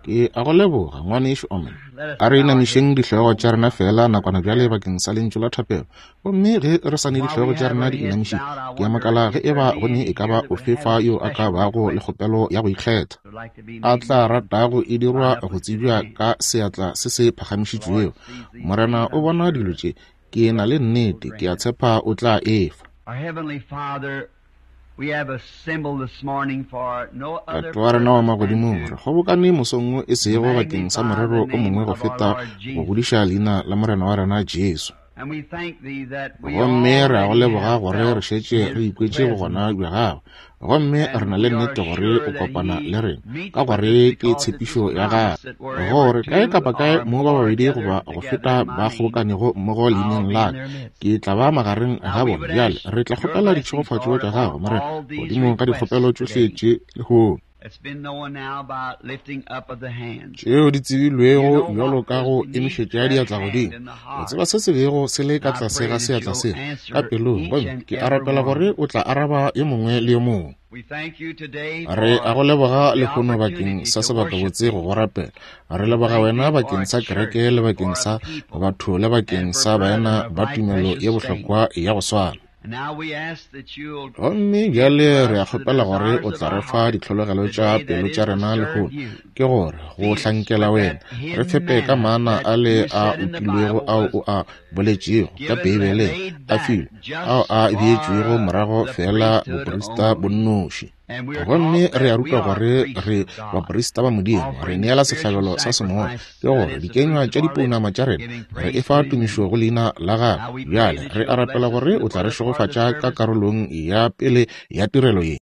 Ke a go leboga, Ngwanešu Omen. A re inamišeng dihlogo tša rena feela nakwana bjale bakeng sa lentšu la thapelo. Gomme ge re sa ne dihlogo tša rena di inamišitše, ke a makala ge eba go ne e ka ba ofe fa yo a ka bago le kgopelo ya go ikgetha, a tla ratago e dirwa go tsebja ka seatla se se phagamišitšwego. Morena o bona dilo tše. Ke na le nnete, ke a tshepa o tla e fa. Tate wa rena wa magodimong, re kgobokane mosong wo e sego bakeng sa morero o mongwe go feta go godiša leina la Morena wa rena Jesu. Gomme re a go leboga gore re šetše re ikwetše bogona bja gagwe, gomme re na le nnete gore o kopana le rena, ka gore ke tshepišo ya gagwe, gore kae kapa kae mo ba babedi goba go feta ba kgobokanego mmogo leineng la ka, ke tla ba magareng ga bona. Bjale re tla kgopela ditšhegofatšo tša gago, Morena, godimo ga dikgopelo tšohle tše lehono, tšeo di tsebilwego bjalo ka go emišetša diatla godimo. O tseba se se bego se le ka tlase ga seatla seo ka pelong, gomme ke a rapela gore o tla araba yo mongwe le yo mongwe. Re a go leboga lehono bakeng sa sebakabotse go go rapela. Re leboga wena bakeng sa kereke le bakeng sa batho le bakeng sa baena ba tumelo ye bohlokwa ya go swana. Gomme bjale re a kgopela gore o tla re fa ditlhologelo tša pelo tša rena lehono, ke gore go hlankela wena, re fepe ka maana a le a utilwego ao o a boletšego ka Beibeleng, a filwe, ao a beetšwego morago feela boprista bo nnoši. Gomme re a rutwa gore re baprista ba Modimo, re neela sehlabelo sa semoya, ke gore dikenywa tša dipounama tša rena, re efa tumišo go leina la gagwe. Bjale re a rapela gore o tla re šegofatša ka karolong ya pele ya tirelo ye.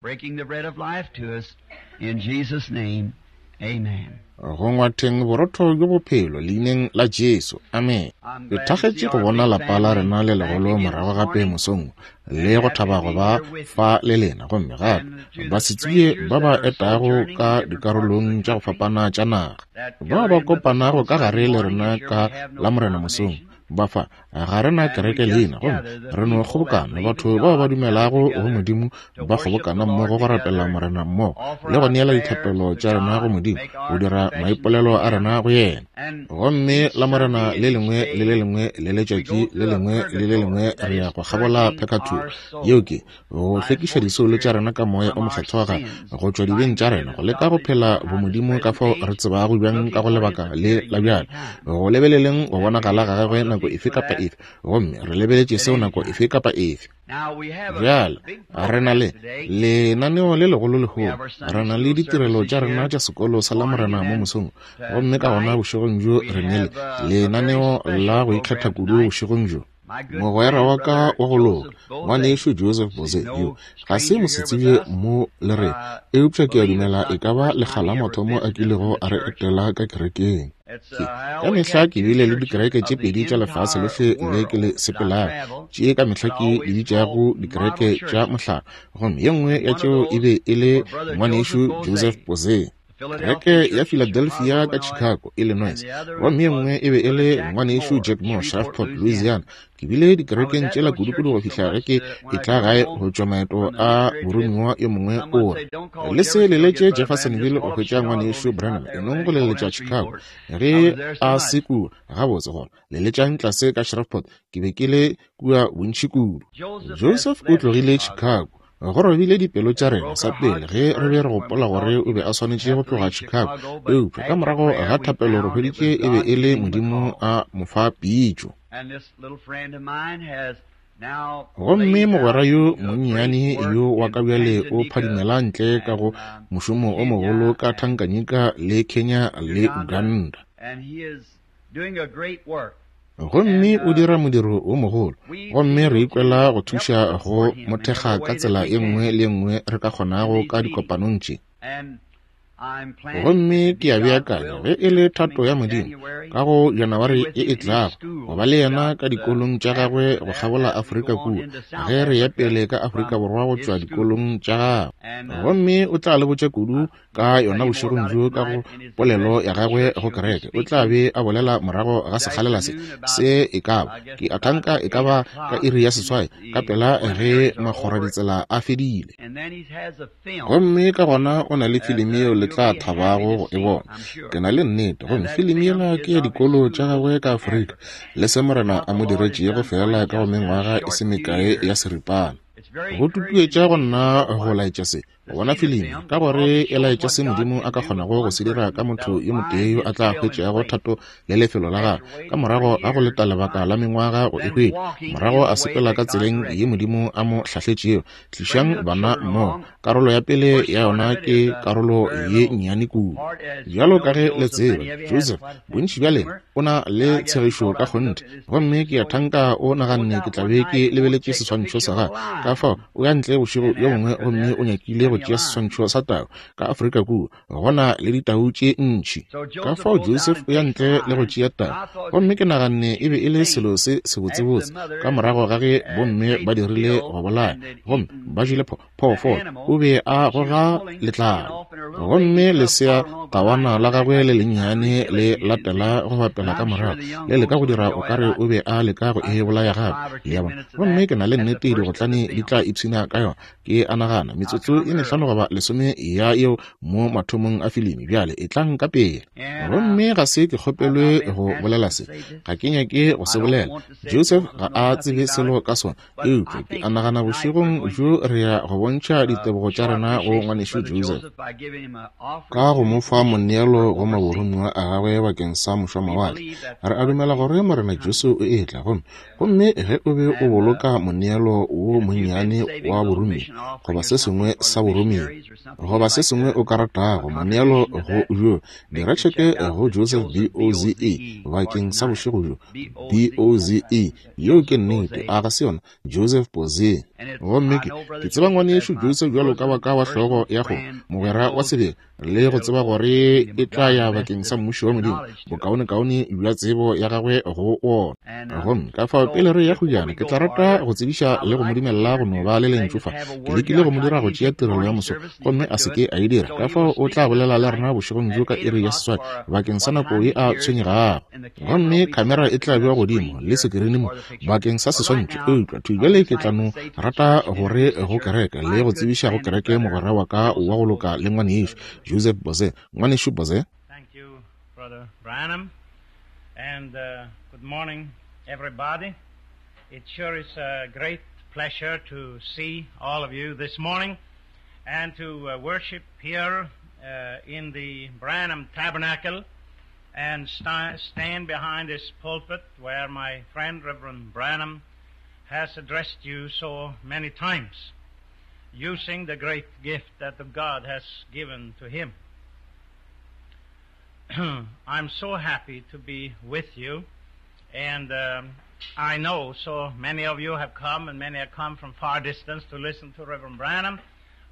Go ngwatheng borotho bjo bophelo leineng la Jesu. Amen. Ke thakgetše go bona lapa la rena le legolo morago gape mosong le go thaba go ba fa le lena, gomme gape basetsebje ba ba etago ka dikarolong tša go fapana tša naga, bao ba kopanago ka gare le rena ka Lamorena mosong. Ba fa, ga re na kereke leina, gomme re no kgobokana, batho bao ba dumelago go Modimo ba kgobokana mmogo go rapela Morena mmogo le go neela dithapelo tša rena go Modimo, go dira maipolelo a rena go yena. Gomme Lamorena le lengwe le le lengwe le letšatši le lengwe le le lengwe re ya go kgabola phekathuo, yeo ke go hlwekiša disoulo tša rena ka Moya o Mokgethwa ga go tšwa dibeng tša rena, go leka go phela bomodimo ka fao re tsebago bjang ka go lebaka le la bjale, go lebeleleng go bonagala ga gagwe nako efe kapa efe, gomme re lebeletše seo nako efe kapa efe. Bjale re na le lenaneo le legolo lehono, re na le ditirelo tša rena tša sekolo sa Lamorena mo mosong, gomme ka gona bošegong bjo re ne le lenaneo la go ikgetha kudu bošegong bjo. Mogwera wa ka wa go loka, ngwanešu Joseph Boze, yo ga se mosetsebje mo le rena, eupša ke a dumela e ka ba lekga la mathomo a kilego a re etela ka kerekeng. Ke, ka mehla ke bile le dikereke tše pedi tša lefase lohle le ke le sepelago, tše ka mehla ke di bitšago dikereke tša mohlala, gomme ye nngwe ya tšeo e be e le ngwanešu Joseph Boze. Kereke ya Philadelphia ka Chicago, Illinois, gomme ye nngwe e be e le ngwanešu Jack Moore, Shreveport, Louisiana. Ke bile dikerekeng tšela kudu-kudu go fihla ge ke etla gae go tšwa maeto a boromiwa. Yo mongwe o re, Le se leletše Jeffersonville go hwetša ngwanešu Branham, e nong go leletša Chicago. Ge a se kua, gabotse gona leletšang tlase ka Shreveport. Ke be ke le kua bontši kudu. Joseph o tlogile Chicago. Go robile dipelo tša rena sa pele ge re be re gopola gore o be a swanetše go tloga Chicago, eupša ka morago ga thapelo re hweditše e be e le Modimo a mo fa pitšo. Gomme mogwera yo monnyane yo wa ka bjale o phadimela ntle ka go mošomo o mogolo ka Tanganyika le Kenya le Uganda. Gomme o dira modiro wo mogolo, gomme re ikwela go thuša go mo thekga ka tsela ye nngwe le ye nngwe re ka kgonago ka dikopanong tše. Gomme ke a beakanya, ge e le thato ya Modimo, ka go Janaware e e tlago, go ba le yena ka dikolong tša gagwe go kgabola Afrika kua, ge re ya pele ka Afrika Borwa go tšwa dikolong tša gagwe. Gomme o tla le botša kudu ka yona bošegong bjo ka go polelo ya gagwe go kereke. O tla be a bolela morago ga sekgalela se, se e ka ba, ke a thanka e ka ba ka iri ya seswai, ka pela ge makgoraditsela a fedile. Gomme ka gona o na le filimi yeo le tla thabago go e bona. Ke na le nnete. Gomme filimi yela ke ya dikolo tša gagwe ka Afrika, le se Morena a mo diretšego feela ka go mengwaga e se mekae ya seripana. Go tutuetša go nna go laetša se, go bona filimi, ka gore e laetša se Modimo a ka kgonago go se dira ka motho yo motee yo a tla hwetšago thato le lefelo la gagwe, ka morago ga go leta lebaka la mengwaga go e hwetša, morago a sepela ka tseleng ye Modimo a mo hlahletšego. Tlišang bana mmogo. Karolo ya pele ya yona ke karolo ye nnyane kudu. Bjalo ka ge le tseba, Joseph, bontši bja lena, o na le tshegišo ka kgonthe. Gomme ke a thanka o naganne ke tla be ke lebeletše seswantšho sa gagwe. Ka fao, o ya ntle bošego bjo bongwe gomme o nyakile go tšea seswantšho sa tau. Ka Afrika kua, go na le ditau tše ntši. Ka fao Joseph o ya ntle le go tšea tau. Gomme ke naganne e be e le selo se sebotsebotse, ka morago ga ge bomme ba dirile go bolaya, gomme ba jele pho, phoofolo, o be a goga letlalo. Gomme lesea tawana la gagwe le lennyane le latela go bapela ka morago, le leka go dira o ka re o be a leka go e bolaya gape. Le a bona? Gomme ke na le nnete digotlane di tla ipshina ka yona. Ke a nagana metsotso e mehlano goba lesome ya yeo mo mathomong a filimi. Bjale etlang ka pele. Gomme ga se ke kgopelwe go bolela se, ga ke nyake go se bolela. Joseph ga a tsebe selo ka sona, eupša ke a nagana bošegong bjo re ya go bontšha ditebogo tša rena go ngwanešu Joseph ka go mo fa moneelo go maboromiwa a gagwe bakeng sa mošwamawatle. Re a dumela gore Morena Jesu o etla, gomme Gomme ge o be o boloka moneelo wo monnyane wa boromiwa, goba se sengwe sa boromiwa, goba se sengwe o ka ratago, moneelo go bjo, dira tšheke go Joseph B-O-Z-E bakeng sa bošego bjo. B-O-Z-E, yeo ke nnete, a ga se yona? Joseph Boze. Gomme ke, ke tseba ngwanešu Joseph bjalo ka wa ka wa hlogo ya kgomo, mogwera wa sebele, le go tseba gore e tla ya bakeng sa mmušo wa Modimo, bokaonekaone bja tsebo ya gagwe go wona. Gomme ka fao pele re ya kgojana, ke tla rata go tsebiša le go mo dumelela go no ba le lentšu fa. Ke lekile go mo dira go tšea tirelo ya moso, gomme a se ke a e dira. Ka fao o tla bolela le rena bošegong bjo ka iri ya seswai bakeng sa nako ye a tshwenyegago. Gomme khamera e tla bewa godimo le sekirini mo bakeng sa seswantšho. Eupša thwi bjale ke tla no rata gore go kereke le go tsebiša go kereke mogwera wa ka wa go loka le ngwanešu Joseph Boze. Ngwanešu Boze. Thank you, Brother Branham, and good morning, everybody. It sure is a great pleasure to see all of you this morning and to worship here in the Branham Tabernacle and stand behind this pulpit where my friend Reverend Branham has addressed you so many times, using the great gift that the God has given to him. I'm so happy to be with you, and I know so many of you have come, and many have come from far distance to listen to Reverend Branham.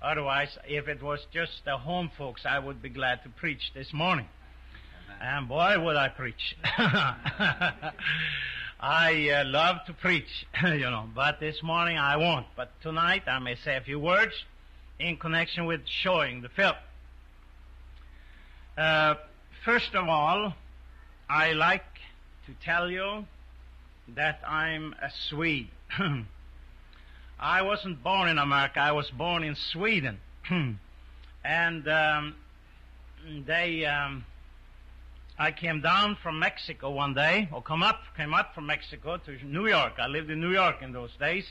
Otherwise, if it was just the home folks, I would be glad to preach this morning. And boy, would I preach. I love to preach, you know, but this morning I won't. But tonight I may say a few words in connection with showing the film. First of all, I like to tell you that I'm a Swede. I wasn't born in America. I was born in Sweden. And I came down from Mexico one day, or came up from Mexico to New York. I lived in New York in those days.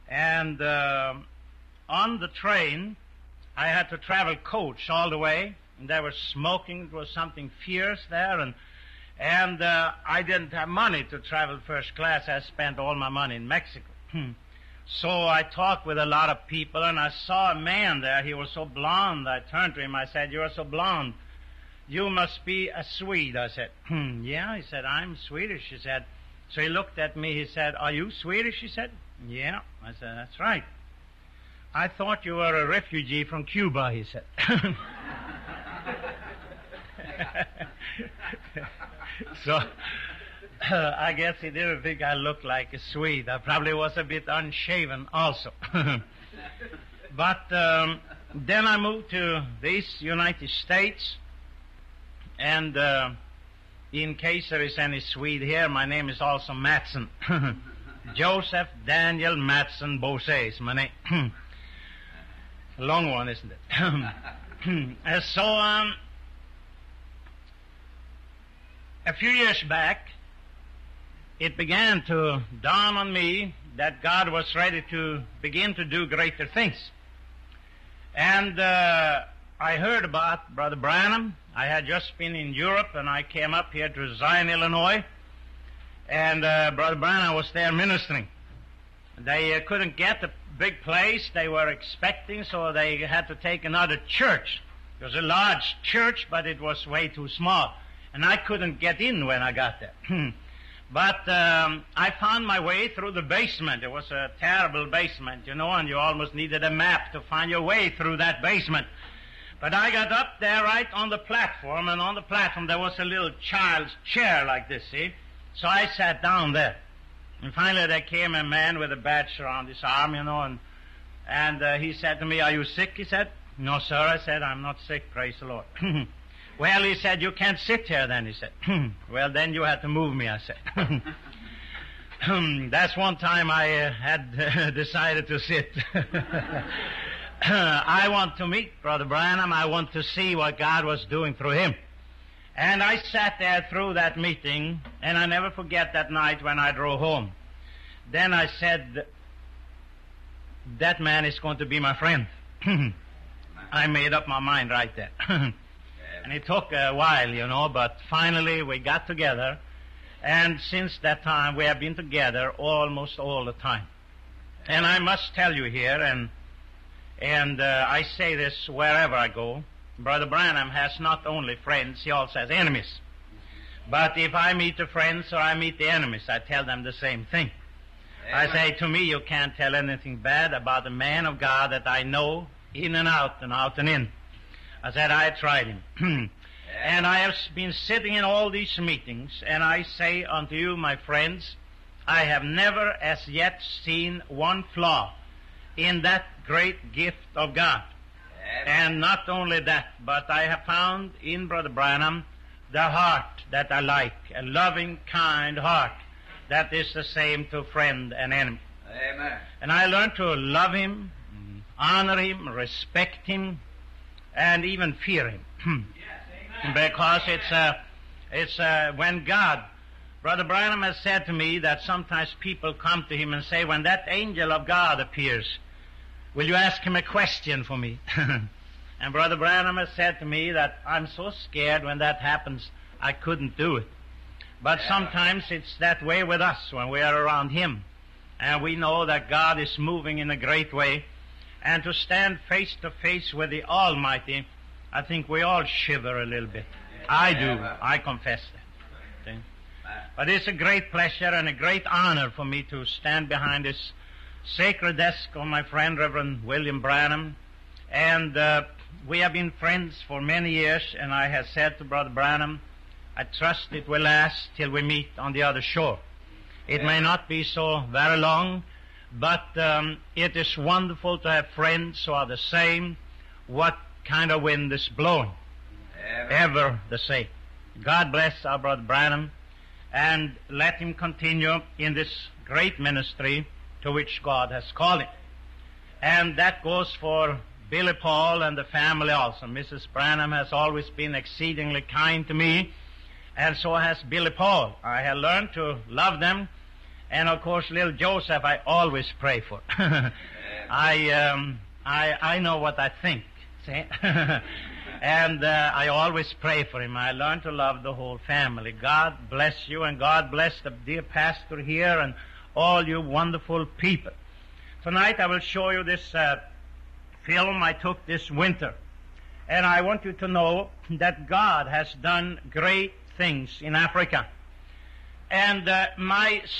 And on the train, I had to travel coach all the way, and they were smoking. It was something fierce there, and I didn't have money to travel first class. I spent all my money in Mexico. So I talked with a lot of people, and I saw a man there. He was so blonde. I turned to him. I said, "You are so blonde. You must be a Swede." I said, "Yeah." He said, "I'm Swedish." He said. So he looked at me. He said, "Are you Swedish?" He said, "Yeah." I said, "That's right." "I thought you were a refugee from Cuba," he said. So I guess he didn't think I looked like a Swede. I probably was a bit unshaven also. But then I moved to these United States, and in case there is any Swede here, my name is also Mattsson. Joseph Daniel Mattsson Boze is my name. A long one, isn't it? So, a few years back, it began to dawn on me that God was ready to begin to do greater things. And I heard about Brother Branham. I had just been in Europe, and I came up here to Zion, Illinois, and Brother Branham was there ministering. They couldn't get the big place they were expecting, so they had to take another church. It was a large church, but it was way too small. And I couldn't get in when I got there. But I found my way through the basement. It was a terrible basement, you know, and you almost needed a map to find your way through that basement. But I got up there right on the platform, and on the platform there was a little child's chair like this, see? So I sat down there. And finally there came a man with a badge around his arm, you know, and he said to me, "Are you sick?" He said. "No, sir," I said, "I'm not sick, praise the Lord." "Well," he said, "you can't sit here then," he said. "Well, then you had to move me," I said. That's one time I had decided to sit. I want to meet Brother Branham. I want to see what God was doing through him. And I sat there through that meeting, and I never forget that night when I drove home. Then I said, that man is going to be my friend. I made up my mind right there. And it took a while, you know, but finally we got together. And since that time, we have been together almost all the time. And I must tell you here, and I say this wherever I go, Brother Branham has not only friends, he also has enemies. But if I meet the friends or I meet the enemies, I tell them the same thing. Amen. I say, to me, you can't tell anything bad about a man of God that I know in and out and out and in. I said, I tried him. And I have been sitting in all these meetings, and I say unto you, my friends, I have never as yet seen one flaw in that great gift of God. And not only that, but I have found in Brother Branham the heart that I like, a loving, kind heart that is the same to friend and enemy. Amen. And I learned to love him, honor him, respect him, and even fear him. Yes, because it's when God, Brother Branham has said to me that sometimes people come to him and say, when that angel of God appears, will you ask him a question for me? And Brother Branham has said to me that I'm so scared when that happens, I couldn't do it. But sometimes it's that way with us when we are around him. And we know that God is moving in a great way. And to stand face to face with the Almighty, I think we all shiver a little bit. I do. I confess that. See? But it's a great pleasure and a great honor for me to stand behind this sacred desk of my friend, Reverend William Branham. And we have been friends for many years, and I have said to Brother Branham, I trust it will last till we meet on the other shore. It may not be so very long, but it is wonderful to have friends who are the same, what kind of wind is blowing. Ever the same. God bless our Brother Branham, and let him continue in this great ministry to which God has called him. And that goes for Billy Paul and the family also. Mrs. Branham has always been exceedingly kind to me, and so has Billy Paul. I have learned to love them. And, of course, little Joseph I always pray for. I know what I think, see? And I always pray for him. I learned to love the whole family. God bless you, and God bless the dear pastor here and all you wonderful people. Tonight I will show you this film I took this winter. And I want you to know that God has done great things in Africa. And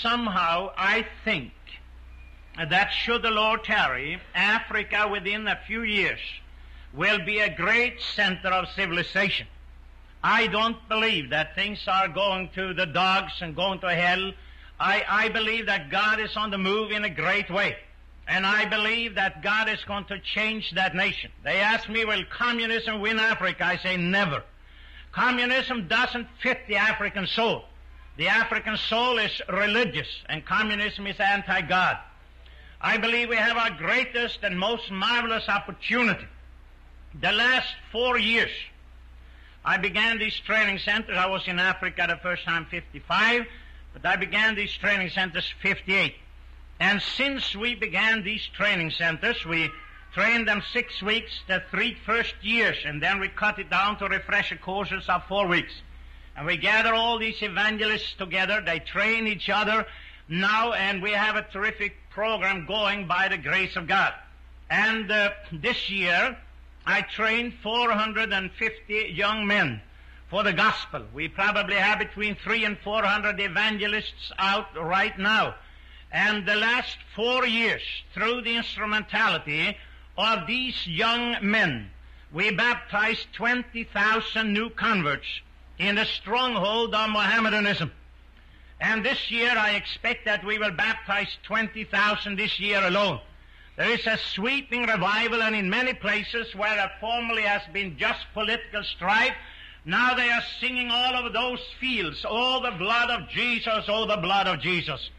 somehow I think that should the Lord tarry, Africa within a few years will be a great center of civilization. I don't believe that things are going to the dogs and going to hell. I believe that God is on the move in a great way. And I believe that God is going to change that nation. They ask me, will communism win Africa? I say never. Communism doesn't fit the African soul. The African soul is religious, and communism is anti-God. I believe we have our greatest and most marvelous opportunity The last 4 years, I began these training centers. I was in Africa the first time 55, but I began these training centers 58. And since we began these training centers, we trained them 6 weeks the 3 first years, and then we cut it down to refresher courses of 4 weeks. And we gather all these evangelists together. They train each other now, and we have a terrific program going by the grace of God. And this year, I trained 450 young men for the gospel. We probably have between 300 and 400 evangelists out right now. And the last 4 years, through the instrumentality of these young men, we baptized 20,000 new converts in the stronghold of Mohammedanism. And this year I expect that we will baptize 20,000 this year alone. There is a sweeping revival, and in many places where there formerly has been just political strife, now they are singing all over those fields, "Oh, the blood of Jesus, oh, the blood of Jesus."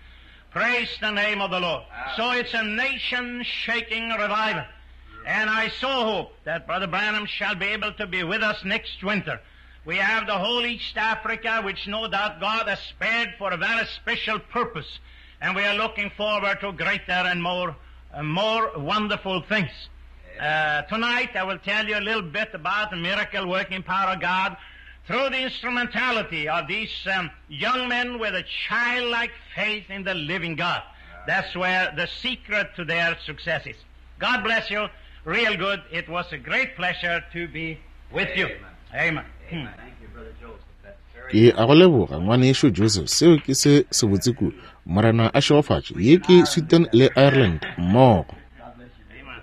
Praise the name of the Lord. So it's a nation-shaking revival. And I so hope that Brother Branham shall be able to be with us next winter. We have the whole East Africa, which no doubt God has spared for a very special purpose. And we are looking forward to greater and more wonderful things. Tonight I will tell you a little bit about the miracle working power of God through the instrumentality of these young men with a childlike faith in the living God. That's where the secret to their success is. God bless you. Real good. It was a great pleasure to be with you. Amen. Amen. Thank you, Brother Joseph. That's very Ke a go leboga ngwanešu Joseph, seo ke se sebotse kudu. Morena a šegofatše. Ye ke Sweden le Ireland mmogo. God bless you. Amen.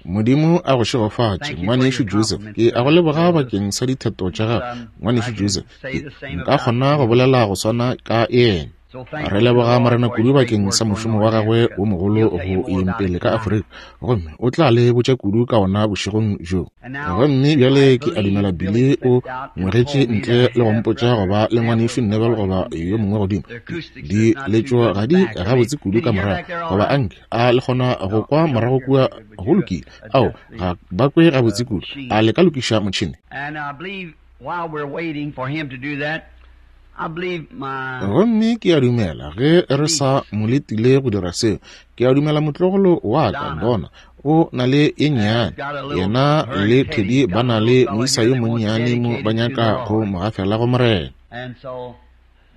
Modimo a go šegofatše Thank you for ngwanešu your Joseph. compliments, Ke a go Brother leboga Joseph. bakeng sa ditheto tša gago ngwanešu I can Joseph. say Ke the same nka about kgona go him. bolela go swana ka yena. So thank Re you to the leboga Lord Morena for kudu his great bakeng work sa going mošomo on wa in gagwe Africa. wo mogolo He'll tell you go more yeng about it pele ka tonight. Afrika, gomme o tla le botša kudu ka ona bošegong bjo. And now Gomme I bjale ke a dumela believe Billy Billy o stepped out and ngwegetše told me ntle that le go he had mpotša Brother goba le ngwanešu Neville Neville was goba talking yo to. mongwe godimo. The acoustics Di is not too letšo good ga di back. Are they? gabotse kudu Did ka you hear morago, back there all goba right? anke a le kgona go No, kwa you don't morago hear kua very good. Would go you lokile. Ao, adjust the ga ba kwe gabotse kudu. machine? A le ka lokiša motšhene? And I believe while we're waiting for him to do that, I believe my Gomme ke a dumela ge re sa niece mo letile go dira seo, ke a dumela motlogolo wa ka Donna Donna o na le e has nnyane. got a little, Yena her and le Teddy's Teddy ba got a na little le fella moisa here yo they want monnyane mo ba dedicated to the nyaka go Lord. mo gafela go Morena. And so,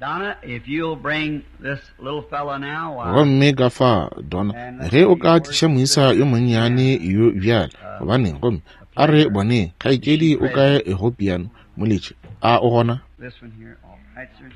Donna, if you'll bring this little fella now, why, Gomme ka fa Donna, and let's ge o see ka where's tliša moisa yo Sister monnyane Ann, yo bjale, gobaneng gomme a a re pleasure. boneng Is she kgaetšedi o present? kae go piano moletši, a o gona? This one here. All right, sir.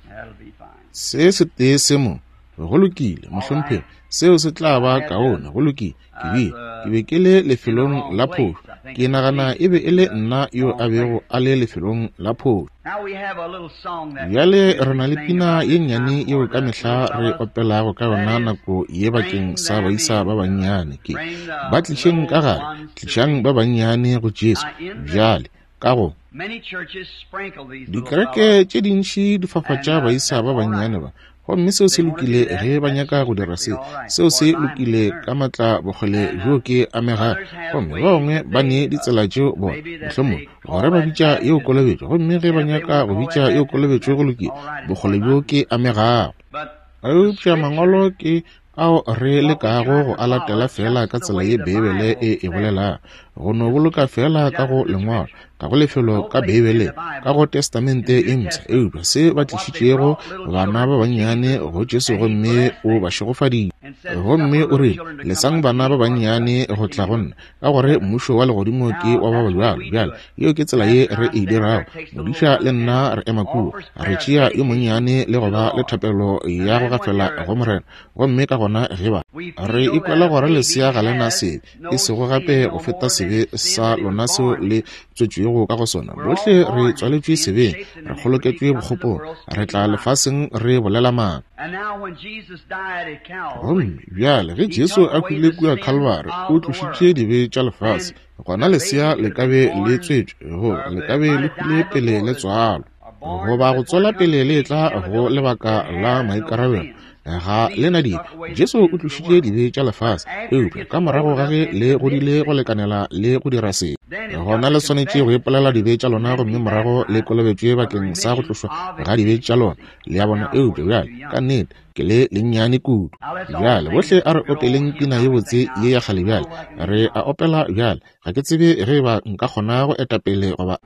That'll be fine. Se se tee se mo go lokile All mohlomphegi, right. seo se tla I ba had kaone. Go lokile. Ke I bile was ke be ke le in the lefelong wrong la place. phošo. I think Ke I nagana believe e be e le in the nna yo wrong a bego place. a le lefelong la phošo. Now we have a little song that we Bjale re usually na le sing pina about ye this nnyane time yeo for ka the mehla little re fellas. opelago ka That yona is, nako ye bakeng bring sa them baisa ba in. bannyane. Ke Bring ba the tlišeng little ka gare, ones to tlišang me. ba bannyane go Jesu. Now in the Bjale ka go many churches sprinkle these little dikereke fellas, tše dintši di and fafatša baisa that's ba all right. bannyane ba, gomme seo se They want to lokile do that. ge ba That's nyaka go dira strictly se. all right, as Seo far se as I'm lokile ka concerned. matla bokgole And bjo ke amegago. others have Gomme ba ways bangwe that ba ne they, ditsela tšeo bona maybe that mohlomongwe they gore call ba that bitša yeo baptism. kolobetšo, gomme ge ba And if they nyaka want to go call bitša that yeo baptism, kolobetšo go that's lokile, all right as far bokgole as bjo I'm ke concerned. amegago. But the Eupša mangwalo Scripture, ke ao re what we lekago try go to a latela follow fela just ka the tsela way ye the Beibele Bible e e says. bolelago, go no boloka fela ka Just go the lengwalo, Scripture. ka go lefelo No ka place in Beibeleng, the ka Bible, go in Testamente the e New Mpsha. Testament, Eupša se ba of what they tlišitšego brought little bana children ba to bannyane Jesus, go Jesu and he gomme blessed o them ba šegofaditše. and said, Gomme Suffer o little rile, children to come lesang unto bana me, ba for such bannyane is the go tla go kingdom nna, ka gore of heaven. mmušo wa legodimo ke Now wa ba that's the way bjalo. we do Bjale it. yeo ke tsela ye Pastor re and I e stand there, dirago. takes the little Modiša le ones and nna re ema kua, offers re prayer of tšea yo dedication monnyane le to go the ba le Lord. thapelo And ya go then when gafela you're go Morena. Gomme ka gona ge ba we re feel ikwela that a gore baby lesea ga le na has sebe, no e sego sin gape no go feta more than sebe the sin sa that he was lona seo born le in. tswetšwego ka go sona. We're all Bohle re born in tswaletšwe sin, sebeng, shaped in re iniquity, kgoloketšwe come to the bokgopong, world re speaking tla lies. lefaseng re bolela maaka. And now when Jesus died at Calvary, Gomme bjale ge he Jesu took a away hwile the kua sins Calvary, o of the tlošitše world. dibe tša lefase. Then Gona the lesea baby le could ka have be been le born, tswetšwe, goba or le they ka be might le have hwile died pele before le the, tswalwa, or born goba go before tswela it comes pele to le age etla go eligibility lebaka that la has no maikarabelo. sins. Ga le na dibe. Jesu o tlošitše dibe tša lefase. Eupša ka morago ga ge le godile go lekanela le go dira sebe, gona le swanetše go ipolela dibe tša lona gomme morago le kolobetšwe bakeng sa go tlošwa ga dibe tša lona. Le a bona? Eupša bjale, ka nnete, ke le lennyane kudu. Bjale, bohle a re opeleng pina ye botse ye ya kgale bjale. Re a opela bjale. Ga ke tsebe ge eba nka kgona go eta pele goba.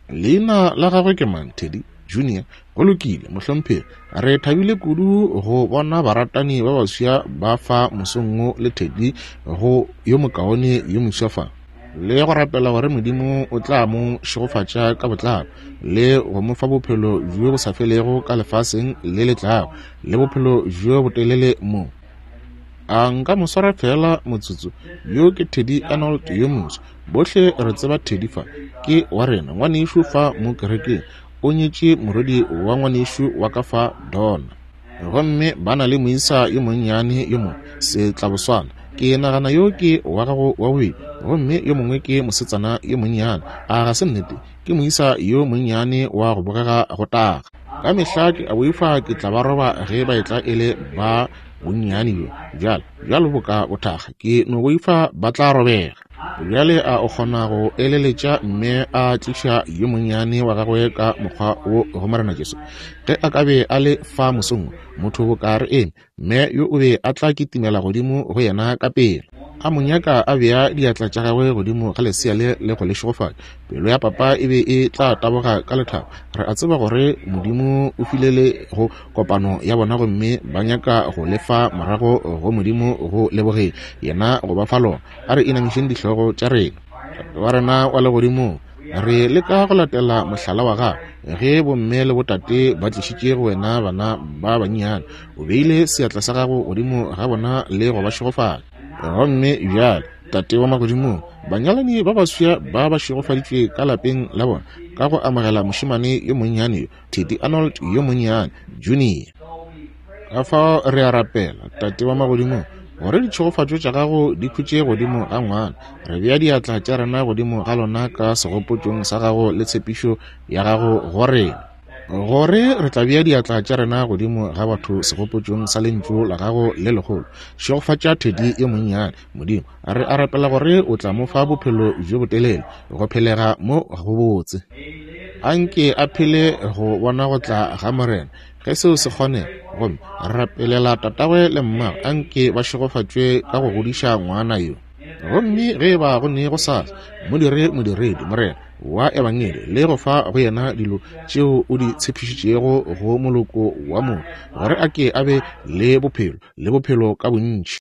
Leina la gagwe ke mang, Teddy Junior? Go lokile, mohlomphegi. Re thabile kudu go bona baratani ba baswa ba fa mosong wo le Teddy go yo mokaone yo moswa fa, le go rapela gore Modimo o tla mo šegofatša ka botlalo le go mo fa bophelo bjo bo sa felego ka lefaseng le le tlago, le bophelo bjo botelele mo. A nka mo swara feela motsotso? Yo ke Teddy Arnold yo moswa. Bohle re tseba Teddy fa. Ke wa rena, ngwanešu fa mo kerekeng. O nyetše morwedi wa ngwanešu wa ka fa, Donna. Gomme ba na le moisa yo monnyane yo mongwe, setlaboswana. Ke nagana yo ke wa gago wa bobedi, gomme yo mongwe ke mosetsana yo monnyane. A ga se nnete? Ke moisa yo monnyane wa go bogega go taga. Ka mehla ke a boifa ke tla ba roba ge ba etla e le ba bonnyane bjo bjalo, bjalo boka bothakga. Ke no boifa ba tla robega. Bjale a o kgona go eleletša mme a tliša yo monnyane wa gagwe ka mokgwa wo go Morena Jesu? Ge a ka be a le fa mosong wo, motho boka re eme, mme yo o be a tla kitimela godimo go yena ka pela, a mo nyaka a bea diatla tša gagwe godimo ga lesea le le go le šegofatša. Pelo ya papa e be e tla taboga ka lethabo. Re a tseba gore Modimo o file le go kopano ya bona gomme ba nyaka go le fa morago go Modimo go lebogeng yena go ba fa lona. A re inamišeng dihlogo tša rena. Tate wa rena wa legodimong, re leka go latela mohlala wa gago. Ge bomme le botate ba tlišitše go wena bana ba bannyane, o beile seatla sa gago godimo ga bona le go ba šegofatša. Gomme bjale, Tate wa magodimong, banyalani ba baswa ba ba šegofaditšwe ka lapeng la bona ka go amogela mošemane yo monnyane yo, Teddy Arnold yo monnyane, Junior. Ka fao re a rapela, Tate wa magodimong, gore ditšhegofatšo tša gago di khutše godimo ga ngwana. Re bea diatla tša rena godimo ga lona ka segopotšong sa gago le tshepišo ya gago go rena, gore re tla bea diatla tša rena godimo ga batho segopotšong sa lentšu la gago le legolo. Šegofatša Teddy yo monnyane, Modimo. Re a rapela gore o tla mo fa bophelo bjo botelele, go phelega mo gobotse. Anke a phele go bona go tla ga Morena, ge seo se kgonega. Gomme re rapelela tatagwe le mmagwe, anke ba šegofatšwe ka go godiša ngwana yo. Gomme ge e ba go ne go sasa, mo dire modiredi, Morena, wa Ebangedi, le go fa go yena dilo tšeo o di tshepišitšego go moloko wa motho, gore a ke a be le bophelo, le bophelo ka bontši.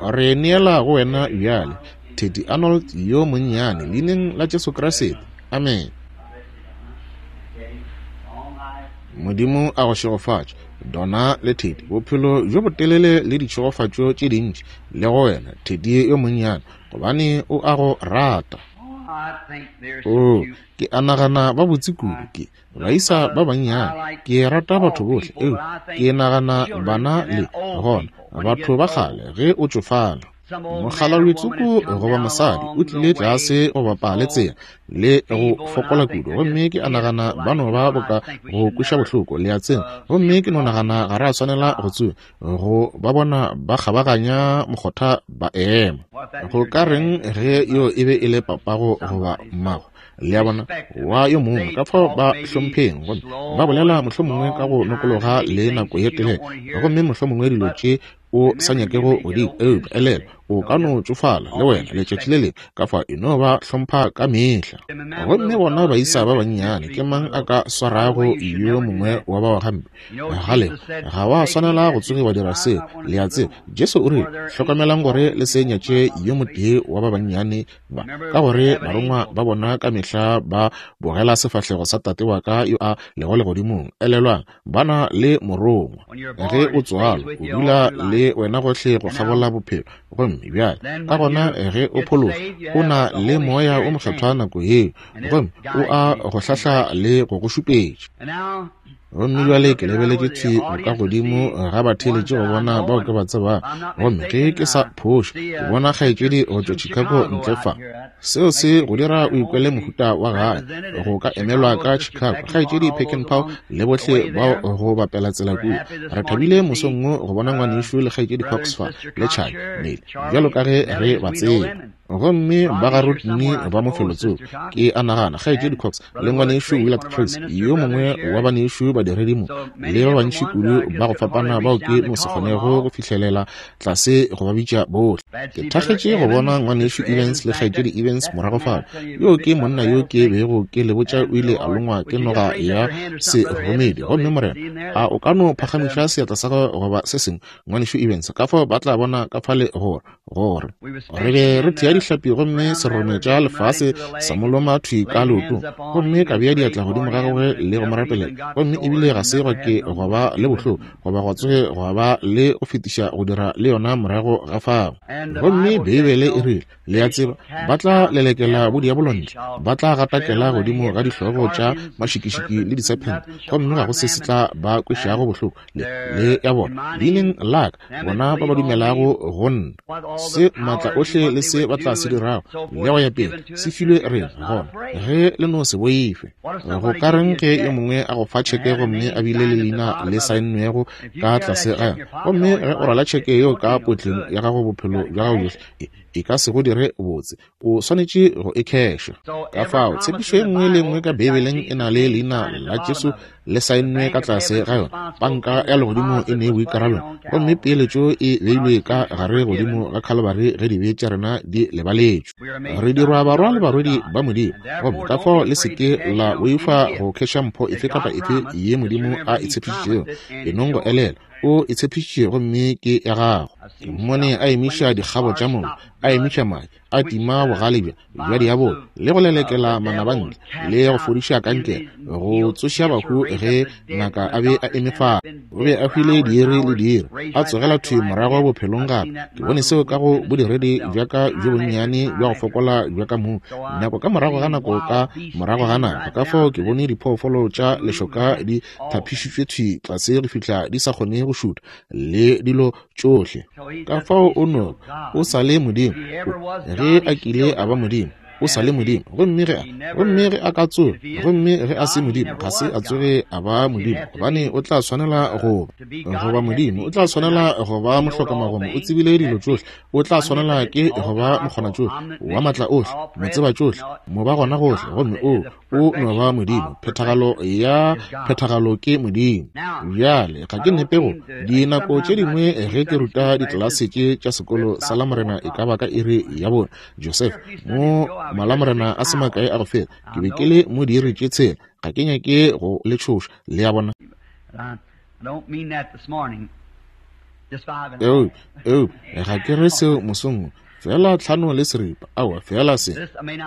Re neela go wena bjale, Teddy Arnold yo monnyane, leineng la Jesu Kriste. Amen. Modimo a go šegofatše, Donna le Teddy, bophelo bjo botelele le ditšhegofatšo tše dintši, le go wena, Teddy yo monnyane, gobane o a go rata. Oo, ke a nagana ba botse kudu. Ke, baisa ba bannyane, ke rata batho bohle, eupša ke nagana bana le gona batho ba kgale ge o tšofala. Mokgalabjetsoko goba mosadi o tlile tlase go bapa le tsela le go fokola kudu, gomme ke a nagana ba no ba boka go kweša bohloko, le a tseba, gomme ke no nagana ga re a swanela go tsoga go ba bona ba kgabaganya mokgotha ba ema. Go ka reng ge yo e be e le papago goba mmago? Le a bona, wa yo mongwe, ka fao ba hlompheng, gomme ba bolela mohlomongwe ka go nokologa le nako ye telele, gomme mohlomongwe dilo tše o sa nyakego go di, eupša elelwa, O ka no tšofala le wena letšatši le lengwe, ka fao e no ba hlompha ka mehla. Gomme bona baisa ba bannyane, ke mang a ka swarago yo mongwe wa bao gampe? Gale, ga wa swanela go tsoge wa dira seo. Le a tseba, Jesu o rile, Hlokamelang gore le se nyatše yo motee wa ba bannyane ba, ka gore barongwa ba bona ka mehla ba bogela sefahlego sa Tate wa ka yo a lego legodimong. Elelwang, ba na le morongwa. Ge o tswalwa, o dula le wena gohle go kgabola bophelo. Gomme bjale, ka gona ge o phološwa, o na le Moya wo Mokgethwa nako yeo, gomme o a go hlahla le go go šupetša. Gomme bjale ke lebeletše thwi ka godimo ga batheeletši go bona bao ke ba tsebago. Gomme ge ke sa phošo, ke bona kgaetšedi go tšwa Chicago ntle fa. Seo se go dira o ikwele mohuta wa gae, go ka emelwa ka Chicago. Kgaetšedi Peckinpah le bohle bao go bapela tsela kua. Re thabile mosong wo go bona ngwanešu le kgaetšedi Cox fa, le Charlie, Nellie, bjalo ka ge re ba tseba. Gomme ba ga Rodney ba mo felotsoko, ke a nagana, Kgaetšedi Cox le Ngwanešu Willard Crase, yo mongwe wa banešu badiredi mo, le ba bantši kudu ba go fapana bao ke no se kgonego go fihlelela tlase go ba bitša bohle. Ke thakgetše go bona Ngwanešu Evans le Kgaetšedi Evans morago fale. Yoo ke monna yo ke bego ke le botša o ile a longwa ke noga ya seromedi. Gomme Morena, a o ka no phagamiša seatla sa gago goba se sengwe, Ngwanešu Evans, ka fao ba tla bona ka fale gore gore re be re thea dihlapi gomme serome tša lefase sa mo loma thwi ka leotong, gomme ka bea diatla godimo ga gagwe le go mo rapelela, gomme ebile ga se gwa ke gwa ba le bohloko goba gwa tsoge gwa ba le go fetiša go dira le yona morago ga fao. Gomme Beibele e rile, le a tseba, ba tla lelekela bodiabolo ntle, ba tla gatakela godimo ga dihlogo tša mašikišiki le disephente, gomme ga go se se tla ba kwešago bohloko le, le ya bona, leineng la ka, bona ba ba dumelago go nna. Se maatla ohle le se ba tla se dirago, le go ya pele, se filwe rena, gona ge le no se boife. Go ka reng ge yo mongwe a go fa tšheke gomme a bile le leina le saennwego ka tlase ga yona, gomme ge o rwala tšheke yeo ka potleng ya gago bophelo bja gago bjohle, e ka se go dire botse. O swanetše go e kheša. Ka fao, tshepišo e nngwe le nngwe ka Beibeleng e na le leina la Jesu le saennwe ka tlase ga yona. Panka ya legodimo e ne boikarabelo, gomme peeletšo e beilwe ka gare godimo ga Khalibari ge dibe tša rena di lebaletšwe. Re dirwa barwa le barwedi ba Modimo, gomme ka fao le se ke la boifa go kheša mpho efe kapa efe ye Modimo a e tshepišitšego. Enong go elelwa, O e tshepišitše gomme ke ya gago. Ke mmone a emiša dikgabo tša mollo, a emiša madi, a tima bogale bja bja diabolo, le go lelekela manaba ntle, le go fodiša kankere, go tsoša bahu ge ngaka a be a eme fale. O be a hwile diiri le diiri, a tsogela thwi morago bophelong gape. Ke bone seo ka go bodiredi bja ka bjo bonnyane bja go fokola bja ka mong, nako ka morago ga nako ka morago ga nako. Ka fao ke bone diphoofolo tša lešoka di thapišitšwe thwi tlase go fihla di sa kgone go šutha, le dilo tšohle. Ka fao o no, o sa le Modimo. Ge a kile a ba Modimo, o sa le Modimo. Gomme ge a, gomme ge a ka tsoga, gomme ge a se Modimo, ga se a tsoge a ba Modimo, gobane o tla swanela go ba, go ba Modimo. O tla swanela go ba mohlokamagomo, o tsebile dilo tšohle. O tla swanela ke go ba mokgonatšohle, wa maatla ohle, motsebatšohle, mobagonagohle. Gomme o, O no ba Modimo. Phethagalo ya phethagalo ke Modimo. Bjale, ga ke nepe go dinako tše dingwe ge ke ruta ditlelase tše tša sekolo sa Lamorena e ka ba ka iri ya bone. Joseph, mo Malamorena a se makae a go feta, ke be ke le mo diiri tše tshela. Ga ke nyake go le tšhoša, le a bona. Eupša ga ke re seo mosong wo. Feela 5:15, aowa, feela se.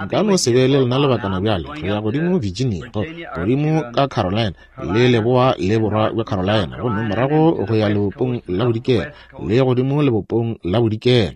Nka no se be le lena lebakana bjale. Re ya godimo Virginia, go, godimo ka Carolina, le leboa le borwa bja Carolina, gomme morago go ya lebopong la bodikela, le godimo lebopong la bodikela,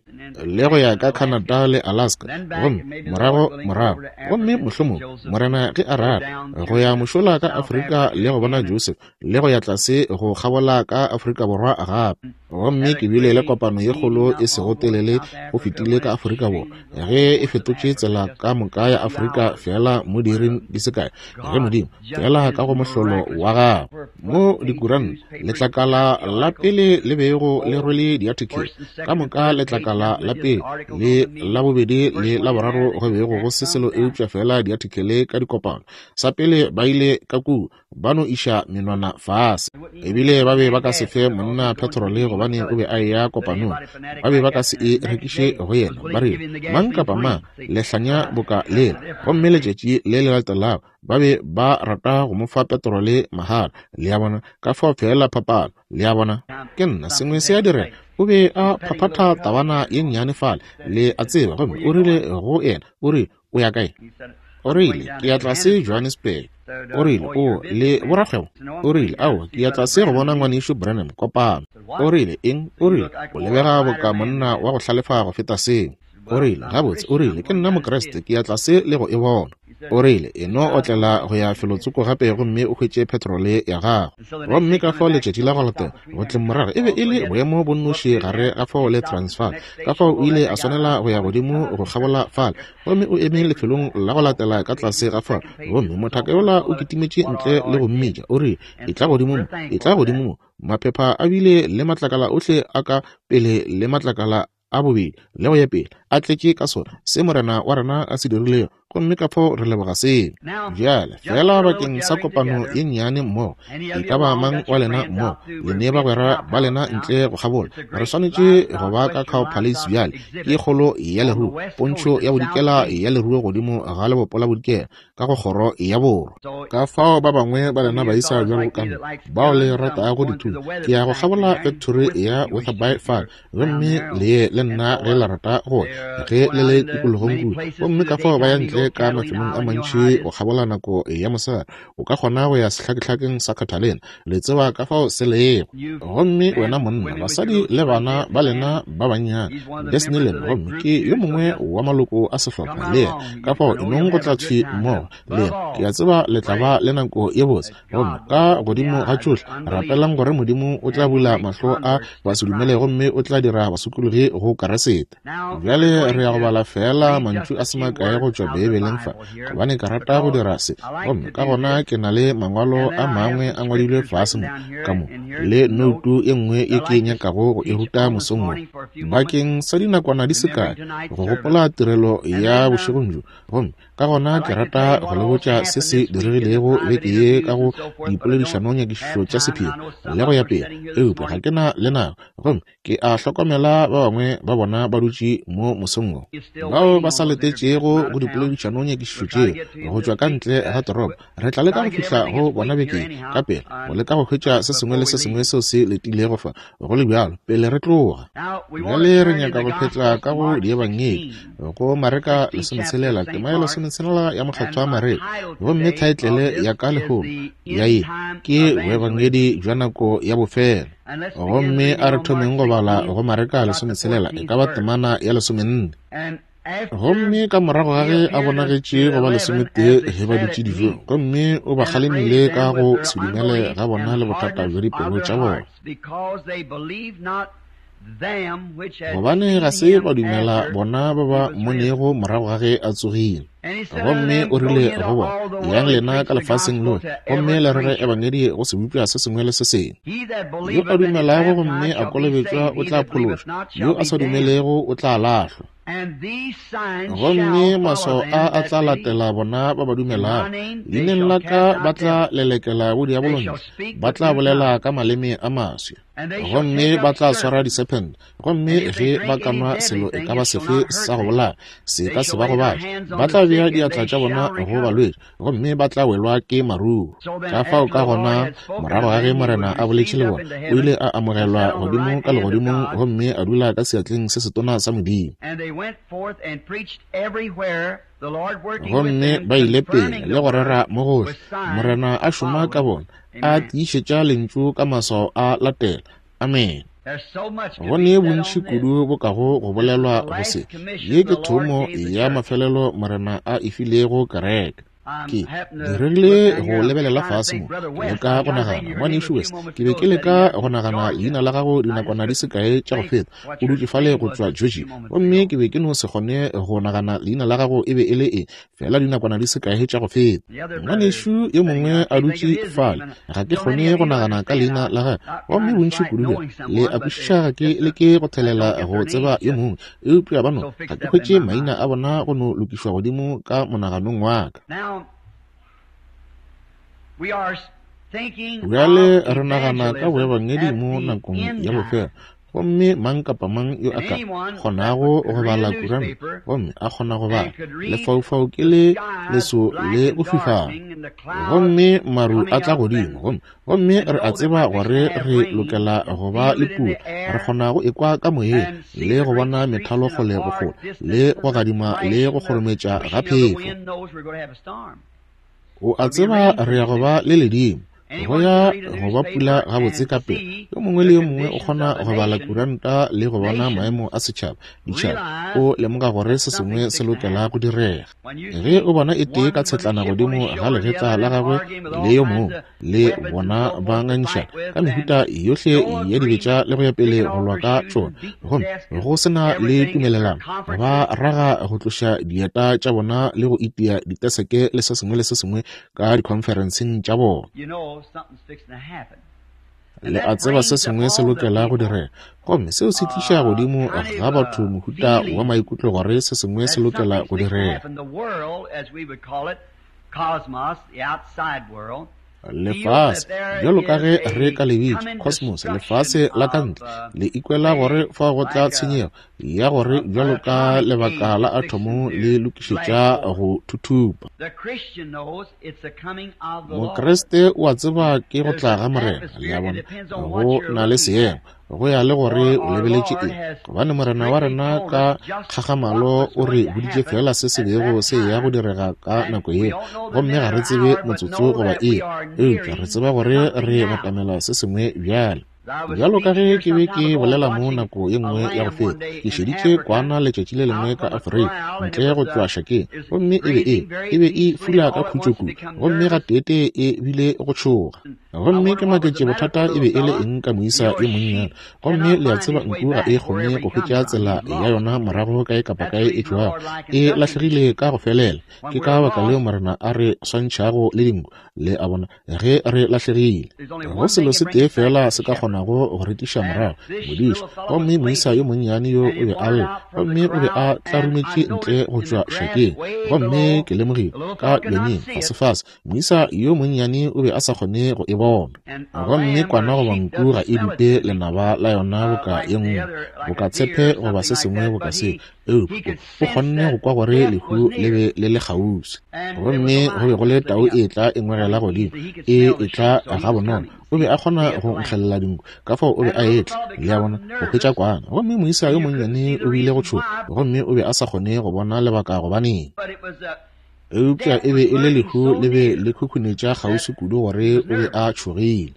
le go ya ka Canada le Alaska, gomme morago, morago, gomme mohlomong, Morena ge a rata, go ya mošola ka Afrika le go bona Joseph, le go ya tlase go kgabola ka Afrika Borwa gape. Gomme ke bile le kopano ye kgolo e sego telele go fetile ka Afrika Borwa, ge e fetotše tsela ka moka ya Afrika feela mo diiring di se kae, ge Modimo, feela ka go mohlolo wa Gagwe, mo dikuranta, letlakala la pele le bego le rwele diathekele ka moka, letlakala la pele le la bobedi le la boraro go bego go se selo eupša feela diathekele ka dikopano. Sa pele ba ile ka kua, ba no iša menwana fase. Ebile ba be ba ka se fe monna petrole gobane gobane o be a eya kopanong. Ba be ba ka se e rekiše go yena. Ba rile, Mang kapa mang, lehlanya boka lela. Gomme letšatši le le latelago, ba be ba rata go mo fa petrole mahala. Le a bona? Ka fao feela phapano. Le a bona? Ke nna, sengwe se a direga. O be a phaphatha tabana ye nnyane fale, le a tseba, gomme o rile go yena, o rile, O ya kae? O rile, Ke ya tlase Johannesburg. O rile, O le borakgwebo? O rile, Aowa, ke ya tlase go bona Ngwanešu Branham kopano. O rile, Eng? O rile, O lebega boka monna wa go hlalefa go feta seo. O rile, Gabotse, o rile, ke nna Mokriste, ke ya tlase le go e bona. O rile, E no otlela go ya felotsoko gape gomme o hwetše petrole ya gago. Gomme ka fao letšatši la go latela, go tleng morago, e be e le boemo bo nnoši gare ga fao le Transvaal. Ka fao o ile a swanela go ya godimo go kgabola fale. Gomme o eme lefelong la go latela ka tlase ga fao. Gomme mothaka yola o kitimetše ntle le go mmitša, o rile, Etla godimo mo, etla godimo mo. Maphepha a bile le matlakala ohle a ka pele le matlakala a bobedi le go ya pele a tletše ka sona se Morena wa rena a se dirilego, gomme ka fao re leboga seo. Bjale, feela bakeng sa kopano ye nnyane mmogo, e ka ba mang wa lena mmogo, le ne bagwera ba lena ntle go kgabola, re swanetše go ba ka Cow Palace bjale, ke kgolo ya leruo, pontšho ya bodikela ya leruo godimo ga lebopo la bodikela, ka go kgoro ya borwa. Ka fao ba bangwe ba lena baisa bjalo ka nna, bao le ratago dithunya, ke ya go kgabola fekthori ya Wetherby fale, gomme le ye le nna ge le rata go ya, ge le le tikologong kua. Gomme ka fao ba ya ntle ka mafelong a mantši go kgabola nako ya mosegare. O ka kgona go ya sehlakehlakeng sa Catalina, le tseba ka fao se lego. Gomme wena monna, basadi le bana ba lena ba bannyane, Disneyland, gomme ke yo mongwe wa maloko a sehlopha le yena. Ka fao e nong go tla thwi mmogo le yena. Ke a tseba le tla ba le nako ye botse. Gomme ka godimo ga tšohle, rapelang gore Modimo o tla bula mahlo a basedumele gomme o tla dira basokologi go Keresete. Bjale re ya go bala feela mantšu a se makae go tšwa Beibeleng fa, gobane ke rata go dira se. Gomme ka gona ke na le mangwalo a mangwe a ngwadilwe fase mo, ka mo, le noutu e nngwe ye ke nyakago go e ruta mosong wo, bakeng sa dinakwana di se kae, go gopola tirelo ya bošegong bjo. Gomme ka gona ke rata go le botša se se diregilego beke ye ka go dipoledišanonyakišišo tša sephiri le go ya pele, eupša ga ke na le nako. Gomme ke a hlokomela ba bangwe ba bona ba dutše mo mosong wo, bao ba sa letetšego go dipoledišanonyakišišo tšeo go tšwa ka ntle ga toropo. Re tla leka go fihla go bona beke ye ka pela, go leka go hwetša se sengwe le se sengwe seo se letilego fa, go le bjalo, pele re tloga. Bjale re nyaka go phetla ka go Diebangedi, go Mareka 16, tema ya 16 ya Mokgethwa Mareka. Gomme thaetlele ya ka lehono ya ye ke Boebangedi bja nako ya bofelo. Gomme a re thomeng go bala go Mareka 16, e ka ba temana ya 14. Gomme ka morago ga ge a bonagetše go ba lesometee ge ba dutše dijong, gomme o ba kgalemile ka go se dumele ga bona le bothata bja dipelo tša bona, gobane ga se ba dumela bona ba ba mmonego morago ga ge a tsogile. Gomme o rile go bona, Yang lena ka lefaseng lohle, gomme le rere ebangedi go sebopša se sengwe le se sengwe. Yo a dumelago gomme a kolobetšwa o tla phološwa, yo a sa dumelego o tla lahlwa. Gomme maswao a a tla latela bona ba ba dumelago. Leineng la ka ba tla lelekela bodiabolo ntle, ba tla bolela ka maleme a maswa. Gomme ba tla swara disephente, gomme ge ba ka nwa selo e ka ba sefe sa go bolaya, se ka se ba gobatše. Ba tla bea diatla tša bona go balwetši, gomme ba tla welwa ke maruru. Ka fao ka gona, morago ga ge Morena a boletše le bona, o ile a amogelwa godimo ka legodimong gomme a dula ka seatleng se setona sa Modimo. Gomme ba ile pele le go rera mo gohle, Morena a šoma ka bona, a tiišetša lentšu ka maswao a latela. Amene. Go ne bontši kudu bo kago go bolelwa go se. Ye ke thomo ya mafelelo Morena a e filego kereke. Ke diregile go lebelela fase mo, ke leka go nagana, Ngwanešu West, ke be ke leka go nagana leina la gago dinakwana di se kae tša go feta, o dutše fale go tšwa Georgia, gomme ke be ke no se kgone go nagana leina la gago e be e le eng, feela dinakwana di se kae tša go feta. Ngwanešu yo mongwe a dutše fale, ga ke kgone go nagana ka leina la gagwe, gomme bontši kudu bja le a kwešiša ga ke leke go thelela go tseba yo mongwe, eupša ba no, ga ke hwetše maina a bona go no lokišwa godimo ka monaganong wa ka. Bjale re nagana ka boebangedi mo nakong ya bofelo. Gomme mang kapa mang yo a ka kgonago go bala kuranta, gomme a kgona go bala, lefaufau ke le leso le go fifala, gomme maru a tla godimo, gomme gomme re a tseba gore re lokela go ba le pula. Re kgona go ekwa ka moyeng le go bona methalo kgole go kgole, le go gadima le go kgorometša ga phefo. O a tseba re ya go ba le ledimo, go ya go ba pula gabotse ka pela. Yo mongwe le yo mongwe o kgona go bala kuranta le go bona maemo a setšhaba, ditšhaba, o lemoga gore se sengwe se lokela go direga. Ge o bona e tee ka tshetlana godimo ga legetla la gagwe le yo mongwe, le bona ba ngangišana ka mehuta yohle ya dibetša le go ya pele go lwa ka tšona, gomme go se na le tumelelano, ba raga go tloša dieta tša bona le go itia diteseke le se sengwe le se sengwe ka dikhonferenseng tša bona. Le a tseba se sengwe se lokela go direga, gomme seo se tliša godimo ga batho mohuta wa maikutlo gore se sengwe se lokela go direga. Lefase, bjalo ka ge re ka le bitša, cosmos, lefase la ka ntle, le ikwela gore fa go tla tshenyego ya gore bjalo ka lebaka la athomo le lokišetša go thuthupa. Mokriste o a tseba ke go tla ga Morena, le a bona, go na le seemo, go ya le gore o lebeletše eng, gobane Morena wa rena ka kgagamalo o re boditše fela se se bego se ya go direga ka nako yeo, gomme ga re tsebe motsotso goba iri, eupša re tseba gore re batamela se sengwe bjale. Bjalo ka ge ke be ke bolela mo nako ye nngwe ya go feta, ke šeditše kwana letšatši le lengwe ka Afrika, ntle go tšwa šakeng, gomme e be e e be e fula ka khutšo kudu, gomme gateetee e bile go tšhoga. Gomme ke maketše bothata e be e le eng ka moisa yo monnyane. Gomme le a tseba nku ga e kgone go hwetša tsela ya yona morago kae kapa kae e tšwago, e lahlegile ka go felela. Ke ka baka leo Morena a re swantšhago le dinku, le a bona, ge re lahlegile. Go selo se tee fela se ka kgonago go re tliša morago, modiši. Gomme moisa yo monnyane yo o be a lla, gomme o be a tlarumetše ntle go tšwa šakeng. Gomme ke lemogile ka bjanyeng fasefase, moisa yo monnyane o be a sa kgone go e bona. Gomme kwana goba nku ga e dupe lenaba la yona boka ye nngwe, boka tshepe goba se sengwe boka seo, eupša o kgonne go kwa gore lehu le be le le kgauswi. Gomme go be go le tau e etla e ngwegela godimo, e etla gabonolo. O be a kgona go nkgelela dinku, ka fao o be a etla, le a bona, go hwetša kwana. Gomme moisa yo monnyane o bile go tšhoga, gomme o be a sa kgone go bona lebaka gobaneng. Eupša e be e le lehu le be le khukhunetša kgauswi kudu gore o be a tšhogile.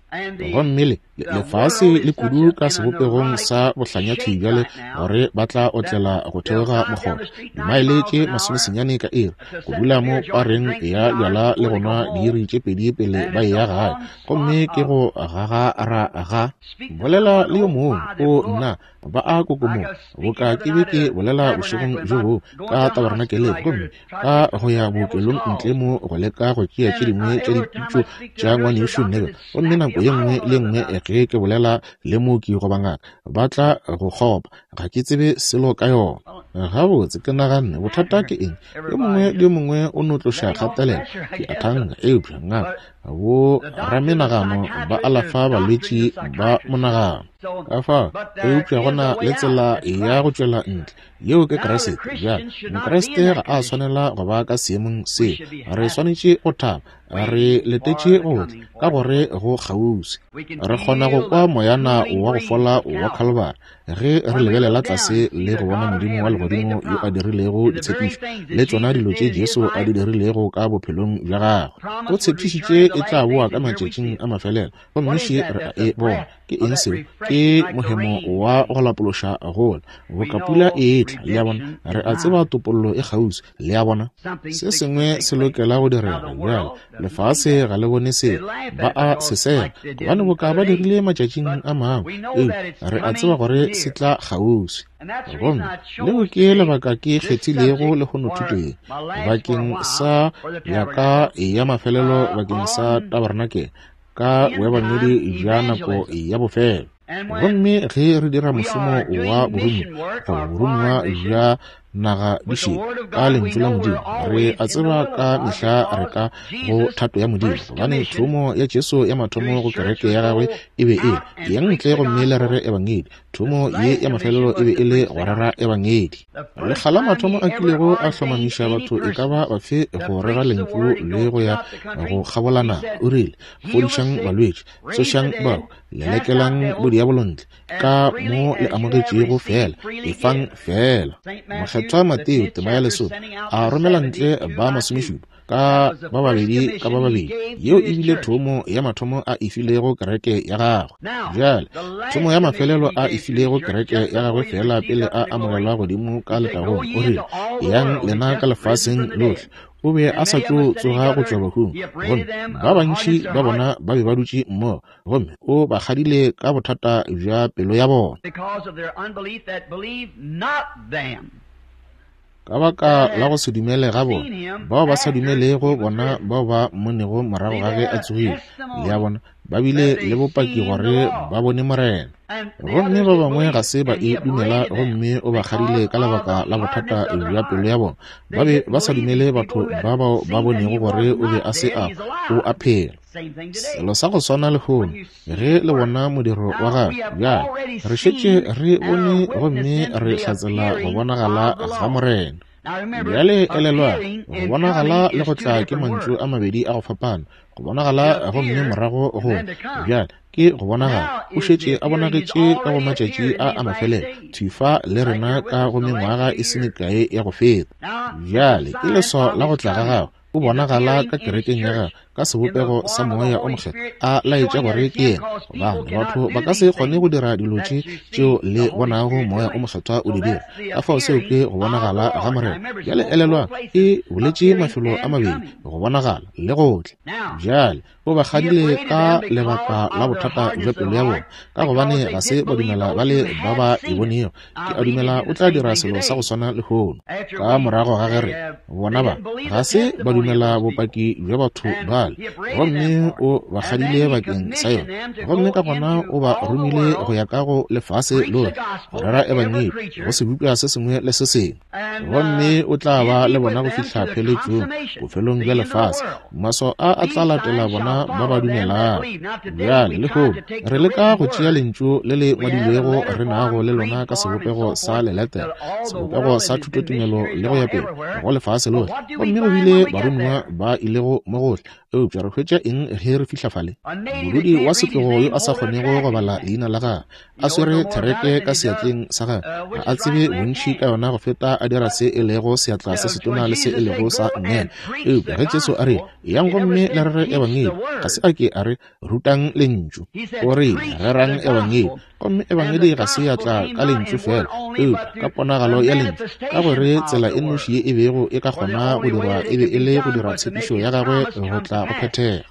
Gomme le lefase le kudu ka sebopegong sa bohlanyathwi bjale gore ba tla otlela go theoga mokgotha dimaele tše 90 ka iri, go dula mo pareng ya bjala le go nwa diiri tše pedi pele ba eya gae. Gomme ke go gagara ga bolela le yo mongwe, o nna ba a kokomoga, boka ke be ke bolela bošegong bjo boo ka tabernakeleng, gomme ka go ya bookelong ntle mo go leka go tšea tše dingwe tša dipitšo tša ngwanešu Neville. Gomme nako ye nngwe le nngwe ge ke bolela le mooki goba ngaka, ba tla go kgopa, ga ke tsebe selo ka yona. Gabotse, ke naganne, bothata ke eng? Yo mongwe le yo mongwe o no tloša kgatelelo, ke a thanka, eupša ngaka, bo ramenagano ba alafa balwetši ba monagano. Ka fao, eupša go na le tsela ya go tšwela ntle, yeo ke Kriste. Bjale, Mokriste ga a swanela go ba ka seemong seo. Re swanetše go thaba, re letetše go tla, ka gore go kgauswi. Re kgona go kwa moyana wa go fola wa Calvary ge re lebelela tlase le go bona Modimo wa legodimo yo a dirilego ditshepišo le tšona dilo tše Jesu a di dirilego ka bophelong bja gagwe. O tshepišitše e tla boa ka matšatšing a mafelelo, gomme še re a e bona. Ke eng seo? Ke mohemo wa go lapološa gola, boka pula e etla, le a bona. Re a tseba topollo e kgauswi, le a bona. Se sengwe se lokela go direga bjale. Lefase ga le bone seo, ba a se sega, gobane boka ba dirile matšatšing a mangwe, eupša re a tseba gore se tla kgauswi. Gomme leo ke lebaka ke kgethilego lehono thuto ye bakeng sa ya ka ya mafelelo bakeng sa tabernakel ka boebangedi bja nako ya bofelo. Gomme ge re dira mošomo wa boromiwa goba boromiwa bja naga di šele. Ka Lentšu la Modimo, re a tseba ka mehla re ka go thato ya Modimo, gobane thomo ya Jesu ya mathomo go kereke ya gagwe e be e le, Eyang ntle gomme le rere Ebangedi. Thomo ye ya mafelelo e be e le go rera Ebangedi. Lekga la mathomo a kilego a hlomamiša batho e ka ba bafe go rera Lentšu le go ya go kgabola naga, o rile, Fodišang balwetši, tsošang bahu, lelekelang bodiabolo ntle, ka mo le amogetšego feela, efang feela. Mokgethwa Mateo tema ya lesome a romela ntle ba masomešupa ka ba babedi ka ba babedi. Yeo e bile thomo ya mathomo a e filego kereke ya gagwe. Bjale, thomo ya mafelelo a e filego kereke ya gagwe feela pele a amogelwa godimo ka letagong, o rile, Eyang lena ka lefaseng lohle. O be a sa tšo tsoga go tšwa bahung, gomme ba bantši ba bona ba be ba dutše mmogo, gomme o ba kgadile ka bothata bja pelo ya bona. Ka baka la go se dumele ga bona, bao ba sa dumelego bona bao ba mmonego morago ga ge a tsogile, le a bona, ba bile le bopaki gore ba bone Morena. Gomme ba bangwe ga se ba e dumela, gomme o ba kgadile ka lebaka la bothata bja pelo ya bona. Ba be ba sa dumele batho ba bao ba bonego gore o be a se a o a phela. Selo sa go swana lehono, ge le bona modiro wa gagwe bjale, re šetše re bone gomme re hlatsela go bonagala ga Morena. Bjale elelwa, go bonagala le go tla ke mantšu a mabedi a go fapana. Go bonagala gomme morago go bjale ke go bonagala. O šetše a bonagetše ka go matšatši a a mafelelo, thwi fa le rena ka go mengwaga e se mekae ya go feta. Bjale ke leswao la go tla ga gagwe. O bonagala ka kerekeng ya gagwe ka sebopego sa Moya o Mokgethwa, a laetša gore ke yena, gobane batho ba ka se kgone go dira dilo tše tšeo le bonago Moya o Mokgethwa o di dira. Ka fao seo ke go bonagala ga Morena. Bjale elelwang, e boletše mafelo a mabedi, go bonagala le go tla. Bjale o ba kgadile ka lebaka la bothata bja pelo ya bona, ka gobane ga se ba dumela ba le ba ba e bonego. Ke a dumela o tla dira selo sa go swana lehono. Ka morago ga ge re bona ba ga se ba dumela bopaki bja batho bale, gomme o ba kgadile bakeng sa yona, gomme ka gona o ba romile go ya ka go lefase lohle go rera ebangedi go sebopša se sengwe le se sengwe, gomme o tla ba le bona go fihla pheletšong, bofelong bja lefase. Maswao a a tla latela bona ba ba dumelago. Bjale, lehono, re leka go tšea Lentšu le le ngwadilwego re nago le lona ka sebopego sa leletere, sebopego sa thutotumelo le go ya pele, go lefase lohle. Gomme go bile baromiwa ba ilego mo gohle. Eupša re hwetša eng ge re fihla fale? Modudi wa setlogo yo a sa kgonego go bala leina la gagwe, a swere thereke ka seatleng sa gagwe, ga a tsebe bontši ka yona go feta a dira se e lego seatla se setona le se e lego sa nngele. Eupša ge Jesu a rile, Eyang gomme le rere Ebangedi, ga se a ke a re, Rutang Lentšu. O rile, Rerang Ebangedi. Gomme Ebangedi ga se ya tla ka Lentšu feela, eupša ka ponagalo ya Lentšu, ka gore tsela e nnoši ye e bego e ka kgona go dirwa e be e le go dira tshepišo ya gagwe go tla go phethega.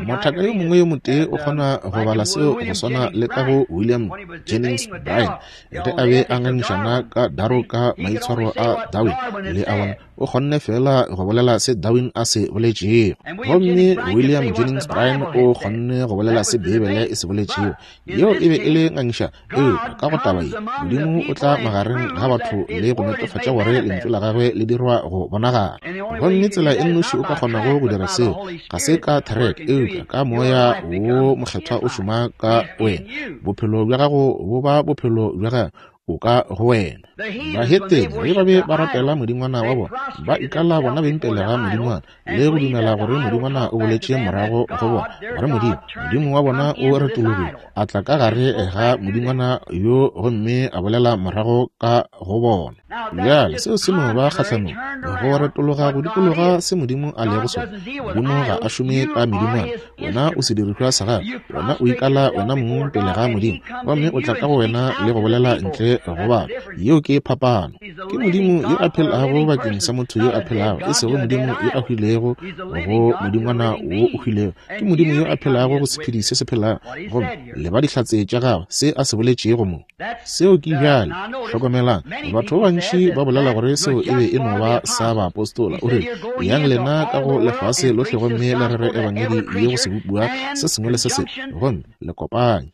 Mothaka yo mongwe yo motee o kgona go bala seo go swana le ka go William Jennings Bryan ge a be a ngangišana ka Darrow ka maitshwaro a Darwin, le a bona, o kgonne feela go bolela se Darwin a se boletšego. Gomme William Jennings Bryan o kgonne go bolela se Beibele e se boletšego. Yeo e be e le ngangišano, eupša ka go taba ye, Modimo o tla magareng ga batho le go netefatša gore Lentšu la Gagwe le dirwa go bonagala. Gomme tsela e nnoši o ka kgonago go dira seo, ga se ka thereke, eupša ka Moya wo Mokgethwa o šoma ka wena. Bophelo bja gago bo ba bophelo bja Gagwe, o ka go wena. Bahetene ge ba be ba rapela modingwana wa bona, ba ikala bona beng pele ga modingwana, le go dumela gore modingwana o boletše morago go bona, gore Modimo, Modimo wa bona o retologile, a tla ka gare ga modingwana yo gomme a bolela morago ka go bona. Bjale seo se no ba kgahlanong, go retologa go dikologa se Modimo a lego sona. Modimo ga a šome ka medingwana. Wena o sedirišwa sa gagwe. Wena o ikala wena mong pele ga Modimo, gomme o tla ka go wena le go bolela ntle go batho. Yeo ke phapano. Ke Modimo yo a phelago bakeng sa motho yo a phelago, e sego Modimo yo a hwilego go modingwana wo o hwilego. Ke Modimo yo a phelago go sephedi se se phelago, gomme le ba dihlatse tša gagwe, se a se boletšego mo. Seo ke bjale. Hlokomelang, batho ba bantši ba bolela gore seo e be e no ba sa baapostola. O rile, Eyang lena ka go lefase lohle gomme le rere ebangedi ye go sebopiwa se sengwe le se sengwe, gomme le kopanye.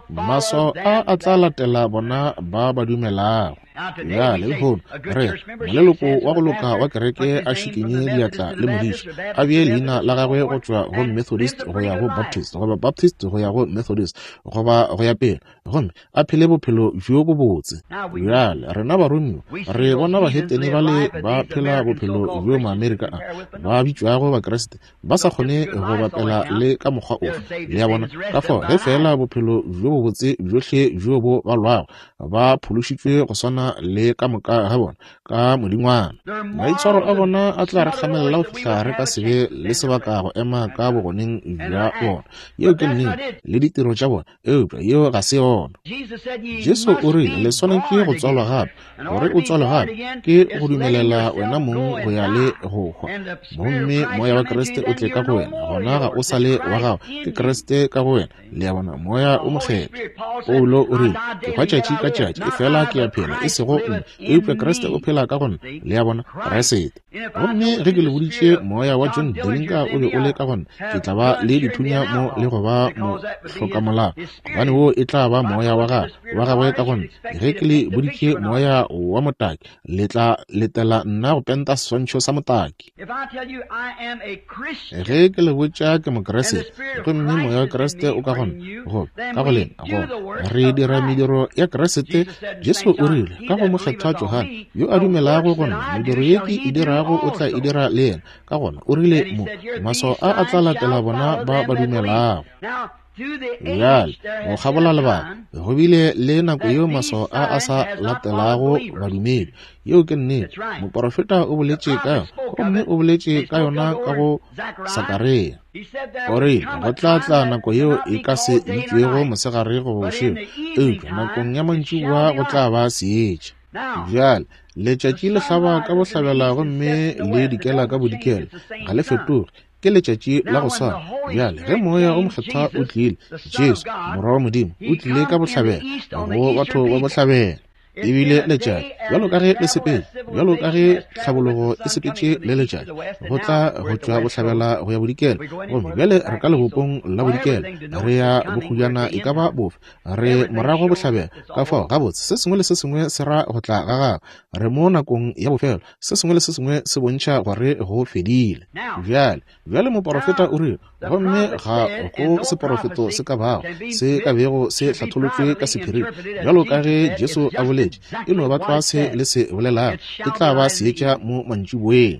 Maswao a a tla latela bona ba ba dumelago. Bjale, lehono, re re, moleloko wa go loka wa kereke a šikinye diatla le modiši, a bee leina la gagwe go tšwa go Methodist go ya go Baptist, goba Baptist go ya go Methodist, goba go ya pele, gomme a phele bophelo bjo bobotse. Bjale, rena baromiwa re bona bahetene bale ba phela bophelo bjo Maamerika a ba bitšwago Bakriste ba sa kgone go bapela le ka mokgwa ofe. Le a bona? Ka fao, ge feela bophelo bjo bobotse bjohle bjo bo balwago, ba phološitšwe go swana le ka moka ga bona ka modingwana. Maitshwaro a bona a tla re kgamelela go fihla re ka se be le sebaka go ema ka bogoneng bja bona. Yeo ke nnete, le ditiro tša bona. Eupša yeo ga se yona. Jesu o rile, Le swanetše go tswalwa gape. Gore o tswalwe gape ke go dumelela wena mong go ya le go hwa, gomme Moya wa Kriste o tle ka go wena. Gona ga o sa le wa gago, ke Kriste ka go wena. Le a bona, Moya o Mokgethwa. Paulo o rile, Ke hwa tšatši ka tšatši, efela ke a phela, e sego nna, eupša Kriste o phela ka go nna. Le a bona, Kriste. Gomme ge ke le boditše moya wa John Dillinger o be o le ka gona, ke tla ba le dithunya mo le go ba mohlokamolao, gobane wo e tla ba moya wa gagwe, wa gagwe ka gona. Ge ke le boditše moya wa motaki, le tla letela nna go penta seswantšho sa motaki. Ge ke le botša ke Mokriste, gomme moya wa Kriste o ka gona, go ka go lena, gona re dira mediro ya Kriste. Jesu o rile ka go Mokgethwa Johane, Yo a dumelago go nna, mediro ye ke e dirago o tla e dira le yena. Ka gona o rile mo, maswao a a tla latela bona ba ba dumelago. Bjale, go kgabola lebaka, go bile le nako yeo maswao a a sa latelago badumedi. Yeo ke nnete. Moporofeta o boletše ka yona, gomme o boletše ka yona ka go Sakaria. O rile, Go tla tla nako yeo e ka se bitšwego mosegare goba bošego, eupša nakong ya mantšiboa go tla ba seetša. Bjale, letšatši le hlaba ka bohlabela gomme le dikela ka bodikela, ga le fetoge, ke letšatši la go swana. Bjale, ge Moya o Mokgethwa o tlile, Jesu, Morwa wa Modimo, o tlile ka bohlabela, go batho ba bohlabela. E bile letšatši, bjalo ka ge le sepetše, bjalo ka ge tlhabologo e sepetše le letšatši, go tla go tšwa bohlabela go ya bodikela. Gomme bjale re ka lebopong la bodikela, re ya bokgojana e ka ba bofe, re morago bohlabela. Ka fao, gabotse, se sengwe le se sengwe se ra go tla ga gagwe. Re mo nakong ya bofelo. Se sengwe le se sengwe se bontšha gore go fedile. Bjale, bjale moporofeta o rile, gomme ga go seporofeto se ka bago se ka bego se hlatholotšwe ka sephiring, bjalo ka ge Jesu a boletše, e no ba tlwa se le se bolelago, e tla ba seetša mo mantšiboeng.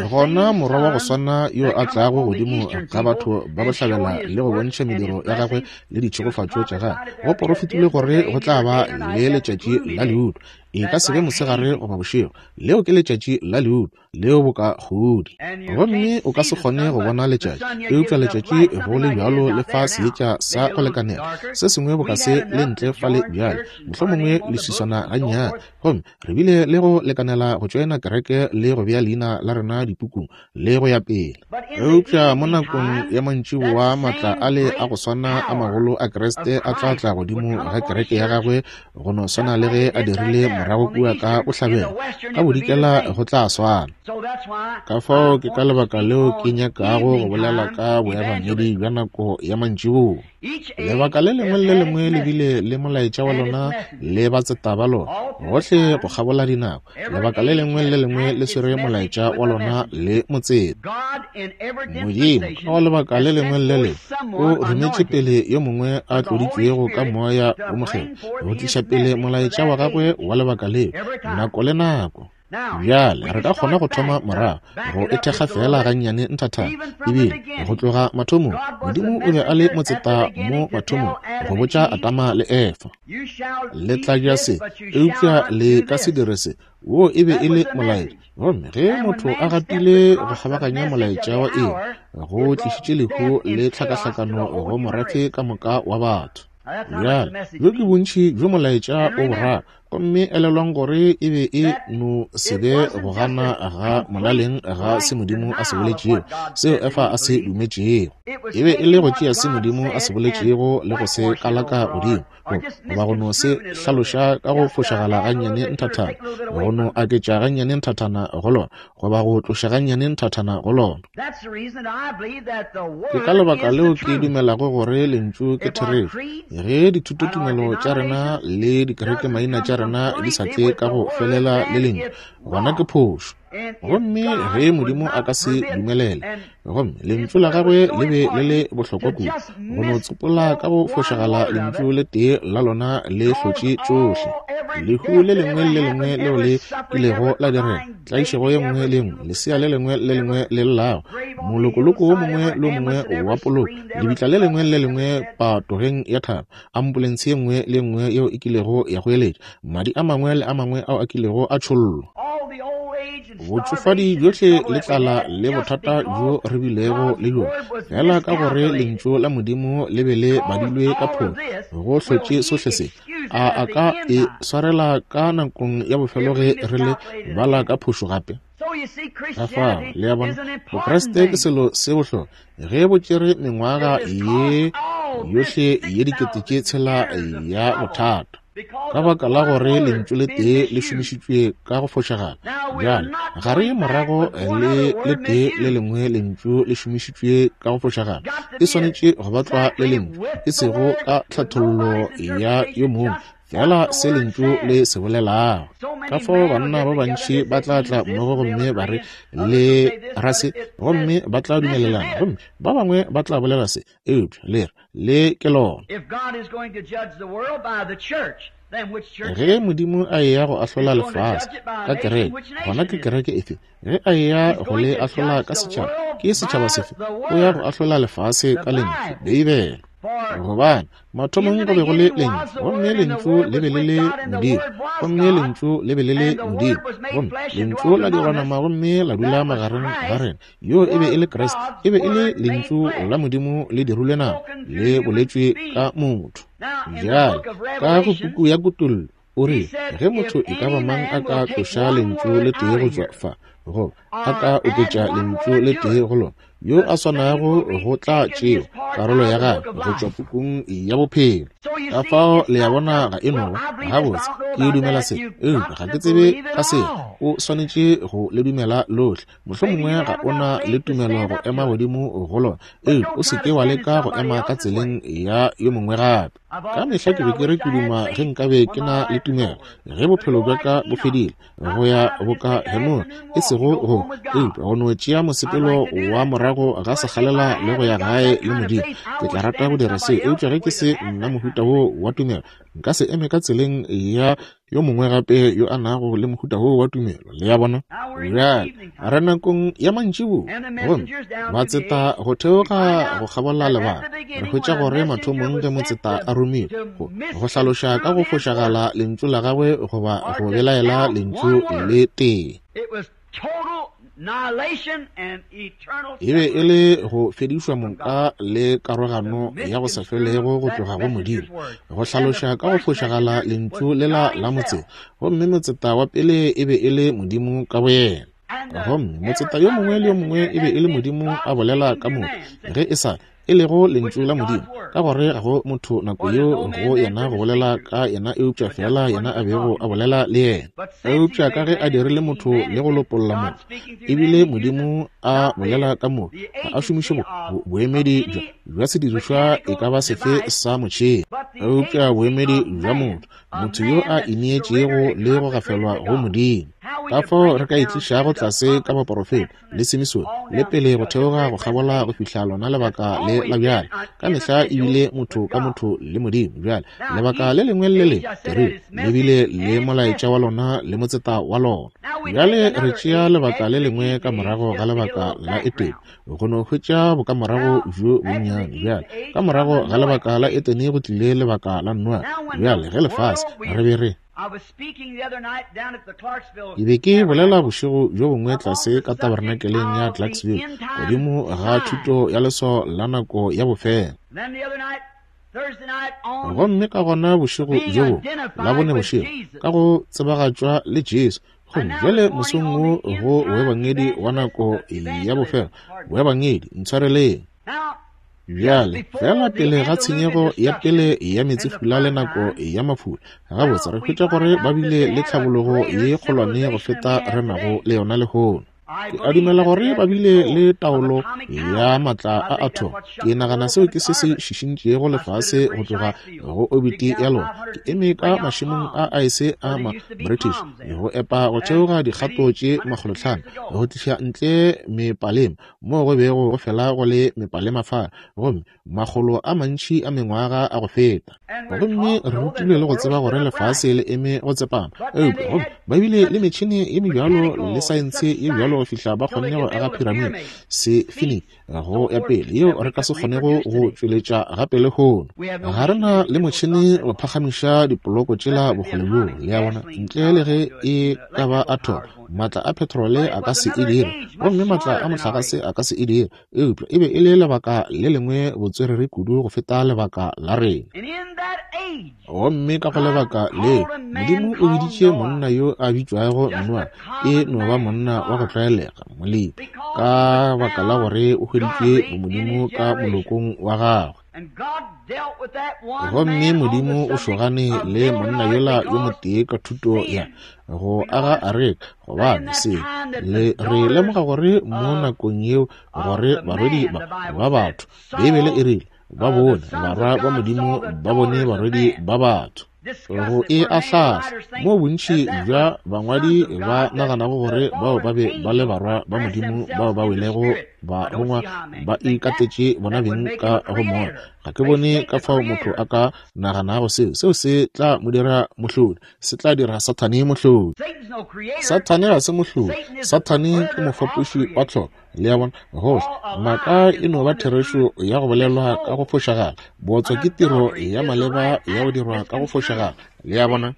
Gona morwa wa go swana yo a tlago godimo ga batho ba bohlabela le go bontšha mediro ya gagwe le ditšhegofatšo tša gagwe. Go porofetilwe gore go tla ba le letšatši la leuto, e ka se be mosegare goba bošego. Leo ke letšatši la leuto, leo boka kgodi. Gomme o ka se kgone go bona letšatši, eupša letšatši go le bjalo le fa seetša sa go lekanela. Se sengwe boka se le ntle fale bjale, mohlomongwe leswiswana gannyane. Gomme re bile le go lekanela go tšoena kereke le go bea leina la rena dipukung, le go ya pele. Eupša mo nakong ya mantšiboa maatla ale a go swana a magolo a Kriste a tla tla godimo ga kereke ya gagwe go no swana le ge a dirile morago kua ka bohlabela, ka bodikela go tla swana. Ka fao ke ka lebaka leo ke nyakago go bolela ka boebangedi bja nako ya mantšiboa. Lebaka le lengwe le le lengwe le bile le molaetša wa lona le batseta ba lona gohle go kgabola dinako. Lebaka le lengwe le le lengwe le swere molaetša wa lona le motseta. Modimo ka go lebaka le lengwe le le lengwe o rometše pele yo mongwe a tloditšwego ka Moya wo Mokgethwa go tliša pele molaetša wa gagwe wa lebaka leo nako le nako. Bjale re ka kgona go thoma morago go e thekga feela gannyane nthathana. Ebile go tloga mathomong, Modimo o be a le motseta mo mathomong go botša Adama le Efa. Le tla ja se, eupša le ka se dire se. Wo e be e le molaetša. Gomme ge motho a gatile go kgabaganya molaetša wa iri, go tlišitše lehu le tlhakahlakano go morafe ka moka wa batho. Bjale, bjo ke bontši bjo molaetša o boraro. Gomme elelwang gore e be e no se be go gana ga molaleng ga se Modimo a se boletšego, seo Efa a se dumetšego. E be e le go tšea se Modimo a se boletšego le go se kalaka godimo, goba go no se hlaloša ka go fošagala gannyane nthathana, go no aketša gannyane nthathana go lona, goba go tloša gannyane nthathana go lona. Ke ka lebaka leo ke dumelago gore Lentšu ke therešo. Ge dithutotumelo tša rena le dikerekemaina tša rena rena di sa tle ka go felela le Lentšu, gona ke phošo. Gomme ge Modimo a ka se dumelele, gomme Lentšu la Gagwe le be le le bohlokwa kudu, go no tsopola ka go fošagala Lentšu le tee la lona le hlotše tšohle. Lehu le lengwe le le lengwe leo le kilego la direga, tlaišego ye nngwe le ye nngwe, lesea le lengwe le lengwe le llago, molokoloko wo mongwe le wo mongwe wa poloko, lebitla le lengwe le le lengwe patogeng ya thaba, ambulense ye nngwe le ye nngwe yeo e kilego ya goeletša, madi a mangwe le a mangwe ao a kilego a tšhollwa. Botšofadi bjohle le tlala le bothata bjo re bilego le bjona, fela ka gore Lentšu la Modimo le be le badilwe ka phošo, go hlotše sohle se. A a ka e swarela ka nakong ya bofelo ge re le bala ka phošo gape? Ka fao, le a bona, Bokriste ke selo se bohlokwa. Ge bo tšere mengwaga ye yohle ye 6000 ya bothata, ka baka la gore lentšu le tee le šomišitšwe ka go fošagala. Bjale, ga re ye morago le le tee le lengwe lentšu le šomišitšwe ka go fošagala. E swanetše go ba tlwa le lentšu, e sego ka tlhathollo ya yo mongwe, fela se lentšu le se bolelago. Ka fao banna ba bantši ba tla tla mmogo gomme ba re le ra se, gomme ba tla dumelelana, gomme ba bangwe ba tla bolela se, eupša le re le ke lona. Ge Modimo a eya go ahlola lefase ka kereke, gona ke kereke efe? Ge a eya go le ahlola ka setšhaba, ke setšhaba sefe? O ya go ahlola lefase ka Lentšu, Beibele. Gobane mathomong go be go le Lentšu, gomme Lentšu le be le le Modimo, gomme Lentšu le be le le Modimo, gomme Lentšu la dirwa nama gomme la dula magareng ga rena. Yo e be e le Kriste, e be e le Lentšu la Modimo le dirilwe nama, le boletšwe ka motho. Bjale, ka go puku ya Kutollo, o rile, ge motho e ka ba mang a ka tloša Lentšu le tee go tšwa fa, goba a ka oketša lentšu le tee go lona, yo a swanago go tla tšewa karolo ya gagwe go tšwa pukung ya bophelo. Ka fao le a bona ga e no ba gabotse ke dumela se, eupša ga ke tsebe ka se. O swanetše go le dumela lohle. Mohlomongwe ga o na le tumelo go ema godimo go lona, eupša o se ke wa leka go ema ka tseleng ya yo mongwe gape. Ka mehla ke be ke re ke duma ge nkabe ke na le tumelo ge bophelo bja ka bo fedile, go ya boka Henoge, e sego go eupša go no tšea mosepelo wa morago ga sekgalela le go ya gae le Modimo. Ke tla rata go dira seo, eupša ge ke se nna mohuta woo wa tumelo, nka se eme ka tseleng ya yo mongwe gape yo a nago le mohuta woo wa tumelo. Le a bona? Bjale re nakong ya mantšiboa, gomme batseta go theoga go kgabola lebaka. Re hwetša gore mathomong ge motseta a romilwe go, go hlaloša ka go fošagala lentšu la gagwe goba go belaela lentšu le tee, e be e le go fedišwa moka le karogano ya go sa felego go tloga go Modimo, go hlaloša ka go fošagala lentšu lela la motseta. Gomme motseta wa pele e be e le Modimo ka boyena. Gomme motseta yo mongwe le yo mongwe e be e le Modimo a bolela ka motho, ge e sa e lego lentšu la Modimo, ka gore ga go motho nako yeo go yena go bolela ka yena eupša feela yena a bego a bolela le yena. Eupša ka ge a dirile motho le go lopolla motho, ebile Modimo a bolela ka motho, ga a šomiše boemedi bja sedirišwa e ka ba sefe sa motšhene, eupša boemedi bja motho, motho yo a ineetšego le go gafelwa go Modimo. Ka fao re ka e tlišago tlase ka baporofeta le Simisone, le pele go theoga go kgabola go fihla lona lebaka le la bjale. Ka mehla e bile motho ka motho le Modimo. Bjale, lebaka le lengwe le le lengwe, ke rile, le bile le molaetša wa lona le motseta wa lona. Bjale re tšea lebaka le lengwe ka morago ga lebaka la Etene, go no hwetša bokamorago bjo bonnyane. Bjale, ka morago ga lebaka la Etene go tlile lebaka la Noa. Bjale, ge lefase, re be re Ke be ke bolela bošego bjo bongwe tlase ka tabernakeleng ya Clarksville godimo ga thuto ya leswao la nako ya bofelo. Gomme ka gona bošego bjo bongwe, Labone bošego, ka go tsebagatšwa le Jesu. Gomme bjale mosong wo go boebangedi wa nako ya bofelo, boebangedi, ntshwareleng. Bjale, feela pele ga tshenyego ya pele ya meetsefula le nako ya mafula, gabotse re hwetša gore ba bile le tlhabologo ye kgolwane go feta re nago le yona lehono. Ke a dumela gore ba bile le taolo ya maatla a athomo. Ke nagana seo ke se se šišintšego lefase go tloga go obiti ya lona. Ke eme ka mašemong a aese a ma-British go epa go theoga dikgato tše 500 go tliša ntle mepalema moo go bego go fela go le mepalema fa, gomme makgolo a mantši a mengwaga a go feta. Gomme re rutilwe le go tseba gore lefase le eme go tsepama, eupša gomme ba bile le metšhene ye mebjalo le saense ye bjalo go fihla ba kgonne go aga phiramide sefiniki go ya pele yeo re ka se kgonego go tšweletša gape lehono. Ga re na le motšhene go phagamiša dipoloko tšela bokgole bjoo, le a bona, ntle le ge e ka ba athomo. Maatla a petrole a ka se e dire, gomme maatla a mohlagase a ka se e dire, eupša e be e le lebaka le lengwe botswerere kudu go feta lebaka la rena. Gomme ka go lebaka leo Modimo o biditše monna yo a bitšwago Noa, e no ba monna wa go tlwaelega, molemi, ka baka la gore o hweditše bomodimo ka molokong wa gagwe. Gomme Modimo o šogane le monna yola yo motee ka thuto ya go aga areka, gobane se le re lemoga gore mo nakong yeo gore barwedi ba batho, Beibele e rile, ba bone barwa ba Modimo ba bone barwedi ba batho. Go e ahlahla moo bontši bja bangwadi ba naganago gore bao ba be ba le barwa ba Modimo bao ba welego barongwa ba ikatetše bona beng ka go moya. Ga ke bone ka fao motho a ka naganago seo. Seo se tla mo dira mohlodi, se tla dira Sathane mohlodi. Sathane ga se mohlodi, Sathane ke mofapoši wa tlholo. Le a bona, gohle maaka e no ba therešo ya go bolelwa ka go fošagala. Bootswa ke tiro ya maleba ya go dirwa ka go fošagala. Le a bona?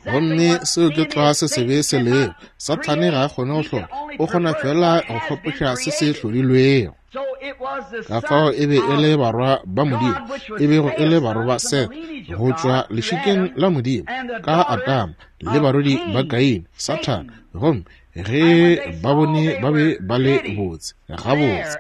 Gomme seo ke tlwa se sebe se lego. Sathane ga a kgone go hlola, o kgona fela go fapoša se se hlodilwego. Ka fao e be e le barwa ba Modimo, e bego e le barwa ba Seth go tšwa lešikeng la Modimo ka Adama, le barwedi ba Kaine, Sathane. Gomme ge ba bone ba be ba le botse gabotse.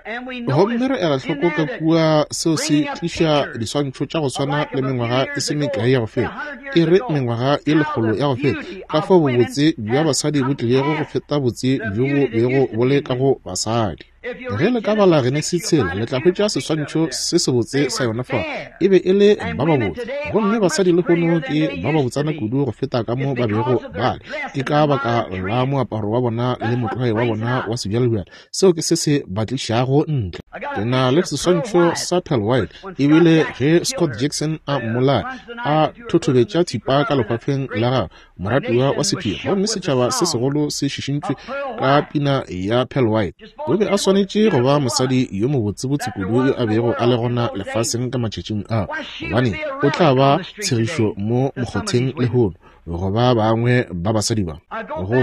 Gomme re ela hloko ka kua seo se tliša diswantšho tša go swana le mengwaga e se mekae ya go feta, e re mengwaga ye lekgolo ya go feta, ka fao bobotse bja basadi bo tlilego go feta botse bjo bo bego bo le ka go basadi. Ge le ka bala Genesi 3, le tla hwetša seswantšho se sebotse sa yona fa. E be e le ba babotse. Gomme basadi lehono ke ba babotsana kudu go feta ka mo ba bego ba le. Ke ka baka la moaparo wa bona le motlwae wa bona wa sebjalebjale. Seo ke se se ba tlišago ntle. Ke na le seswantšho sa Pearl White, ebile ge Scott Jackson a mmolaya, a thothobetša thipa ka lehwafeng la gagwe, moratiwa wa sephiri, gomme setšhaba se segolo se šišintšwe ka pina ya Pearl White. O be a swanetše go ba mosadi yo mobotsebotse kudu yo a bego a le gona lefaseng ka matšatšing a, gobane o tla ba tshegišo mo mokgotheng lehono go ba bangwe ba basadi ba. Go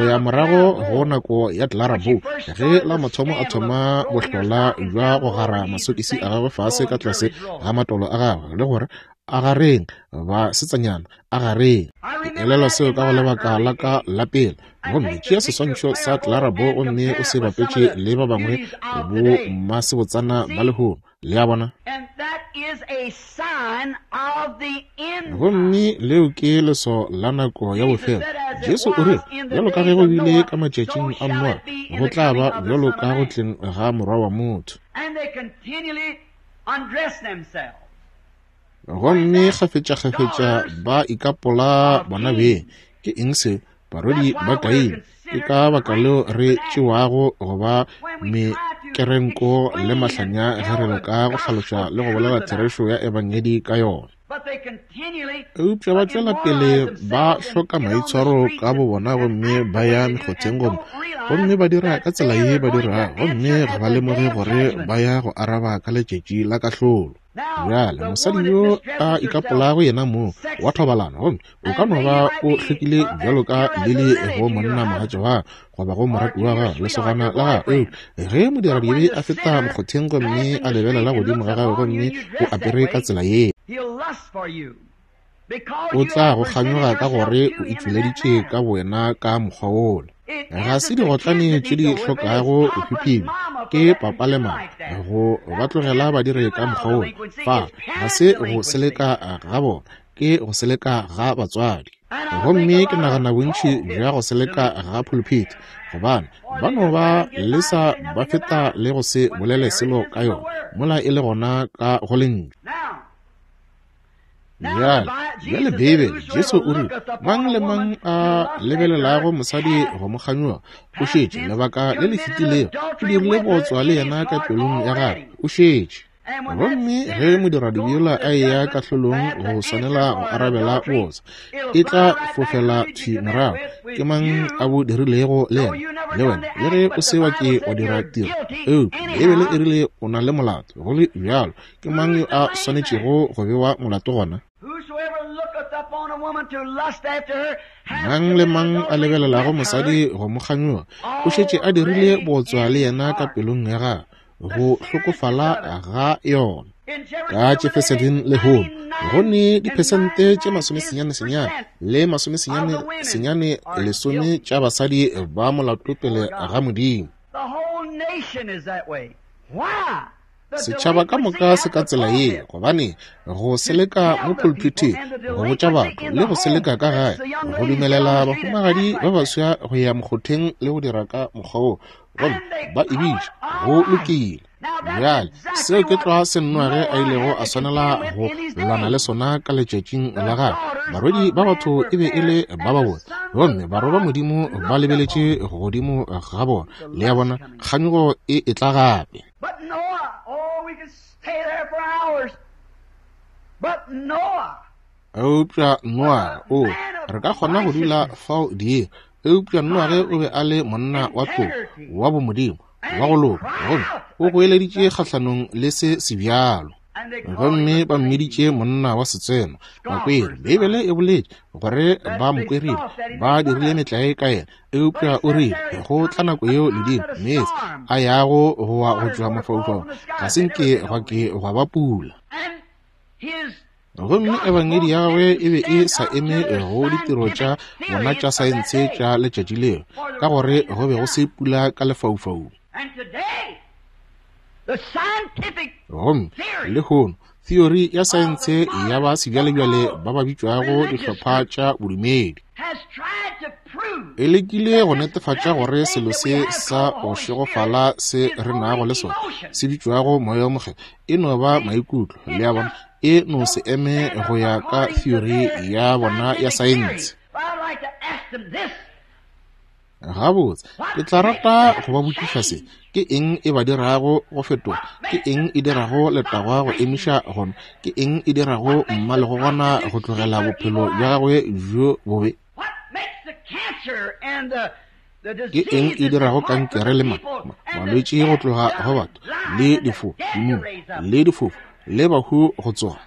ya morago go nako ya Clara Bow, ge la mathomo a thoma bohlola bja go gara masokisi a gagwe fase ka tlase ga matolo a gagwe le gore a gareng ba setsanyana a gareng. Ke elelwa seo ka go lebaka la ka la pele. Gomme tšea seswantšho sa Clara Bow gomme o se bapetše le ba bangwe bo mmasebotsana ba lehono. Le a bona? Gomme leo ke leswao la nako ya bofelo. Jesu o rile, bjalo ka ge go bile ka matšatšing a Noa, go tla ba bjalo ka go tleng ga Morwa wa motho. Gomme kgafetšakgafetša ba ikapola bona beng. Ke eng seo? Barwedi ba Kaine. Ke ka baka leo re tšewago go ba mekerenko le mahlanya ge re leka go hlaloša le go bolela therešo ya Ebangedi ka yona. Eupša ba tšwela pele ba hloka maitshwaro ka bobona gomme ba ya mekgotheng gomme gomme ba dira ka tsela ye ba dirago, gomme ga ba lemoge gore ba ya go araba ka letšatši la kahlolo. Bjale mosadi yo a ikapolago yena mong wa thobalano, gomme o ka no ba o hlwekile bjalo ka lili go monna mogatša wa goba go morati wa gagwe, lesogana la gagwe. Eupša ge modiradibe a feta mokgotheng gomme a lebelela godimo ga gagwe gomme o apere ka tsela ye, o tla go kganyoga ka gore o itšweleditše ka bowena ka mokgwa wola. Ga se digotlane tše di hlokago go hwiphima ke papa le mama go ba tlogela ba dire ka mokgwa wola. Fa ga se go seleka ga bona, ke go seleka ga batswadi. Gomme ke nagana bontši bja go seleka ga pulpit, gobane ba no ba lesa ba feta le go se bolele selo ka yona, mola e le gona ka go Lentšu. Bjale, bjale Beibele, Jesu o rile, mang le mang a lebelelago mosadi go mo kganyoga, o šetše lebaka le le fetilego o dirile bootswa le yena ka pelong ya gagwe, o šetše. Gomme ge modiradibe yola a eya kahlolong go swanela go arabela bootswa, e tla fofela thwi morago. Ke mang a bo dirilego le yena? Le wena, le ge o se wa ke wa dira tiro, eupša Beibele e rile o na le molato. Go le bjalo, ke mang yo a swanetšego go bewa molato gona? Mang le mang a lebelelago mosadi go mo kganyoga, o šetše a dirile bootswa le yena ka pelong ya gagwe, go hlokofala ga yona. Ka Jeffersonville lehono, go ne diphesente tše 99 le 99.10 tša basadi ba molato pele ga Modimo. Setšhaba ka moka se ka tsela ye, gobane go seleka mo pulpithing, go botša batho, le go seleka ka gae, go dumelela bahumagadi ba baswa go ya mokgotheng le go dira ka mokgwa wo, gomme ba e bitša go lokile. Bjale, seo ke tlwa se Noage a ilego a swanela go lwana le sona ka letšatšing la gagwe. Barwedi ba batho e be e le ba babotse, gomme barwa ba Modimo ba lebeletše godimo ga bona. Le a bona, kganyogo e etla gape. But Noah, oh, we could stay there for hours. But Noah, Eupša Noage, o, re ka kgona go dula fao diiri. Eupša Noage o be a le monna wa tlotlo, wa bomodimo, wa go loka, gomme o goeleditše kgahlanong le se sebjalo. Gomme ba mmiditše monna wa setseno, bakweri. Beibele e boletše gore ba mo kwerile, ba dirile metlae ka yena. Eupša o rile, go tla nako yeo ledimo, meetse, a yago go wa go tšwa mafaufaung, ga se nke gwa ke gwa ba pula. Gomme ebangedi ya gagwe e be e sa eme go ditiro tša bona tša saense tša letšatši leo, ka gore go be go se pula ka lefaufaung. Gomme lehono theory ya saense ya ba sebjalebjale ba ba bitšwago dihlopha tša bodumedi e lekile go netefatša gore selo se sa go šegofala se re nago le sona se bitšwago moya wo mokgethwa e no ba maikutlo, le a bona, e no se eme go ya ka theory ya bona ya saense. Gabotse, ke tla rata go ba botšiša se. Ke eng e ba dirago go fetoga? Ke eng e dirago letagwa go emiša gona? Ke eng e dirago mmalegogwana go tlogela bophelo bja gagwe bjo bobe? Ke eng e dirago kankere le malwetši go tloga go batho, le difo, dimumu, le difofu, le bahu go tsoga?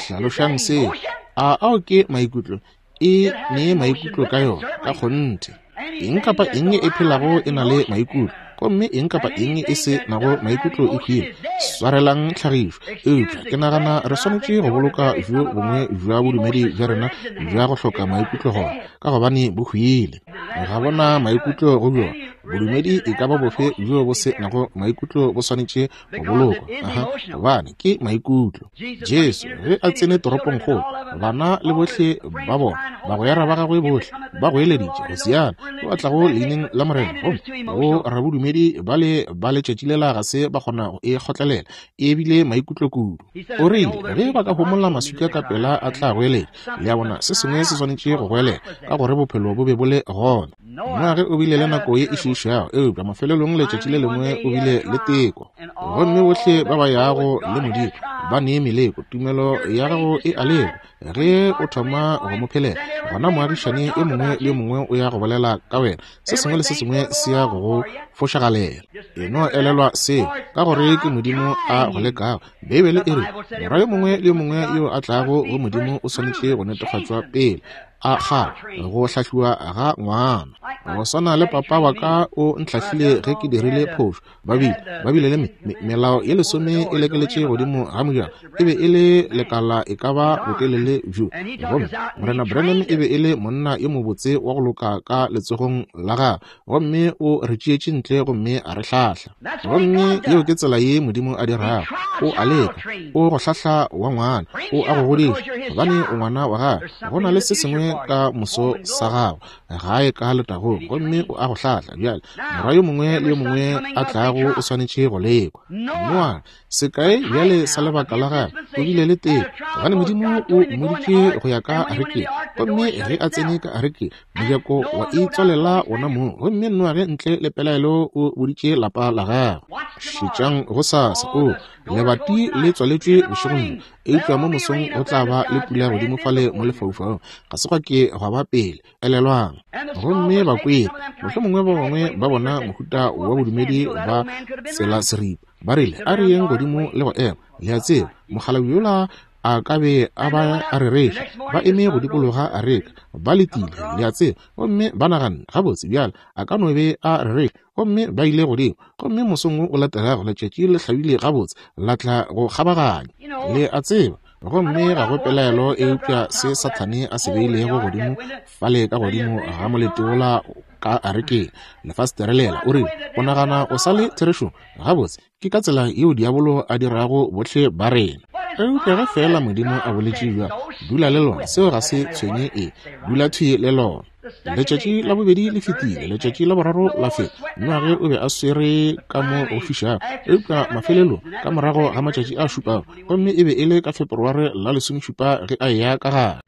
Hlalošang seo. A ao ke maikutlo? E ne maikutlo ka yona, ka kgonthe. Eng kapa eng e phelago e na le maikutlo, gomme eng kapa eng e se nago maikutlo e hwile. Swarelang tlhagišo, eupša ke nagana re swanetše go boloka bjo bongwe bja bodumedi bja rena bja go hloka maikutlo gona, ka gobane bo hwile. Ga bona maikutlo go bjona. Bodumedi e ka ba bofe bjo bo se nago maikutlo bo swanetše go bolokwa, aha, gobane ke maikutlo. Jesu ge a tsene toropongkgolo, bana le bohle ba bona, bagwera ba gagwe bohle ba goeleditše, Hosiana, yo a tlago leineng la Morena. Gomme bo rabodumedi ba le ba letšatši lela ga se ba kgona go e kgotlelela, e bile maikutlo kudu. O rile ge ba ka homola maswika ka pela a tla goeletša. Le a bona, se sengwe se swanetše go goelela, ka gore bophelo bo be bo le gona. Noage o bile le nako ye e šiišago, eupša mafelelong letšatši le lengwe o bile le teko. Gomme bohle ba ba yago le Modimo ba ne meleko. Tumelo ya gago e a lekwa. Ge o thoma go mo phelela, gona moagišani yo mongwe le yo mongwe o ya go bolela ka wena. Se sengwe le se sengwe se ya go go fošagalela. E no elelwa seo, ka gore ke Modimo a go lekago. Beibele e re, morwa yo mongwe le yo mongwe yo a tlago go Modimo o swanetše go netefatšwa pele a kgala go hlahliwa ga ngwana. Go swana le papa wa ka o ntlhahlile ge ke dirile phošo. Ba bile, ba bile le me, me, melao ye lesome e lekeletše godimo ga mojako. E be e le lekala e ka ba botelele bjo. Gomme Morena Branham e be e le monna yo mobotse wa go loka ka letsogong la gagwe. Gomme o re tšeetše ntle gomme a re hlahla. Gomme yeo ke tsela ye Modimo a dirago. O a leka, o go hlahla wa ngwana, o a go godiša, gobane o ngwana wa gagwe. Go na le se sengwe ka moso sa gago, gae ka letagong, gomme o a go hlahla. Bjale, morwa yo mongwe le yo mongwe a tlago o swanetše go lekwa. Noa, sekae bjale sa lebaka la gagwe, o bile le teko, gobane Modimo o mmoditše go ya ka arekeng. Gomme ge a tsene ka arekeng, mojako wa itswalela wona mong, gomme Noage ntle le pelaelo o boditše lapa la gagwe. Šetšang gosasa, o, lebati le tswaletšwe bošegong bjo, eupša mo mosong go tla ba le pula godimo fale mo lefaufaung. Ga se gwa ke gwa ba pele, elelwang. Gomme bakweri, mohlomongwe ba bangwe ba bona mohuta wa bodumedi ba tsela seripa, ba rile, A re yeng godimo le go ema. Le a tseba, mokgalabje yola a ka be a ba a rereša. Ba eme go dikologa areka, ba letile, le a tseba, gomme ba naganne, Gabotse, bjale, a ka no be a rereša. Gomme ba ile godimo, gomme mosong wo o latelago letšatši le hlabile gabotse, la tla go kgabaganya, le a tseba. Gomme ga go pelaelo eupša se Sathane a se beilego godimo fale ka godimo ga molete wola ka arekeng, lefastere lela, o rile, O nagana o sa le therešong? Gabotse, ke ka tsela yeo diabolo a dirago bohle ba rena. Eupša ge feela Modimo a boletše bjalo, dula le lona, seo ga se tshwenye eng, dula thwi le lona. Letšatši la bobedi le fetile, letšatši la boraro la feta. Noage o be a swere ka mo go fišago, eupša mafelelong ka morago ga matšatši a šupago, gomme e be e le ka Feperware la lesomešupa ge a eya ka gare.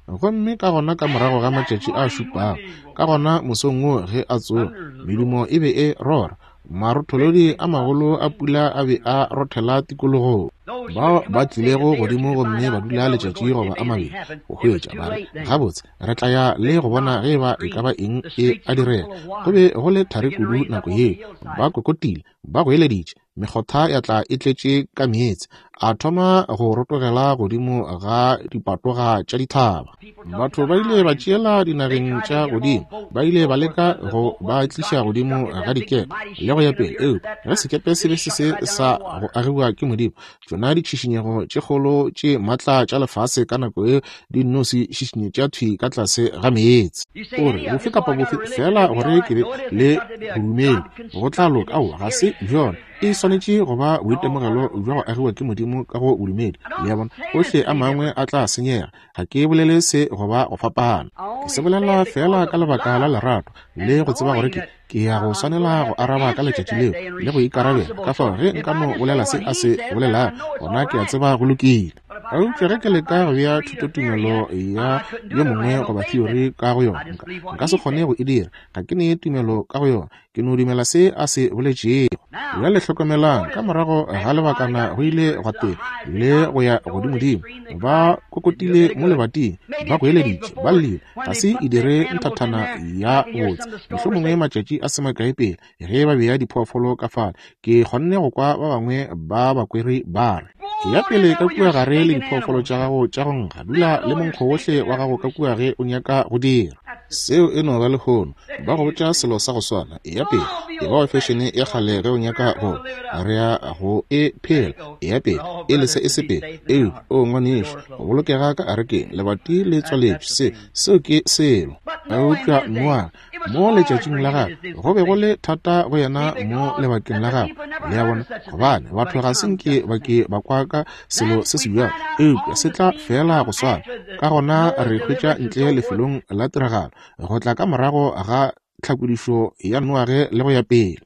Gomme ka gona ka morago ga matšatši a šupago, ka gona mosong wo ge a tsoga, medumo e be e rora, Marotholodi a magolo a pula a be a rothela tikologong. Bao ba tlilego godimo gomme ba dula letšatši goba a mabedi go hwetša, ba re, Gabotse, re tla ya le go bona ge eba e ka ba eng e a direga. Go be go le thari kudu nako yeo. Ba kokotile, ba goeleditše, mekgotha ya tla e tletše ka meetse, a thoma go rotogela godimo ga dipatoga tša dithaba. Batho ba ile ba tšeela dinageng tša godimo, ba ile ba leka go ba tliša godimo ga dikepe le go ya pele. Eupša ge sekepe se be se se sa go agiwa ke Modimo, tšona ditšhišinyego tše kgolo tše matla tša lefase ka nako yeo di nno se šišinyetša thwi ka tlase ga meetse. O re, bofe kapa bofe, feela gore ke be le bodumedi, go tla loka. Aowa, ga se bjona. E swanetše go ba boitemogelo bja go agiwa ke Modimo ka go bodumedi. Le a bona? Ohle a mangwe a tla senyega. Ga ke bolele se go ba go fapana. Ke se bolela feela ka lebaka la lerato le go tseba gore ke, ke ya go swanela go araba ka letšatši leo le go ikarabela. Ka fao ge nka no bolela se a se bolelago, gona ke a tseba go lokile. Eupša ge ke leka go bea thutotumelo ya yo mongwe goba theory ka go yona, nka, nka se kgone go e dira. Ga ke ne tumelo ka go yona. Ke no dumela se a se boletšego. Bjale hlokomelang, ka morago ga lebakana go ile gwa tena le go ya godimodimo. Ba kokotile mo lebating, ba goeleditše, ba llile. Ga se e dire nthathana ya botse. Mohlomongwe matšatši a se makae pele, ge ba bea diphoofolo ka fale, ke kgonne go kwa ba bangwe ba bakweri ba re, Eya pele ka kua gare le diphoofolo tša gago tša go nkga, dula le monkgo wohle wa gago ka kua ge o nyaka go dira. Seo e no ba lehono. Ba go botša selo sa go swana. Eya pele, e ba wa fešene ya kgale ge o nyaka go. Re ya go e phela. Eya pele, e lese e sepele. Eupša, o ngwanešu, go bolokega ka arekeng, lebati le tswaletšwe, se, seo ke selo. Eupša Noage, mo letšatšing la gagwe, go be go le thata go yena mo lebakeng la gagwe, le a bona, gobane batho ga se nke ba ke ba kwa ka selo se se bjalo, eupša se tla feela go swana. Ka gona re hwetša ntle lefelong la tiragalo, go tla ka morago ga tlhakodišo ya Noage le go ya pele,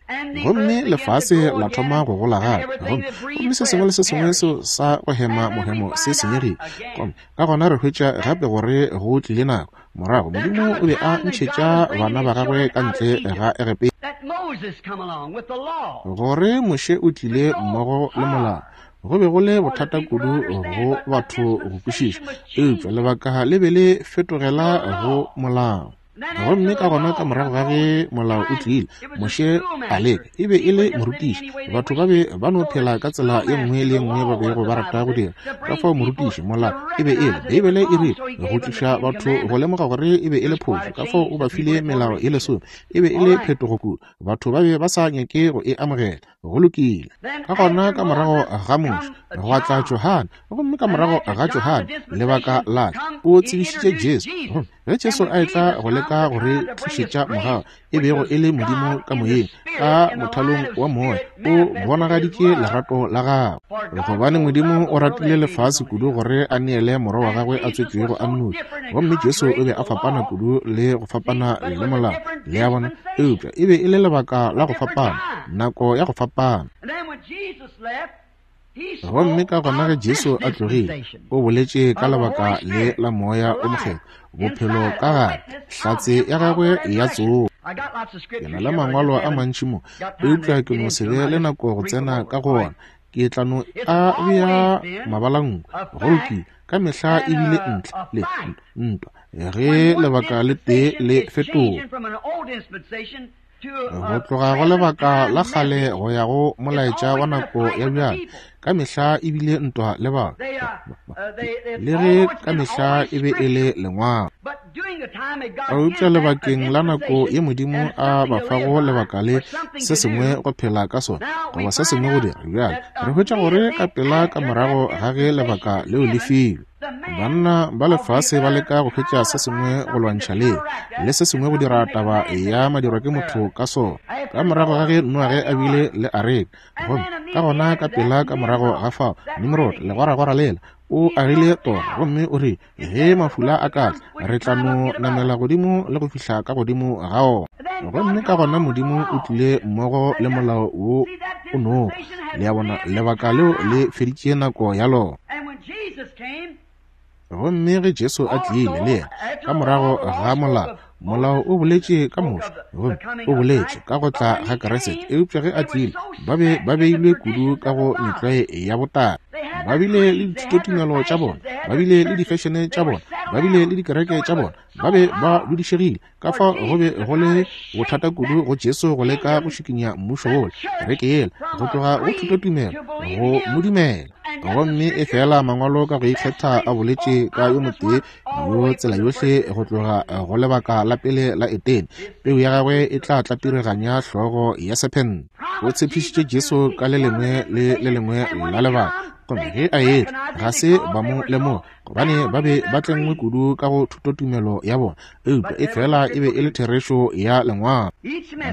gomme lefase la thoma go gola gape, gomme, gomme se sengwe le se sengwe seo sa go hema mohemo se senyegile. Gomme ka gona re hwetša gape gore go tlile nako morago Modimo o be a ntšhetša bana ba gagwe ka ntle ga Egepeta, gore Moshe o tlile mmogo le molao. Go be go le bothata kudu go batho go kwešiša, eupša lebaka le be le fetogela go molao. Gomme ka gona ka morago ga ge molao o tlile, Moshe a leka, e be e le morutiši. Batho ba be ba no phela ka tsela ye nngwe le ye nngwe ba bego ba rata go dira. Ka fao morutiši, molao, e be e le, Beibele e rile, go tliša batho go lemoga gore e be e le phošo. Ka fao o ba file melao ye lesome. E be e le phetogo kudu. Batho ba be ba sa nyake go e amogela. Go lokile. Ka gona ka morago ga Moshe gwa tla Johane, gomme ka morago ga Johane lebaka la tla, o tsebišitše Jesu. Gomme ge Jesu a etla go leka go re tlišetša mogau, e bego e le Modimo ka moyeng, ka mothalong wa moya, o bonagaditše lerato la gagwe. Gobane Modimo o ratile lefase kudu gore a neele Morwa wa gagwe a tswetšwego a nnoši. Gomme Jesu o be a fapana kudu le go fapana le molao, le a bona, eupša e be e le lebaka la go fapana, nako ya go fapana. Gomme ka gona ge Jesu a tlogile, o boletše ka lebaka le la Moya o Mokgethwa, bophelo ka gare, hlatse ya gagwe ya tsogo. Ke na le mangwalo a mantši mo, eupša ke no se be le nako go tsena ka go ona. Ke tla no a bea mabalanku. Go lokile, ka mehla e bile ntle le ntwa ge lebaka le tee le fetoga. Go tloga go lebaka la kgale go ya go molaetša wa nako ya bjale, ka mehla e bile ntwa le batho, le ge ka mehla e be e le lengwalo. Eupša lebakeng la nako ye Modimo a ba fago lebaka le se sengwe go phela ka sona, goba se sengwe go dira, bjale re hwetša gore ka pela ka morago ga ge lebaka leo le filwe, Banna ba lefase ba leka go hwetša se sengwe go lwantšha leo, le se sengwe go dira taba ya madirwa ke motho ka sona. Ka morago ga ge Noage a bile le areka, gomme ka gona ka pela ka morago ga fao, Nimrod, legwaragwara lela, o agile tora, gomme o rile, ge mafula a ka tla, re tla no namela godimo le go fihla ka godimo ga ona. Gomme ka gona Modimo o tlile mmogo le molao wo o nogo. Le a bona, lebaka leo le feditše nako ya lona. Gomme ge Jesu a tlile le yena ka morago ga molao, molao o boletše ka Moshe, gomme o boletše ka go tla ga Kriste. Eupša ge a tlile, ba be ba beilwe kudu ka go metlwae ya botala. Ba bile le dithutotumelo tša bona, ba bile le difešene tša bona, ba bile le dikereke tša bona, ba be ba dudišegile. Ka fao go be go le bothata kudu go Jesu go leka go šikinya mmušo wola, kereke yela, go tloga go thutotumelo go mo dumela. Gomme efela Mangwalo ka go ikgetha a boletše ka yo motee yo tsela yohle go tloga go lebaka la pele la Edene, peu ya gagwe e tla tlapireganya hlogo ya sephente. O tshepišitše Jesu ka le lengwe le le lengwe la lebaka, gomme ge a etla ga se ba mo lemoga, gobane ba be ba tlengwe kudu ka go thutotumelo ya bona, eupša efela e be e le therešo ya Lengwalo.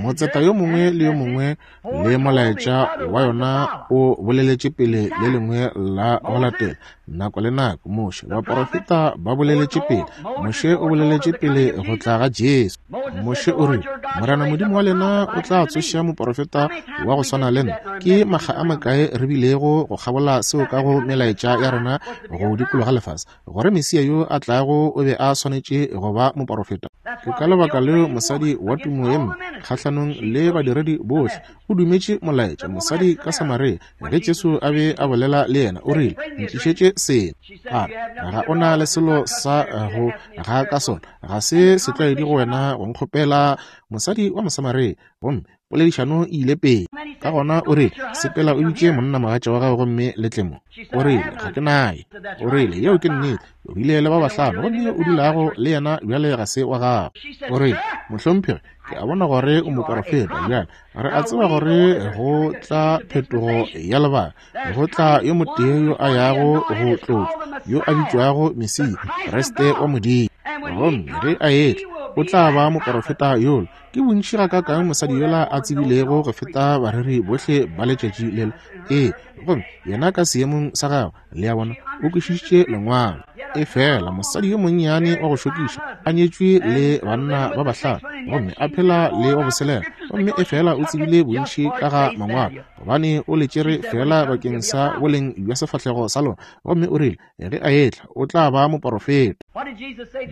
Motseta yo mongwe le yo mongwe le molaetša wa yona o boleletše pele le lengwe la go latela, nako le nako. Moshe, baporofeta ba boleletše pele. Moshe o boleletše pele go tla ga Jesu. Moshe o rile, Morena Modimo wa lena o tla tsoša moporofeta wa go swana le nna. Ke makga a makae re bilego go kgabola seo ka go melaetša ya rena go dikologa lefase, gore Mesia yo a tlago o be a swanetše go ba moporofeta. Ke ka lebaka leo mosadi wa tumo ye mpe kgahlanong le badiredi bohle o dumetše molaetša. Mosadi ka Samaria, ge Jesu a be a bolela le yena, o rile, Ntlišetše seno. A re, Ga o na le selo sa go ga ka sona, ga se setlwaedi go wena go nkgopela. Mosadi wa Mosamaria, gomme poledišano e ile pele. Ka gona o rile, Sepela o bitše monnamogatša wa gago gomme le tle mo. O rile, Ga ke naye. O rile, Yeo ke nnete. O bile le ba bahlano, gomme yo o dulago le yena bjale ga se wa gago. O rile, Mohlomphegi, ke a bona gore o moporofeta. Bjale re a tseba gore go tla phetogo ya lebaka, go tla yo motee yo a yago go tlotšwa, yo a bitšwago Mesia, Kriste wa Modimo. Gomme ge a etla, o tla ba moporofeta yola. Ke bontši gakaakang mosadi yola a tsebilego go feta bareri bohle ba letšatši lela. Ee, gomme yena ka seemong sa gagwe, le a bona, o kwešišitše Lengwalo. Efela mosadi yo monnyane wa go šokiša, a nyetšwe le banna ba bahlano, gomme a phela le wa boselela, gomme efela o tsebile bontši ka ga Mangwalo, gobane o le tšere feela bakeng sa boleng bja sefahlego sa lona, gomme o rile, ge a etla, o tla ba moporofeta.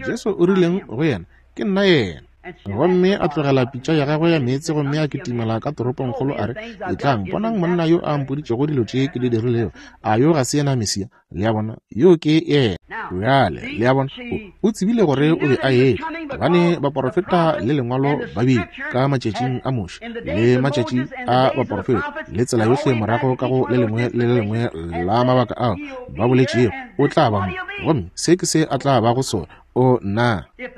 Jesu o rileng go yena? Ke nna yena. Gomme a tlogela pitša ya gagwe ya meetse gomme a kitimela ka toropongkgolo, a re, Etlang, bonang monna yo a mpoditšego dilo tše ke di dirilego. A yo ga se yena Mesia? Le a bona, yo ke yena. Bjale, le a bona, o, o tsebile gore o be a etla, gobane baporofeta le Lengwalo ba bile ka matšatšing a Moshe le matšatši a baporofeta, le tsela yohle morago ka go le lengwe le le lengwe la mabaka ao ba boletšego o tla ba mo, gomme se ke se a tla bago sona. O, nna! Ge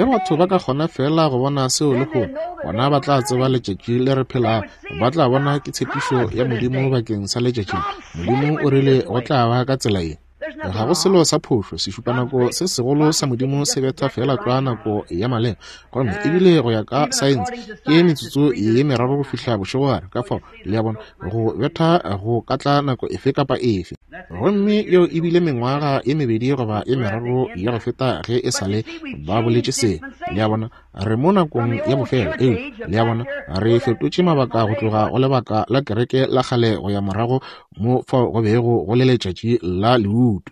batho ba ka kgona feela go bona seo lehono, gona ba tla tseba letšatši le re phelago. Ba tla bona ke tshepišo ya Modimo bakeng sa letšatši le. Modimo o rile go tla ba ka tsela ye. Ga go selo sa phošo, sešupanako se segolo sa Modimo se betha feela tlwa nako ya maleba. Gomme ebile go ya ka saense, ke metsotso ye meraro go fihla bošegogare. Ka fao, le a bona, go betha go ka tla nako efe kapa efe. Gomme yeo e bile mengwaga ye mebedi goba ye meraro ya go feta ge e sa le ba boletše se. Le a bona, re mo nakong ya bofelo. Eupša, le a bona, re fetotše mabaka go tloga go lebaka la kereke la kgale go ya morago mo fao go bego go le letšatši la leutu.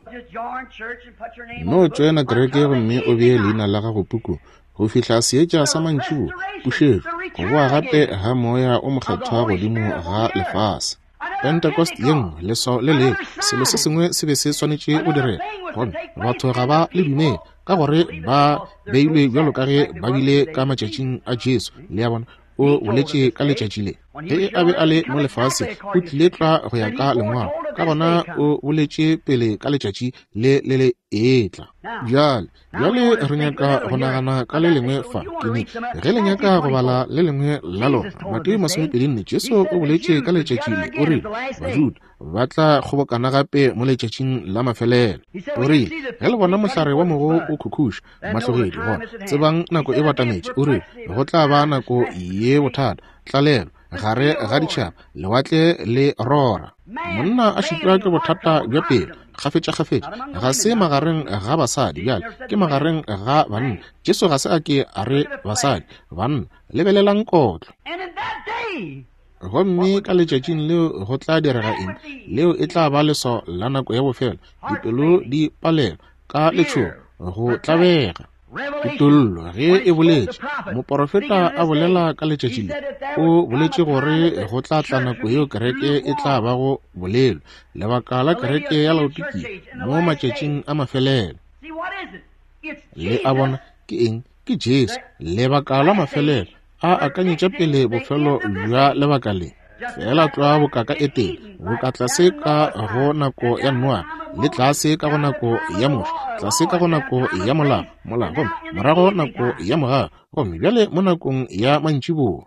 No tšoena kereke gomme o bee leina la gago pukung go fihla seetša sa mantšiboa, pušetšo, go boa gape ga Moya o Mokgethwa godimo ga lefase. Pentecost ye nngwe, leswao le lengwe, selo se sengwe se be se swanetše go direga. Gomme batho ga ba le dumele, ka gore ba beilwe bjalo ka ge ba bile ka matšatšing a Jesu. Le a bona, o boletše ka letšatši le. Ge a be a le mo lefaseng, o tlile tlwa go ya ka Lengwalo. Ka gona o boletše pele ka letšatši le le le etla. Bjale, Bjale re nyaka go nagana ka le lengwe fa. Ke ne, ge le nyaka go bala le lengwe la lona, Mateo 24, Jesu o boletše ka letšatši le, o rile, Bajuda ba tla kgobokana gape mo letšatšing la mafelelo. O rile, ge le bona mohlare wa mogo o khukhuša mahlogedi, gona tsebang nako e batametše. O rile, go tla ba nako ye bothata, tlalelo gare ga ditšhaba, lewatle le rora. Monna a šitwa ke bothata bja pelo kgafetšakgafetša, ga se magareng ga basadi bjale, ke magareng ga banna. Jesu ga se a ke a re basadi, banna, lebelelang kotlo. Gomme ka letšatšing leo go tla direga eng? Leo e tla ba leswao la nako ya bofelo, dipelo di palelwa ka letšhogo, go tlabega. Kutollo ge e boletše, moporofeta a bolela ka letšatši le, o boletše gore go tla tla nako yeo kereke e tla bago bolelo, lebaka la kereke ya Laodikia mo matšatšing a mafelelo. Le a bona ke eng? Ke Jesu, lebaka la mafelelo, a akanyetša pele bofelo bja lebaka le. Feela tlwa boka ka Etene, boka tlase ka go nako ya Noa, le tlase ka go nako ya Moshe, tlase ka go nako ya molao, molao, gomme morago nako ya mogau, gomme bjale mo nakong ya mantšiboa.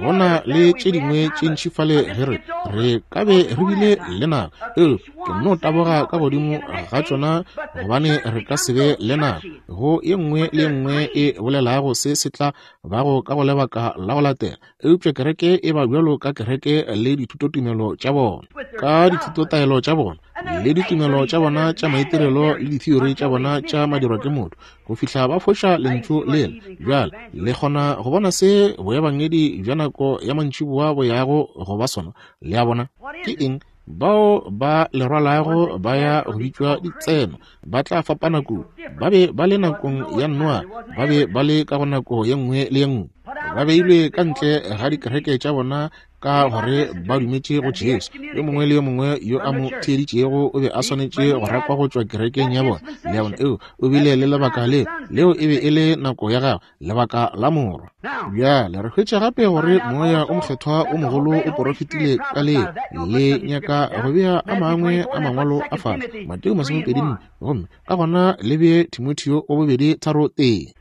Go na le tše dingwe tše ntši fale ge re, re ka be re bile le nako, eupša ke nno taboga ka godimo ga tšona gobane re ka se be le nako go ye nngwe le ye nngwe e bolelago se se tla bago ka go lebaka la go latela. Eupša kereke e ba bjalo ka kereke le dithutotumelo tša bona, ka dithutotaelo tša bona le ditumelo tša bona tša maitirelo le diteori tša bona tša madirwa ke motho, go fihla ba foša lentšu lela. Bjale le kgona go bona se boebangedi bja nako ya mantšiboa bo yago go ba sona. Le a bona? Ke eng? Bao ba le rwalago ba ya go bitšwa ditseno, ba tla fapana kudu. Ba be ba le nakong ya Noa, ba be ba le ka go nako ye nngwe le ye nngwe. Ba beilwe ka ntle ga dikereke tša bona ka gore ba dumetše go Jesu. Yo mongwe le yo mongwe yo a mo theeditšego o be a swanetše go rakwa go tšwa kerekeng ya bona. Le a bona? Eo, o bile le lebaka leo. Leo e be e le nako ya gagwe, lebaka la Morwa. Bjale re hwetša gape gore Moya o Mokgethwa o mogolo o porofetile ka leo. Le nyaka go bea a mangwe a mangwalo a fase, Mateo 24, gomme ka gona le bee Timotheo wa bobedi 3:1.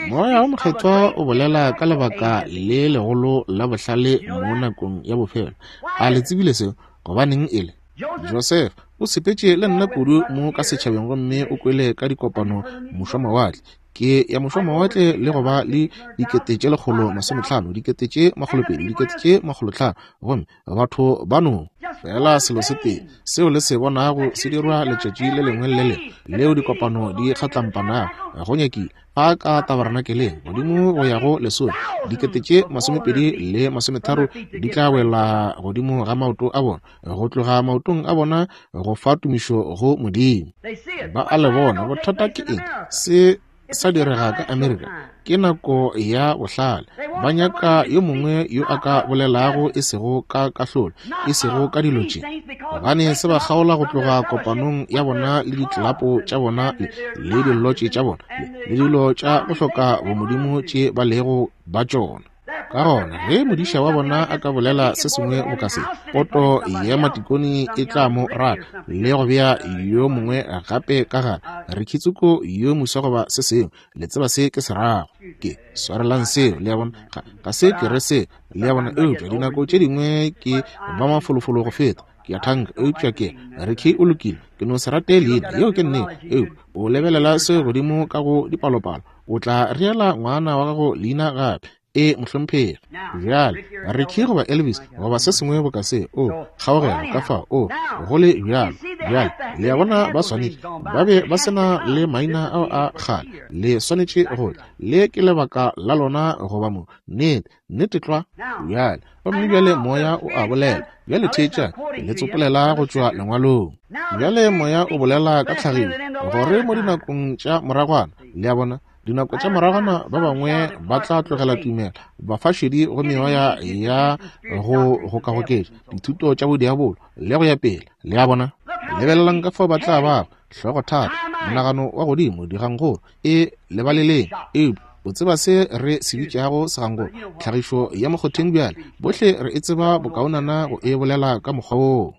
Moya o Mokgethwa o bolela ka lebaka le legolo la bohlale mo nakong ya bofelo. A le tsebile seo? Gobaneng e le? Josefa o sepetše le nna kudu mo ka setšhabeng gomme o kwele ka dikopano mošwamawatle. Ke ya mošwamawatle le go ba le 150,000, 200,000, 500,000, gomme batho ba no fela selo se tee seo le se bonago se dirwa letšatši le lengwe le le lengwe leo dikopano di kgatlampanago go nyakile fa ka tabernakeleng godimo go ya go lesome 20,030 di tla wela godimo ga maoto a bona, go tloga maotong a bona go fa tumišo go Modimo. Ba a le bona. Bothata ke eng? Se sa direga ka Amerika. Ke nako ya bohlale. Ba nyaka yo mongwe yo a ka bolelago e sego ka kahlolo, e sego ka dilo tše, gobane se ba kgaola go tloga kopanong ya bona le ditlelapo tša bona le dilotše tša bona le dilo tša go hloka bomodimo tše ba lego ba tšona. Ka gona ge modiša wa bona a ka bolela se sengwe boka se, poto ya matikoni e tla mo rata le go bea yo mongwe gape ka gare, Ricky-tsoko yo moswa goba se sengwe. Le tseba se ke se rago. Ke swarelang seo, le a bona. Ga se ke re se, le a bona. Eupša dinako tše dingwe ke ba mafolofolo go feta, ke a thanka. Eupša ke Ricky o lokile, ke no se rate leina, yeo ke nnete. Eupša o lebelela se godimo ka go dipalopalo, o tla reela ngwana wa gago leina gape. E, mohlomphegi. Bjale, Ricky goba Elvis goba se sengwe boka se, o, kgaogelo, ka fao, o, go le bjalo. Bjale, le a bona, ba swanetše ba be ba se na le maina ao a kgale. Le swanetše go tla. Le ke lebaka la lona goba mo. Nnete, nnete tlwa. Bjale, gomme bjale Moya o a bolela. Bjale theetšang, ke le tsopolela go tšwa Lengwalong. Bjale Moya o bolela ka tlhagišo, gore mo dinakong tša moragwana, le a bona, Dinako tša moragwana ba bangwe ba tla tlogela tumelo, bafašedi go meoya ya go gokagoketša, dithuto tša bodiabolo, le go ya pele. Le a bona? Lebelelang ka fao ba tla bago, hlogothata, monagano wa godimo, digangkgolo. E lebaleleng. Eupša o tseba se re se bitšago segangkgolo, tlhagišo ya mokgotheng bjale. Bohle re e tseba bokaonana go e bolela ka mokgwa woo.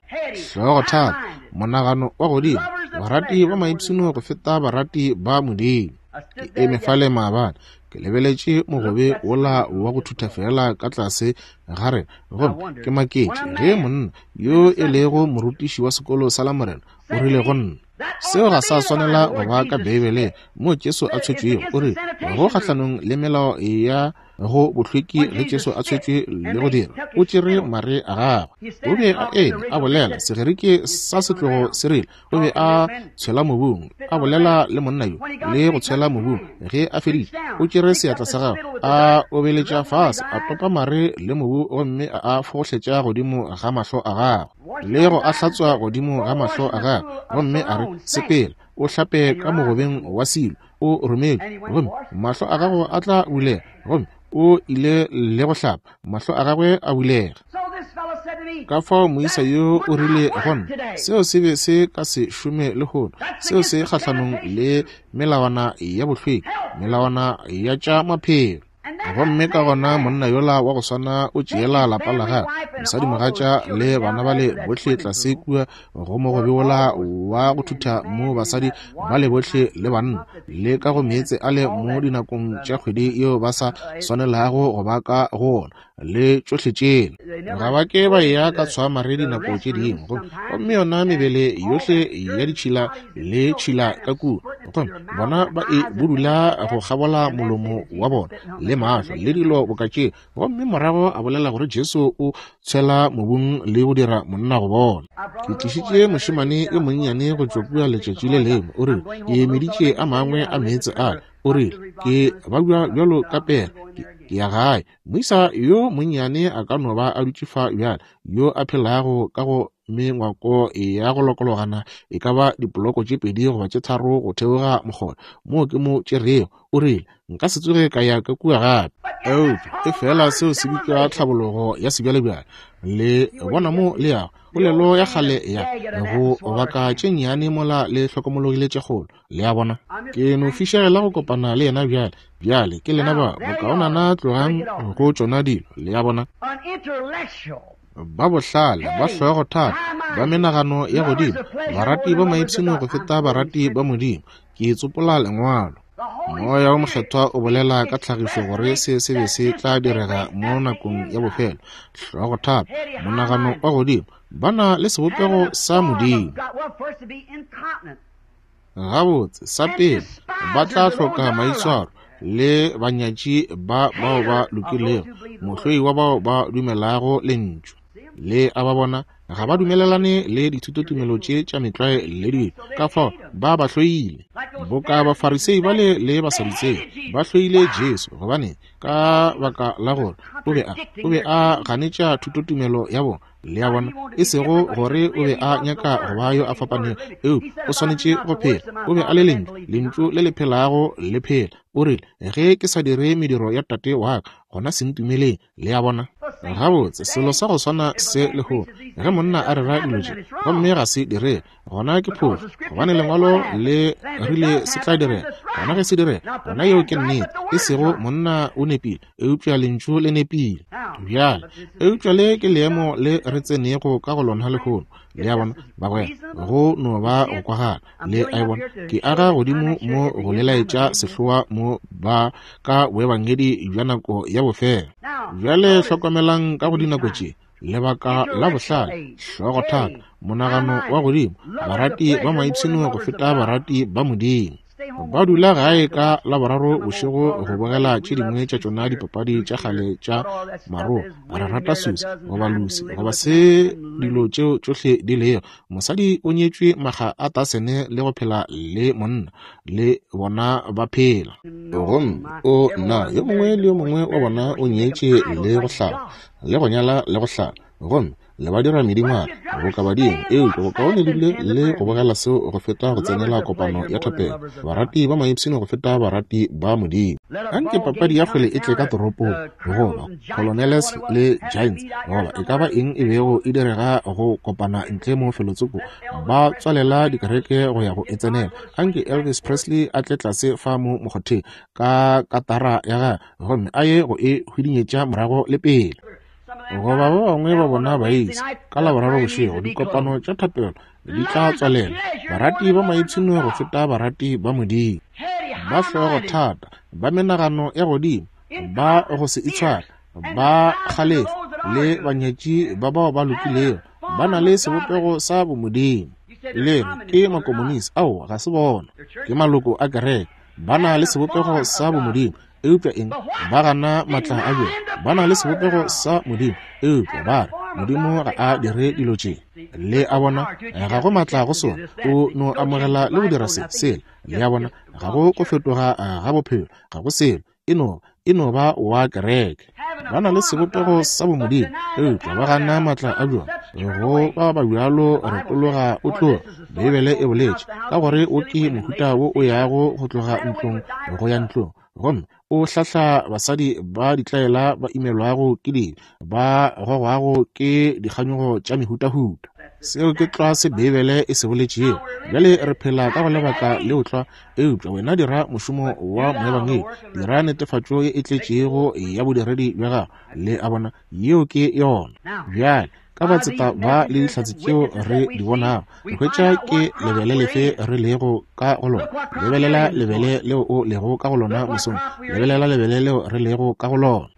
Hlogothata, monagano wa godimo, barati ba maipshino go feta barati ba Modimo. Ke eme fale maabane, ke lebeletše mogobe wola wa go thutha feela ka tlase ga rena, gomme ke maketše ge monna yo e lego morutiši wa sekolo sa Lamorena o rile go nna, Seo ga sa swanela go ba ka Beibeleng moo Jesu a tshwetšwego. O rile, Go kgahlanong le melao ya go bohlweki ge Jesu a tshwetšwe le go dira, o tšere mare a gagwe. O be a eme a bolela, Segerike sa setlogo se rile, o be a tshwela mobung, a bolela le monna yo le go tshwela mobung. Ge a feditše, o tšere seatla sa gagwe, a obeletša fase, a topa mare le mobu gomme a a fogohletša godimo ga mahlo a gagwe, le go a hlatswa godimo ga mahlo a gagwe, gomme a re, Sepela, o hlape ka mogobeng wa Silo, o rometšwe, gomme mahlo a gago a tla bulega. Gomme o ile le go hlapa, mahlo a gagwe a bulega. Ka fao moisa yo o rile go nna, seo se be se ka se šome lehono, seo se kgahlanong le melawana ya bohlweki, melawana ya tša maphelo. Gomme ka gona monna yola wa go swana o tšeela lapa la gagwe, mosadimogatša le bana bale bohle tlase kua go mogobe wola wa go thutha mo basadi bale bohle le banna, le ka go meetse ale mo dinakong tša kgwedi yeo ba sa swanelago go ba ka go ona, le tšohle tšela. Ga ba ke ba eya ka tshwamare dinako tše dingwe, gomme yona mebele yohle ya ditšhila le tšhila ka kua, gomme bona ba e budula go kgabola molomo wa bona le mahlo le dilo boka tše, gomme morago a bolela gore Jesu o tshwela mobung le go dira monna go bona. Ke tlišitše mošemane yo monnyane go tšwa kua letšatši le lengwe, o rile, ke meditše a mangwe a meetse ale, o rile, ke babja bjalo ka pere, ke ya gae. Moisa yo monnyane a ka no ba a dutše fa bjale, yo a phelago ka go mengwako ya go lokologana e ka ba dipoloko tše pedi goba tše tharo go theoga mokgona, moo ke mo tšerego. O rile, Nka se tsoge ka ya ka kua gape. Eupša efela seo se bitšwa tlhabologo ya sebjalebjale. Le bona mo le yago, polelo ya kgale ya go baka tše nnyane mola le hlokomologile tše kgolo. Le a bona? Ke no fišegela go kopana le yena bjale. Bjale ke lena ba, bokaonana tlogang go tšona dilo. Le a bona? Ba bohlale, ba hlogothata, ba menagano ya godimo, barati ba maipshino go feta barati ba Modimo. Ke tsopola Lengwalo. Moya wo Mokgethwa o bolela ka tlhagišo gore se se be se tla direga mo nakong ya bofelo. Hlogothata, monagano wa godimo, ba na le sebopego sa Modimo. Gabotse, sa pele, ba tla hloka maitshwaro le banyatši ba bao ba lokilego, mohloi wa bao ba dumelago Lentšu. Le a ba bona? Ga ba dumelelane le dithutotumelo tše tša metlwae le dilo, ka fao ba ba hloile. Boka Bafarisei bale le Basadutsei ba hloile Jesu, gobane ka baka la gore o be a ganetša thutotumelo ya bona. Le a bona, e sego gore o be a nyaka go ba yo a fapanego, eupša o swanetše go phela. O be a le Lentšu, Lentšu le le phelago le phela. O rile, Ge ke sa dire mediro ya Tate wa ka, gona se ntumeleng. Le a bona? Gabotse, selo sa go swana se lehono. Ge monna a rera dilo tše, gomme ga se direge, gona ke phošo, gobane Lengwalo le rile se tla direga. Gona ge se direga, gona yeo ke nnete. E sego monna o nepile, eupša Lentšu le nepile. Bjale, eupša le ke leemo le re tsenego ka go lona lehono. Le a bona, bagwera, go no ba go kwagala. Le a e bona? Ke aga godimo mo go le laetša sehloa mo ba ka boebangedi bja nako ya bofelo. Bjale hlokomelang ka go dinako tše, lebaka la bohlale, hlogothata, monagano wa godimo, barati ba maipshino go feta barati ba Modimo. Ba dula gae ka Laboraro bošego go bogela tše dingwe tša tšona dipapadi tša kgale tša maroa. Re rata Susie goba Lucy goba se dilo tšeo tšohle di lego. Mosadi o nyetšwe makga a tasene le go phela le monna, le bona ba phela. Gomme o nna, yo mongwe le yo mongwe wa bona o nyetše le go hlala, le go nyala le go hlala, gomme le ba dira medingwana boka badimo. Eupša bokaone le dule le go bogela seo go feta go tsenela kopano ya thapelo. Barati ba maipshino go feta barati ba Modimo. Anke papadi ya kgwele e tle ka toropong, goba Colonels le Giants, goba e ka ba eng e bego e direga go kopana ntle mo felotsoko, ba tswalela dikereke go ya go e tsenela. Anke Elvis Presley a tle tlase fa mo mokgotheng ka katara ya gagwe gomme a ye go e hwidinyetša morago le pele. Goba ba bangwe ba bona baisa ka Laboraro bošego, dikopano tša thapelo di tla tswalela. Barati ba maipshino go feta barati ba Modimo, ba hlogo thata, ba menagano ya godimo, ba go se itshware, ba kgalefo, le banyatši ba bao ba lokilego, ba na le sebopego sa bomodimo. Le re ke makomonisi? Aowa, ga se bona. Ke maloko a kereke, ba na le sebopego sa bomodimo. Eupša eng? Ba gana matla a bjona. Ba na le sebopego sa Modimo, eupša ba re Modimo ga a dire dilo tše. Le a bona, ga go matla go sona. O no amogela le go dira se, sela. Le a bona, ga go go fetoga ga bophelo, ga go selo. E no, e no ba wa kereke. Ba na le sebopego sa bomodimo, eupša ba gana matla a bjona. Go ba ba bjalo retologa o tloga. Beibele e boletše ka gore o ke mohuta wo o yago go tloga ntlong go ya ntlong, gomme o hlahla basadi ba ditlaela ba imelwago ke dibe, ba gogwago ke dikganyogo tša mehutahuta. Seo ke tlwa se Beibele e se boletšego. Bjale re phela ka go lebaka leo tlwa, eupša wena dira mošomo wa moebangedi, dira netefatšo ye e tletšego ya bodiredi bja gago. Le a bona, yeo ke yona. Bjale ka batseta ba le dihlatse tšeo re di bonago, re hwetša ke lebele lefe re lego ka go lona. Lebelela lebele leo o lego ka go lona mosong, lebelela lebele leo re lego ka go lona.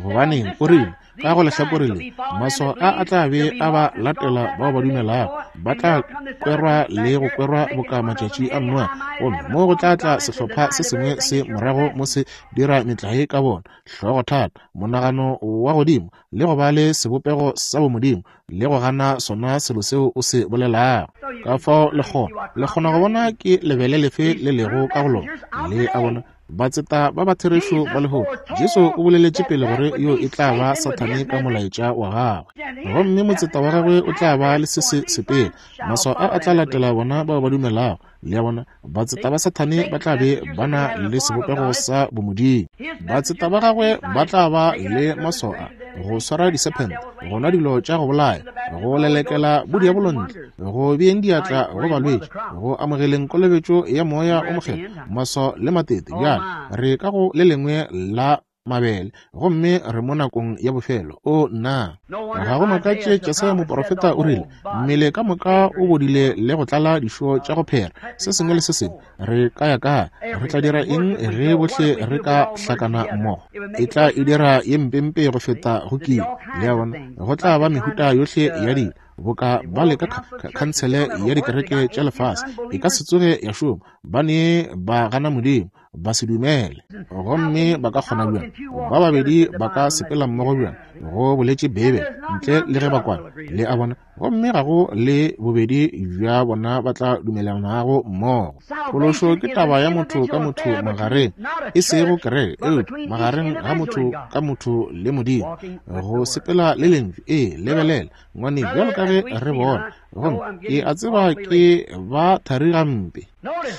Gobaneng, o rile, ka go lehlakore le, maswao a a tla be a ba latela bao ba dumelago, ba tla kwerwa le go kwerwa boka matšatši a Noa, gomme mo go tla tla sehlopha se sengwe se morago mo se dira metlae ka bona, hlogothata, monagano wa godimo, le go ba le sebopego sa bomodimo, le go gana sona selo seo o se bolelago. Ka fao le kgona, le kgona go bona ke lebele lefe le lego ka go lona. Le a bona, batseta ba ba therešo ba lehono. Jesu o boleletše pele gore yo e tla ba Sathane ka molaetša wa gagwe, gomme motseta wa gagwe o tla ba le se se sepele. Maswao a a tla latela bona bao ba dumelago. Le a bona, batseta ba Sathane ba tla be ba na le sebopego sa bomodimo. Batseta ba gagwe ba tla ba le maswao a go swara disephente, go nwa dilo tša go bolaya, go lelekela bodiabolo ntle, go beeng diatla go balwetši, go amogeleng kolobetšo ya Moya o Mokgethwa, maswao le matete. Bjale re ka go le lengwe la mabele, gomme re mo nakong ya bofelo. O nna, ga go makatše Jesaya moprofeta o rile, mmele ka moka o bodile le go tlala dišo tša go phera, se sengwe le se sengwe. Re ka ya kae? Re tla dira eng ge bohle re ka hlakana mmogo? E tla e dira ye mpempe go feta go kile. Le a bona, go tla ba mehuta yohle ya dilo, boka ba le ka khansele ya dikereke tša lefase. E ka se tsoge ya šoma. Ba ne ba gana Modimo. Basedumele. Gomme ba ka kgona bjang? Ba babedi ba ka sepela mmogo bjang? Go boletše Beibele, ntle le ge ba kwana. Le a bona? Gomme ga go le bobedi bja bona ba tla dumelanago mmogo. Phološo ke taba ya motho ka motho magareng, e sego kereke, eupša magareng ga motho ka motho le Modimo, go sepela le Lentšu. Ee, lebelela, ngwane, bjalo ka ge re bona. Gomme ke a tseba ke ba thari gampe.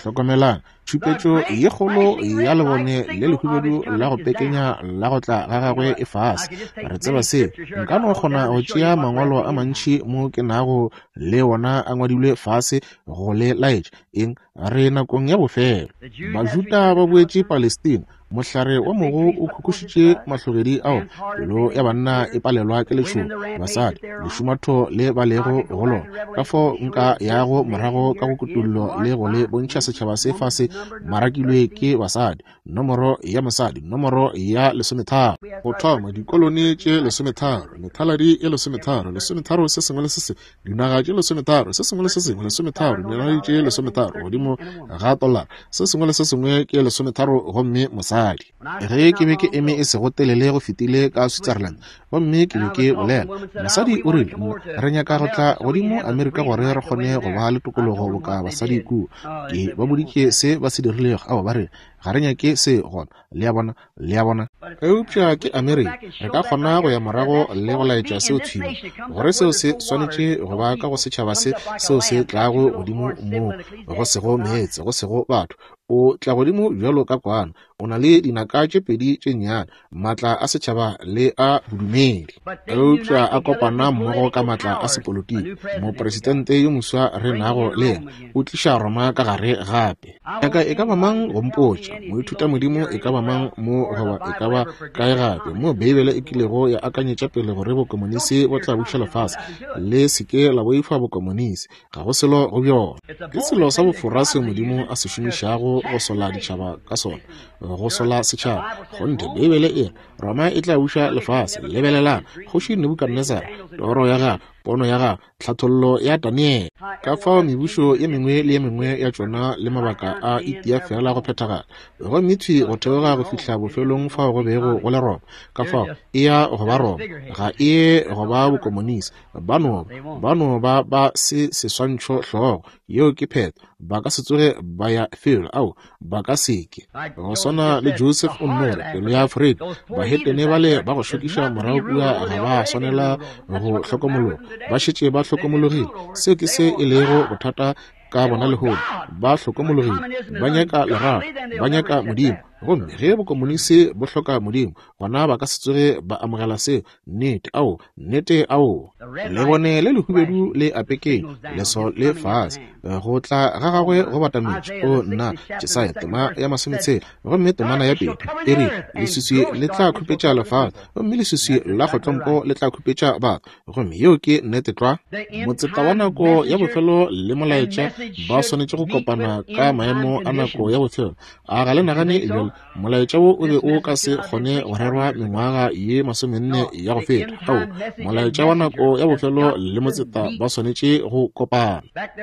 Hlokomelang, tšhupetšo ye kgolo ya lebone le lehubedu la go pekenya la go tla ga gagwe e fase. Re tseba seo. Nka no kgona go tšea mangwalo a mantši mo ke nago le wona a ngwadilwe fase go le laetša eng. Re nakong ya bofelo. Bajuda ba boetše Palestina. Mohlare wa mogo o khukhušitše mahlogedi ao, pelo ya banna e palelwa ke letšhogo, basadi, lešumatho le ba lego go lona. Ka fao nka yago morago ka go kutollo le go le bontšha setšhaba se fase marakilwe ke basadi, nomoro ya mosadi, nomoro ya 13. Go thoma dikolone tše 13, methaladi e 13, 13 se sengwe le se sengwe, dinaga tše 13, se sengwe le se sengwe 13, dinaledi tše 13 godimo ga tolara, se sengwe le se sengwe ke 13, gomme mosadi. Ge ke be ke eme e sego telele go fetile ka Switzerland, gomme ke be ke bolela, mosadi o rile, Re nyaka go tla godimo Amerika gore re kgone go ba le tokologo boka basadi kua. Ke ba boditše se ba se dirilego. Ao, ba re, ga re nyake se gona. Le a bona? Le a bona? Eupša ke Amerika. Re ka kgona go ya morago le go laetša seo thwi mo, gore seo se swanetše go ba ka go setšhaba se seo se tlago godimo moo go sego meetse, go sego batho. O tla godimo bjalo ka kwana. O na le dinaka tše pedi tše nnyane, maatla a setšhaba le a bodumedi, eupša a kopana mmogo ka maatla a sepolotiki. Mopresidente yo moswa re nago le yena o tliša Roma ka gare gape. Nyaka e ka ba mang go mpotša, moithutamodimo e ka ba mang mo goba e ka ba kae gape, mo Beibele e kilego ya akanyetša pele gore bokomonisi bo tla buša lefase? Le se ke la boifa bokomonisi, ga go selo go bjona. Ke selo sa bofora seo Modimo a se šomišago go sola ditšhaba ka sona, go sola setšhaba. Kgonthe, Beibele e re Roma e tla buša lefase. Lebelelang Kgoši Nebukadnesara, toro ya gagwe, pono ya gagwe, tlhathollo ya Daniele. Ka fao mebušo ye mengwe le ye mengwe ya tšona le mabaka a itia fela go phethagala, gomme thwi go theoga go fihla bofelong fao go bego go le Roma. Ka fao e ya go ba Roma, ga e ye go ba bokomonisi. Ba no ba no ba ba se seswantšho hlogo. Yeo ke phetho. Ba ka se tsoge ba ya felo. Ao, ba ka se ke. Go swana le Joseph o nno re, pelo ya Afrika, bahetene bale ba go šokiša morago kua ga ba swanela go hlokomologa. Ba šetše ba hlokomologile. Seo ke se e lego bothata ka bona lehono. Ba hlokomologile. Ba nyaka lerato. Ba nyaka Modimo. Gomme ge bokomonisi bo hloka Modimo, gona ba ka se tsoge ba amogela seo. Nnete, ao, nnete, ao. Lebone le lehubedu le apekeng, leso le fase, go tla ga gagwe go batametše. O nna, Jesaya tema ya 60, gomme temana ya pele e re, leswiswi le tla khupetša lefase, gomme leswiswi la kgotlompo le tla khupetša batho. Gomme yeo ke nnete tlwa. Motseta wa nako ya bofelo le molaetša ba swanetše go kopana ka maemo a nako ya bofelo. A ga le nagane bjalo? Molaetša wo o be o ka se kgone go rerwa mengwaga ye 40 ya go feta. Ao, molaetša wa nako ya bofelo le motseta ba swanetše go kopana.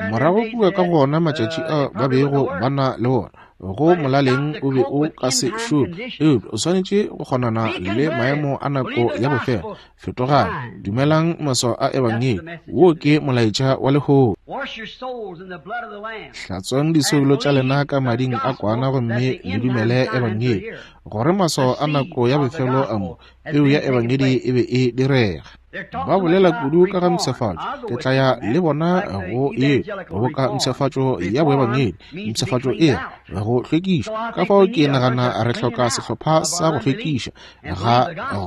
Morago kua ka go ona matšatši a ba bego ba na le wona, go molaleng o be o ka se šome, eupša o swanetše go kgonana le maemo a nako ya bofelo. Fetogang, dumelang maswao a ebangedi. Wo ke molaetša wa lehono. Hlatswang disoulo tša lena ka mading a kwana gomme le dumele ebangedi, gore maswao a nako ya bofelo a mo peu ya ebangedi e be e direga. Ba bolela kudu ka ga mpshafatšo. Ke tla ya le bona go ye boka mpshafatšo ya boebangedi, mpshafatšo e go hlwekišwa. Ka fao ke nagana re hloka sehlopha sa go hlwekiša ga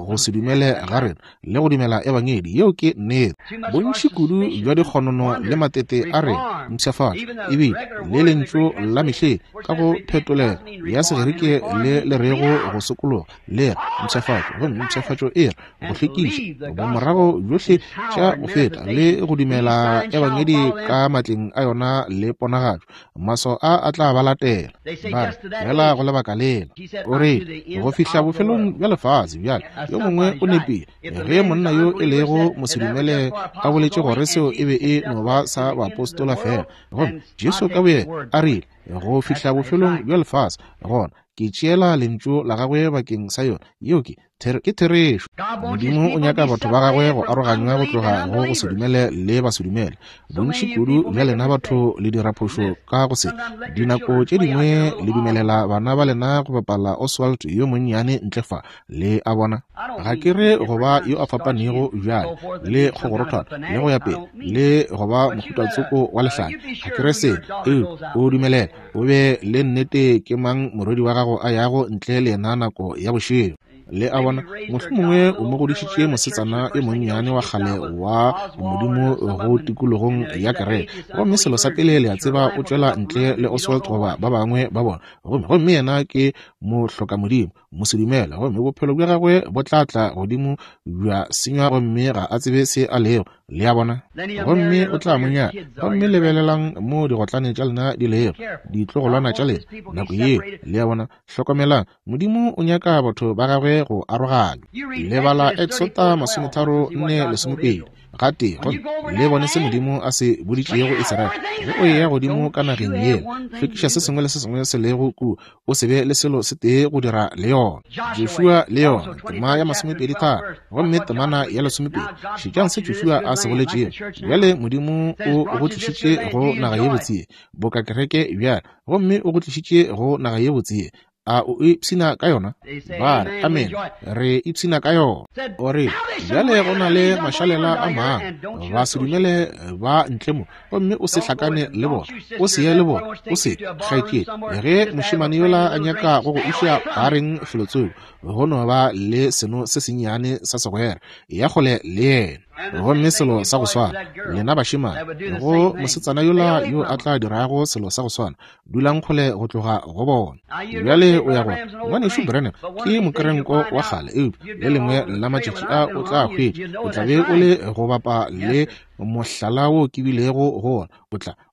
go se dumele ga rena le go dumela ebangedi. Yeo ke nnete. Bontši kudu bja dikgonono le matete a rena, mpshafatšo, ebile le lentšu la mehleng ka go phetolelo ya Segerike le le rego go sokologa, le re mpshafatšo, gomme mpshafatšo e re go hlwekiša, bomorago bjohle tša go feta le go dumela ebangedi ka matleng a yona le ponagatšo. Maswao a a tla ba latela. Ba re, Fela go lebaka lela. O re, Go fihla bofelong bja lefase. Bjale, yo mongwe o nepile. Ge monna yo e lego mosedumele a boletše gore seo e be e no ba sa baapostola fela, gomme Jesu ka boyena a rile, Go fihla bofelong bja lefase, gona. Ke tšeela lentšu la gagwe bakeng sa yona. Yeo ke ke therešo. Modimo o nyaka batho ba gagwe go aroganywa go tloga go go se dumele le ba se dumele. Bontši kudu bja lena batho le dira phošo ka go se. Dinako tše dingwe le dumelela bana ba lena go bapala Oswald yo monnyane ntle fa. Le a bona? Ga ke re go ba yo a fapanego bjale le kgogorothwana le go ya pele le go ba mohutatsoko wa lehlanya. Ga ke re se, eupša o dumelela o be le nnete ke mang morwedi wa gago a yago ntle le yena nako ya bošego. Le a bona, mohlomongwe o mo godišitše mosetsana yo monnyane wa kgale wa Modimo go tikologong ya kereke, gomme selo sa pele le a tseba o tšwela ntle le Oswald goba ba bangwe ba bona, gomme yena ke mohlokamodimo, mosedumele, gomme bophelo bja gagwe bo tla tla godimo bja senywa gomme ga a tsebe se a lego. Le a bona? Gomme o tla mo nyala. Gomme lebelelang mo digotlane tša lena di lego, ditlogolwana tša lena nako yeo. Le a bona? Hlokomelang, Modimo o nyaka batho ba gagwe go aroganywa. Le bala Exota 34:20 gatee, gomme le bone se Modimo a se boditšego Israele. Ge o eya godimo ka nageng yela, hlwekiša se sengwe le se sengwe se lego kua, o se be le selo se tee go dira le yona. Joshua le yona, tema ya 23, gomme temana ya 12. Šetšang se Joshua a se boletšego. Bjale Modimo o go tlišitše go naga ye botse ye, boka kereke bjale, gomme o go tlišitše go naga ye botse ye. A o ipshina ka yona? Ba re, Amene, re ipshina ka yona. O re, Bjale go na le mašalela a mangwe, ba se dumele ba ntle mo, gomme o se hlakane le bona, o se ye le bona, o se kgaetšedi. Ge mošemane yola a nyaka go go iša bareng felotsoko, go no ba le seno se sennyane sa segwera, ya kgole le yena. Gomme selo sa go swana, lena bašemane, go mosetsana yola yo a tla dirago selo sa go swana, dulang kgole go tloga go bona. Bjale o ya gore, Ngwanešu Branham ke mokerenko wa kgale, eupša le lengwe la matšatši a o tla hwetša, o tla be o le go bapa le mohlala wo ke bilego go wona,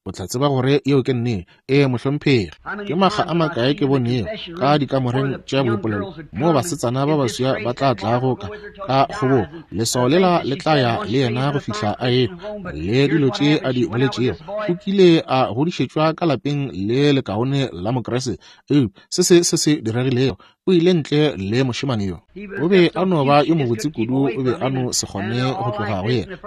o tla tseba gore yeo ke nnete. Ee, mohlomphegi. Ke makga a makae ke bonego ka dikamoreng tša boipolelo moo basetsana ba baswa ba tla tlago ka kgobogo, leswao lela le tla ya le yena go fihla a ehwa, le dilo tše a di boletšego. O kile a godišetšwa ka lapeng le lekaone la Mokriste, eupša se se se diregilego, o ile ntle le mošemane yo. O be a no ba yo mobotse kudu, o be a no se kgone go tloga go yena,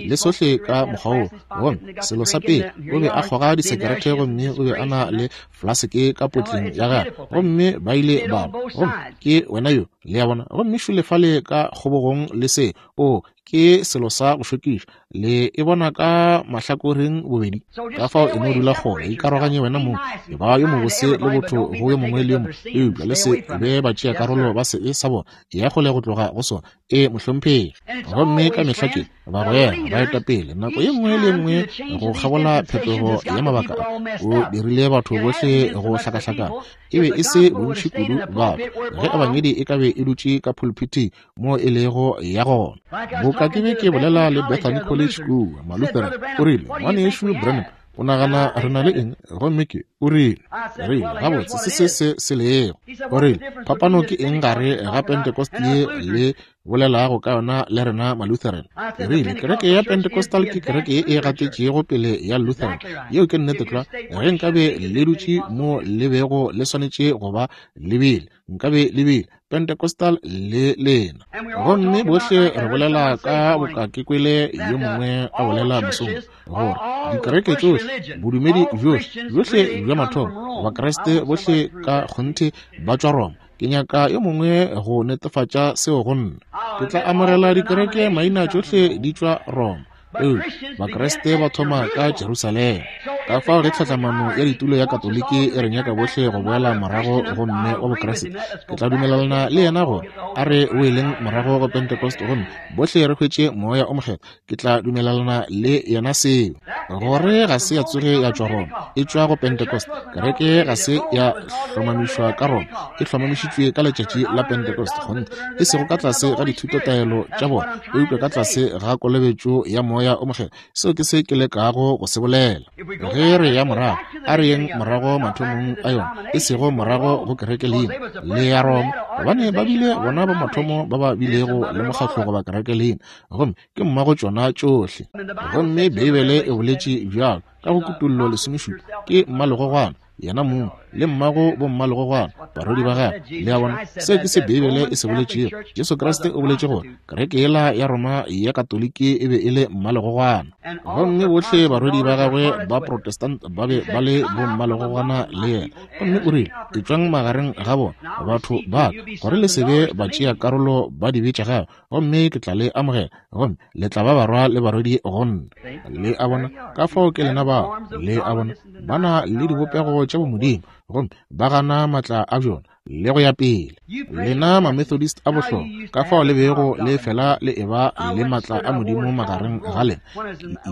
le sohle ka mokgwa woo. Gomme selo sa pele, o be a kgoga disekerete, gomme o be a na le flaseke ka potleng ya gagwe, gomme ba ile ba gomme ke wena yo, le a bona, gomme šole fale ka kgobogong le se, o ke selo sa go šokiša, le e bona ka mahlakoreng bobedi. Ka fao e no dula kgole, ikaroganye wena mong, e ba yo mobose le botho go yo mongwe le yo mongwe, eupša le se be batšea karolo ba sebe sa bona, ya kgole go tloga go sona. E mohlomphegi. Gomme ka mehla ke bagwera baetapele nako ye nngwe le ye nngwe go kgabola phetogo ya mabaka a, o dirile batho bohle go hlakahlakana. E be e se bontši kudu batho ge ebangedi e ka be e dutše ka pulpithing mo e lego ya gona. Boka ke be ke bolela le Bethany College kua, Malutheran, o rile, Ngwanešu Branham, o nagana re na le eng? Gomme ke, o rile, rile, gabotse, se se se se lego. O rile, phapano ke eng gare ga Pentecost ye le bolelago ka yona le rena Malutheran? Ke rile, kereke ya Pentecostal ke kereke ye e gatetšego pele ya Lutheran. Yeo ke nnete tlwa. Ge nkabe le dutše mo le bego le swanetše go ba le bile, nkabe le bile Pentecostal le lena. Gomme bohle re bolela ka boka ke kwele yo mongwe a bolela mosong gore dikereke tšohle, bodumedi bjohle, bjohle bja mathomo, Bakriste bohle ka kgonthe ba tšwa Roma. Ke nyaka yo mongwe go netefatša seo go nna. Ke tla amogela dikereke maina tšohle di tšwa Roma. Eupša Bakriste ba thoma ka Jerusalema. Ka fao ge tlhatlamano ya ditulo ya Katoliki e re nyaka bohle go boela morago go mme wa Bokriste, ke tla dumelelana le yena gore a re boeleng morago go Pentecost gomme bohle re hwetše Moya o Mokgethwa. Ke tla dumelelana le yena seo, gore ga se ya tsoge ya tšwa Roma, e tšwa go Pentecost. Kereke ga se ya hlomamišwa ka Roma, e hlomamišitšwe ka letšatši la Pentecost, kgonthe, e sego ka tlase ga dithutotaelo tša bona, eupša ka tlase ga kolobetšo ya Moya o Mokgethwa. Seo ke se ke lekago go se bolela. Ge re ya morago, a re yeng morago mathomong a yona, e sego morago go kereke leina le ya Roma, gobane ba bile bona ba mathomo ba ba bilego le mokgatlo goba kereke leina, gomme ke mmago tšona tšohle. Gomme Beibele e boletše bjalo ka go Kutollo 17, ke mmalegogwana. yena mong, le mmago bommalegogwana, barwedi ba gagwe. Le a bona, seo ke se Beibele e se boletšego. Jesu Kriste o boletše gore kereke yela ya Roma ya Katoliki e be e le mmalegogwana, gomme bohle barwedi ba gagwe ba Protestant ba be ba le bommalegogwana le yena. Gomme o rile, Etšwang magareng ga bona, batho ba ka, gore le se be batšea karolo ba dibe tša gagwe, gomme ke tla le amogela, gomme le tla ba barwa le barwedi go nna. Le a bona, ka fao ke lena bao. Le a bona, ba na le dibopego tša bomodimo, gomme ba gana maatla a bjona, le go ya pele. Lena Mamethodist a bohlokwa, ka fao le bego le fela le eba le maatla a Modimo magareng ga lena.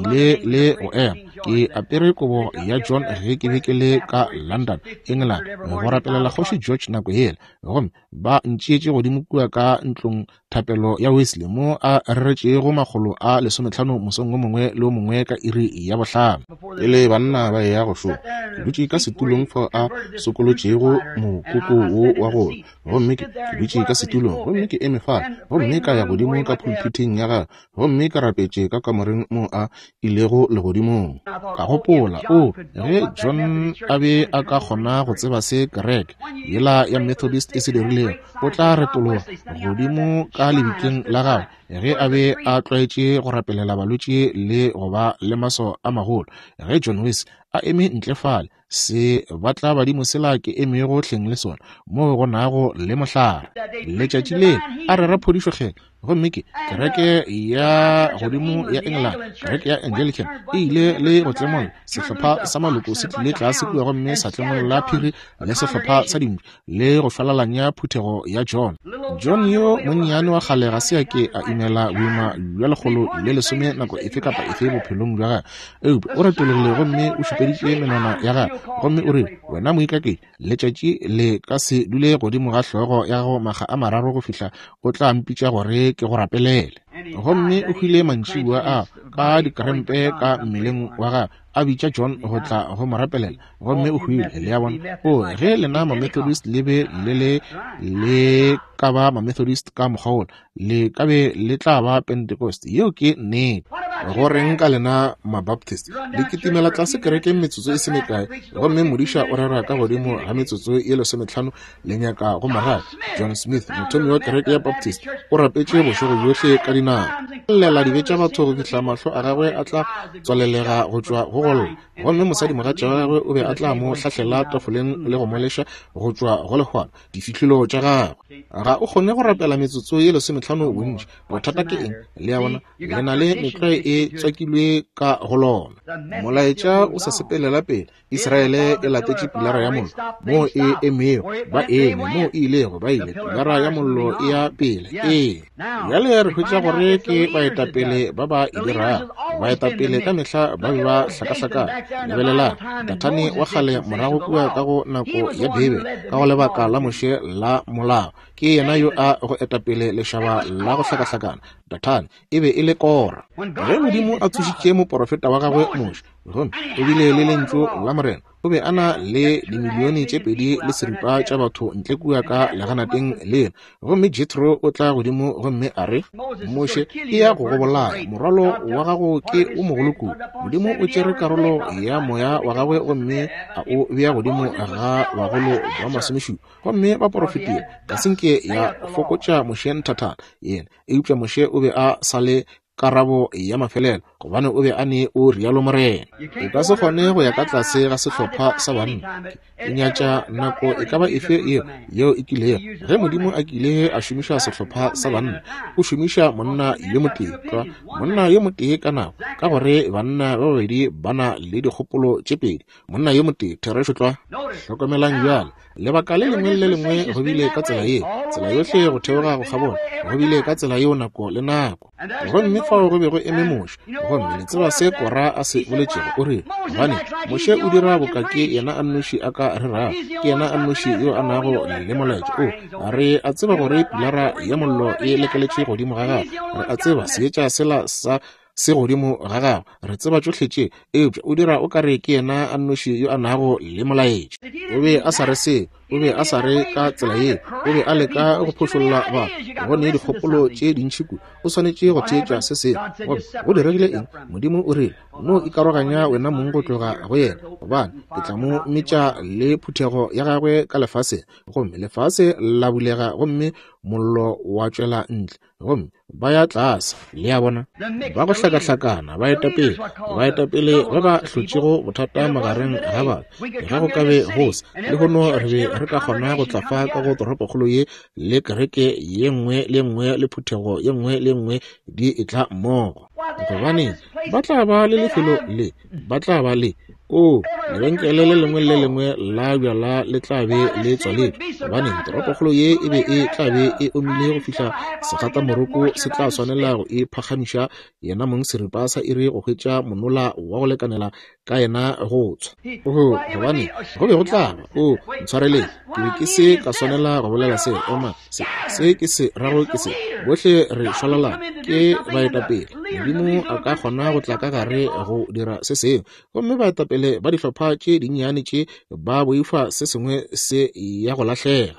Ke ile le go ema ke apere kobo ya John ge ke be ke le ka London, England, go rapelela Kgoši George nako yela, gomme ba ntšeetše godimo kua ka ntlong thapelo ya Wesley mo a reretšego 150 mosong o mongwe le o mongwe ka iri ya 5. Pele banna ba eya go šoma, ke dutše ka setulong fao a sokolotšego mokoko wo wa go lwa, gomme ke dutše ka setulong, gomme ke eme fale, gomme ka ya godimo ka phulphithing ya gagwe, gomme ka rapetše ka kamoreng moo a ilego legodimong. Ka gopola, O, ge John a be a ka kgona go tseba se kereke yela ya Methodist e se dirilego, o tla retologa godimo ka lebitleng la gagwe ge a be a tlwaetše go rapelela balwetši le go ba le maso a magolo. Ge John Wesley a eme ntle fale, se batla badimo sela ke emego hleng le sona, moo go nago le mohlare. Letšatši le a rera phodišo kgethwa, gomme ke kereke ya godimo ya England, kereke ya Anglican, e ile le go tlemolla sehlopha sa maloko se tlile tlase kua gomme sa tlemolla phiri le sehlopha sa dintšu le go šwalalanya phuthego ya John. John yo monnyane wa kgale ga se a ke a imela boima bja 110 nako efe kapa efe bophelong bja gagwe, eupša o retologile gomme o šupeditše menwana ya gagwe gomme o rile, Wena moikaketši, letšatši le ka se dule godimo ga hlogo ya gago makga a mararo go fihla o tla mpitša gore ke go rapelele. Gomme o hwile mantšiboa a ka dikrempe ka mmeleng wa gagwe, a bitša John go tla go mo rapelela, gomme o hwile. Le a bona? O, ge lena Mamethodist le be le le le ka ba Mamethodist ka mokgwa wola, le ka be le tla ba Pentecost. Yeo ke nnete. Go reng ka lena Mabaptist? Le kitimela tlase kerekeng metsotso e se mekae, gomme modiša o rera ka godimo ga metsotso ye 15, le nyaka go mo rata. John Smith, mothomi wa kereke ya Baptist, o rapetše bošego bjohle ka dinao, llela dibe tša batho go fihla mahlo a gagwe a tla tswalelega go tšwa go golla, gomme mosadimogatša wa gagwe o be a tla mo hlahlela tafoleng le go mo leša go tšwa go lehwana difihlolo tša gagwe. Ga o kgone go rapela metsotso ye 15 bontši. Bothata ke eng? Le a bona, le na le metlwae e tswakilwe ka go lona. Molaetša o sa sepelela pele. Israele e latetše pilara ya mollo moo e emego, ba eme moo e ilego, ba ile. Pilara ya mollo e ya pele. Ee. Bjale re hwetša gore ke baetapele ba ba e dirago. Baetapele ka mehla ba be ba hlakahlakana. Lebelelang Dathane wa kgale morago kua ka go nako ya Beibele, ka go lebaka la Moshe la molao. Ke yena yo a go etapele lešaba la go hlakahlakana. Dathane e be e le Kora. Ge Modimo a tsošitše moporofeta wa gagwe Moshe, gomme o bile le lentšu la Morena, o be a na le dimilione tše 2.5 tša batho ntle kua ka leganateng lela. Gomme Jethro o tla godimo gomme a re, Moshe, e ya go go bolaya, morwalo wa gago ke o mogolo kudu. Modimo o tšere karolo ya moya wa gagwe gomme a o bea godimo ga bagolo ba 70, gomme ba porofetile. Ga se nke ya fokotša Moshe nthathana yena, eupša Moshe o be a sa le karabo ya mafelelo, gobane o be a ne o rialo Morena. O ka se kgone go ya ka tlase ga sehlopha sa banna. Ke nyatša nako e ka ba efe yeo yeo e kilego. Ge Modimo a kile a šomiša sehlopha sa banna, o šomiša monna yo motee tlwa, monna yo motee ka nako, ka gore banna ba babedi ba na le dikgopolo tše pedi. Monna yo motee, therešo tlwa. Hlokomelang bjale, lebaka le lengwe le lengwe go bile ka tsela ye, tsela yohle go theoga go kgabola, go bile ka tsela yeo nako le nako. Gomme fao go be go eme Moshe, gomme le tseba se Kora a se boletšego. O rile, Gobane Moshe o dira boka ke yena a nnoši a ka rerago, ke yena a nnoši yo a nago le molaetša. O, re a tseba gore pilara ya mollo e lekeletše godimo ga gagwe, re a tseba seetša sela sa se godimo ga gagwe, re tseba tšohle tše, eupša o dira o ka re ke yena a nnoši yo a nago le molaetša. O be a sa re seo, o be a sa re ka tsela ye, o be a leka go phošolla batho go ne dikgopolo tše dintši kudu. O swanetše go theetša se sengwe. Gomme go diregile eng? Modimo o rile, No ikaroganya wena mong go tloga go yena, gobane ke tla mo metša le phuthego ya gagwe ka lefaseng. Gomme lefase la bulega gomme mollo wa tšwela ntle, gomme ba ya tlase. Le a bona, ba go hlakahlakana baetapele, baetapele ba ba hlotšego bothata magareng ga batho. Ge go ka be go se lehono, re be re ka kgona go tla fa ka go toropokgolo ye le kereke ye nngwe le nngwe le phuthego ye nngwe le nngwe di etla mmogo. Gobane ba tla ba le lefelo le, ba tla ba le o lebenkele le lengwe le lengwe la bjala le tla be le tswaletšwe, gobane toropokgolo ye e be e tla be e omile go fihla segatamoroko se tla swanela go e phagamiša yena mong seripa sa iri go hwetša monola wa go lekanela ka yena go tswa. Oho, gobane go be go tla ba, o ntshwareleng, ke be ke se ka swanela go bolela se. Oma, se, se ke se rago ke se. Bohle re šwalalana, ke baetapele. Modimo a ka kgona go tla ka gare go dira se sengwe, gomme baetapele ba dihlopha tše dinnyane tše ba boifa se sengwe se ya go lahlega.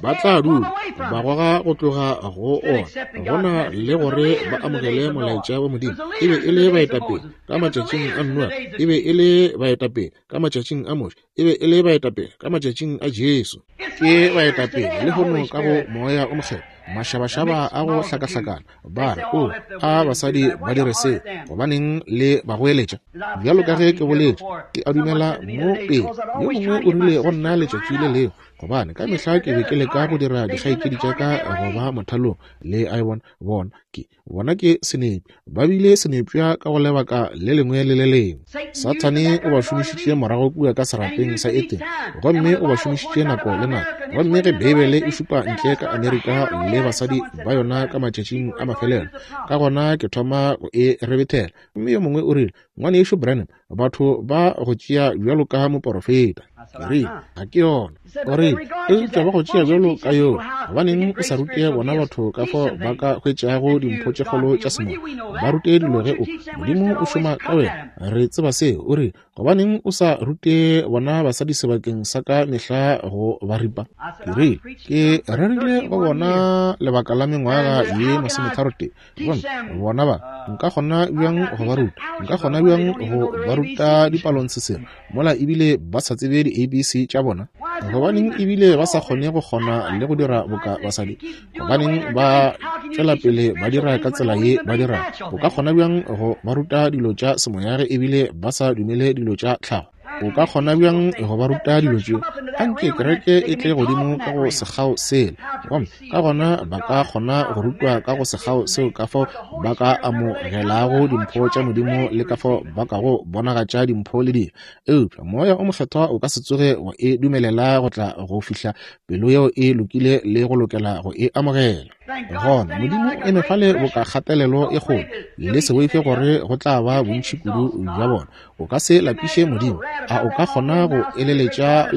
Ba tla dula ba goga go tloga go ona, gona le gore ba amogele molaetša wa Modimo. E be e le baetapele ka matšatšing a Noa, e be e le baetapele ka matšatšing a Moshe, e be e le baetapele ka matšatšing a Jesu. Ke baetapele lehono ka go Moya o Mokgethwa. Mašabašaba a go hlakahlakana ba re, o, a basadi ba dire se, gobaneng le ba goeletša? Bjalo ka ge ke boletše, ke a dumela mo pele. Yo mongwe o rile go nna letšatši le lengwe, gobane ka mehla ke be ke leka go dira dikgaetšedi tša ka go ba mothalong, le a e bona, bona ke, bona ke senepša. Ba bile senepša ka go lebaka le lengwe le le lengwe. Sathane o ba šomišitše morago kua ka serapeng sa Edene, gomme o ba šomišitše nako le nako. Gomme ge Beibele e šupa ntle ka Amerika le basadi ba yona ka matšatšing a mafelelo, ka gona ke thoma go e rebethela. Gomme yo mongwe o rile, Ngwanešu Branham, batho ba go tšea bjalo ka moporofeta. Ke rile, ga ke yona. O rile, eupša ba go tšea bjalo ka yoo. Gobaneng o sa rute bona batho ka fao ba ka hwetšago dimpho tše kgolo tša semoya? Ba rute dilo ge o, Modimo o šoma ka wena. Re tseba seo. O rile, gobaneng o sa rute bona basadi sebakeng sa ka mehla go ba ripa? Ke rile, ke rerile go bona lebaka la mengwaga ye 33. Gomme bona ba, nka kgona bjang go ba ruta? Nka kgona bjang go ba ruta dipalontshesere mola ebile ba sa tsebe di-ABC tša bona? Gobaneng ebile ba sa kgone go kgona le go dira boka basadi? Gobaneng ba tšwela pele ba dira ka tsela ye ba dirago? O ka kgona bjang go ba ruta dilo tša semoya ge ebile ba sa dumele dilo tša tlhago? O ka kgona bjang go ba ruta dilo tšeo? Anke kereke e tle godimo ka go sekgao sela, gomme ka gona ba ka kgona go rutwa ka go sekgao seo ka fao ba ka amogelago dimpho tša Modimo le ka fao ba ka go bonagatša dimpho le dilo. Eupša Moya o Mokgethwa o ka se tsoge wa e dumelela go tla go fihla pelo yeo e lokile le go lokela go e amogela. Gona Modimo o eme fale boka kgatelelo e kgolo, le se boife gore go tla ba bontši kudu bja bona. O ka se lapiše Modimo. A o ka kgona go eleletša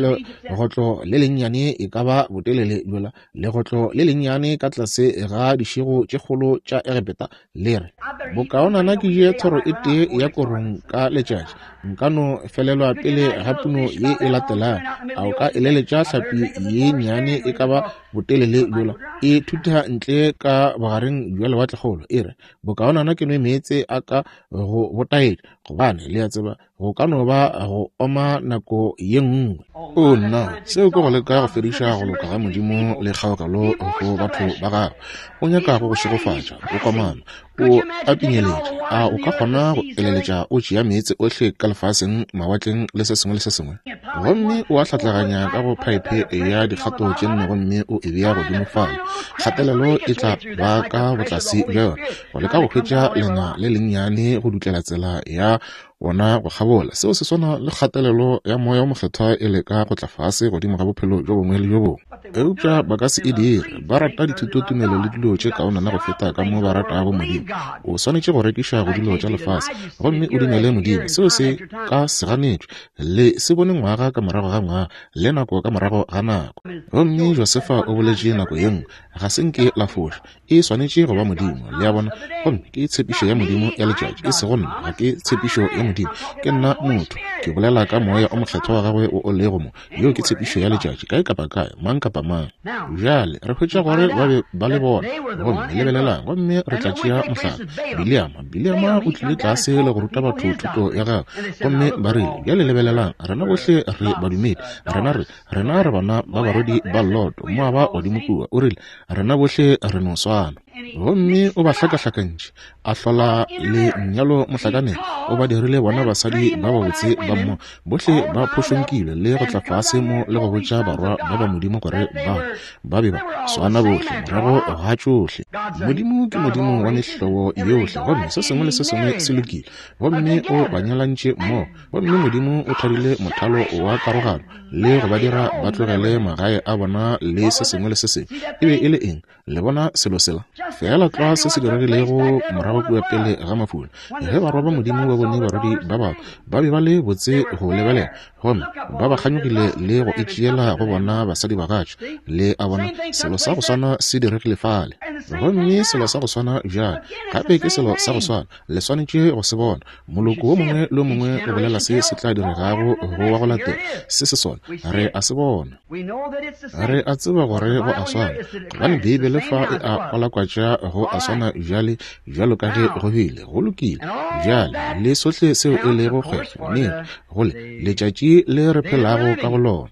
legotlo le lennyane e ka ba botelele bjola, legotlo le lennyane ka tlase ga dišego tše kgolo tša Egepeta, le re, Bokaonana ke je thoro e tee ya korong ka letšatši, nka no felelwa pele ga puno ye e latelago. A o ka eleletša hlapi ye nnyane e ka ba botelele bjola e thutha ntle ka bogareng bja lewatlekgolo, e re, Bokaonana ke nwe meetse a ka go botaetša, gobane le a tseba go ka no ba go oma nako ye nngwe. O nna, seo ke go leka go fediša go loka ga Modimo le kgaogelo go batho ba gagwe. O nyaka go go šegofatša, o komana, o a pinyeletša. A o ka kgona go eleletša o tšea meetse ohle ka lefaseng, mawatleng le se sengwe le se sengwe, gomme o a hlatlaganya ka go phaephe ya dikgato tše nne gomme o e bea godimo fale? Kgatelelo e tla ba ka botlase bja yona, go leka go hwetša lenga le lennyane go dutlela tsela ya wona go kgabola. Seo se swana le kgatelelo ya Moya wo Mokgethwa e leka go tla fase godimo ga bophelo bjo bongwe le bjo bongwe. Eupša ba ka se e dire. Ba rata dithutotumelo le dilo tše kaonana go feta ka mo ba ratago Modimo. O swanetše go rekiša go dilo tša lefase gomme o dumele Modimo. Seo se ka se ganetšwe. Le se bone ngwaga ka morago ga ngwaga le nako ka morago ga nako. Gomme Josefa o boletše nako ye nngwe, ga se nke la foša. E swanetše go ba Modimo, le a bona. Gomme ke tshepišo ya Modimo ya letšatši, e sego nna. Ga ke tshepišo ya Modimo. Modimo, ke nna motho, ke bolela ka Moya o Mokgethwa wa Gagwe wo o lego mo. Yeo ke tshepišo ya letšatši, kae kapa kae, mang kapa mang. Bjale re hwetša gore ba be ba le bona. Gomme lebelelang, gomme re tla tšea mohlala, Bileama. Bileama o tlile tlase le go ruta batho thuto ya gagwe, gomme ba rile, Bjale lebelelang, rena bohle re badumedi. Rena re, rena re bana ba barwedi ba Loto, Moaba godimo kua. O rile, Rena bohle re no swana. Gomme o ba hlakahlakantše, a hlola lenyalo mohlakaneng, o ba dirile bona basadi ba babotse ba mo, bohle ba phošonkilwe le go tla fase mo le go botša barwa ba ba Modimo gore ba ba be ba swana bohle morago ga tšohle. Modimo ke Modimo wa mehlobo yohle, gomme se sengwe le se sengwe se lokile. Gomme o ba nyalantše mmogo, gomme Modimo o thadile mothalo wa karogano le go ba dira ba tlogele magae a bona le se sengwe le se sengwe. E be e le eng? Le bona selo sela? Feela tlwa se se diregilego morago kua pele ga mafula, ge barwa ba Modimo ba bone barwedi ba batho, ba be ba le botse go lebelela, gomme ba ba kganyogile le go itšeela go bona basadibagatša. Le a bona, selo sa go swana se diregile fale. Gomme selo sa go swana bjale, gape ke selo sa go swana. Le swanetše go se bona. Moloko wo mongwe le wo mongwe o bolela se se tla diregago go wa go latela. Se se sona. Re a se bona. Re a tseba gore go a swana, gobane Beibele fa e a kwalakwatša go a swana bjale bjalo ka ge go bile. Go lokile. Bjale, le sohle seo e lego kgwekgwe, nnete, go le, letšatši le re phelago ka go lona.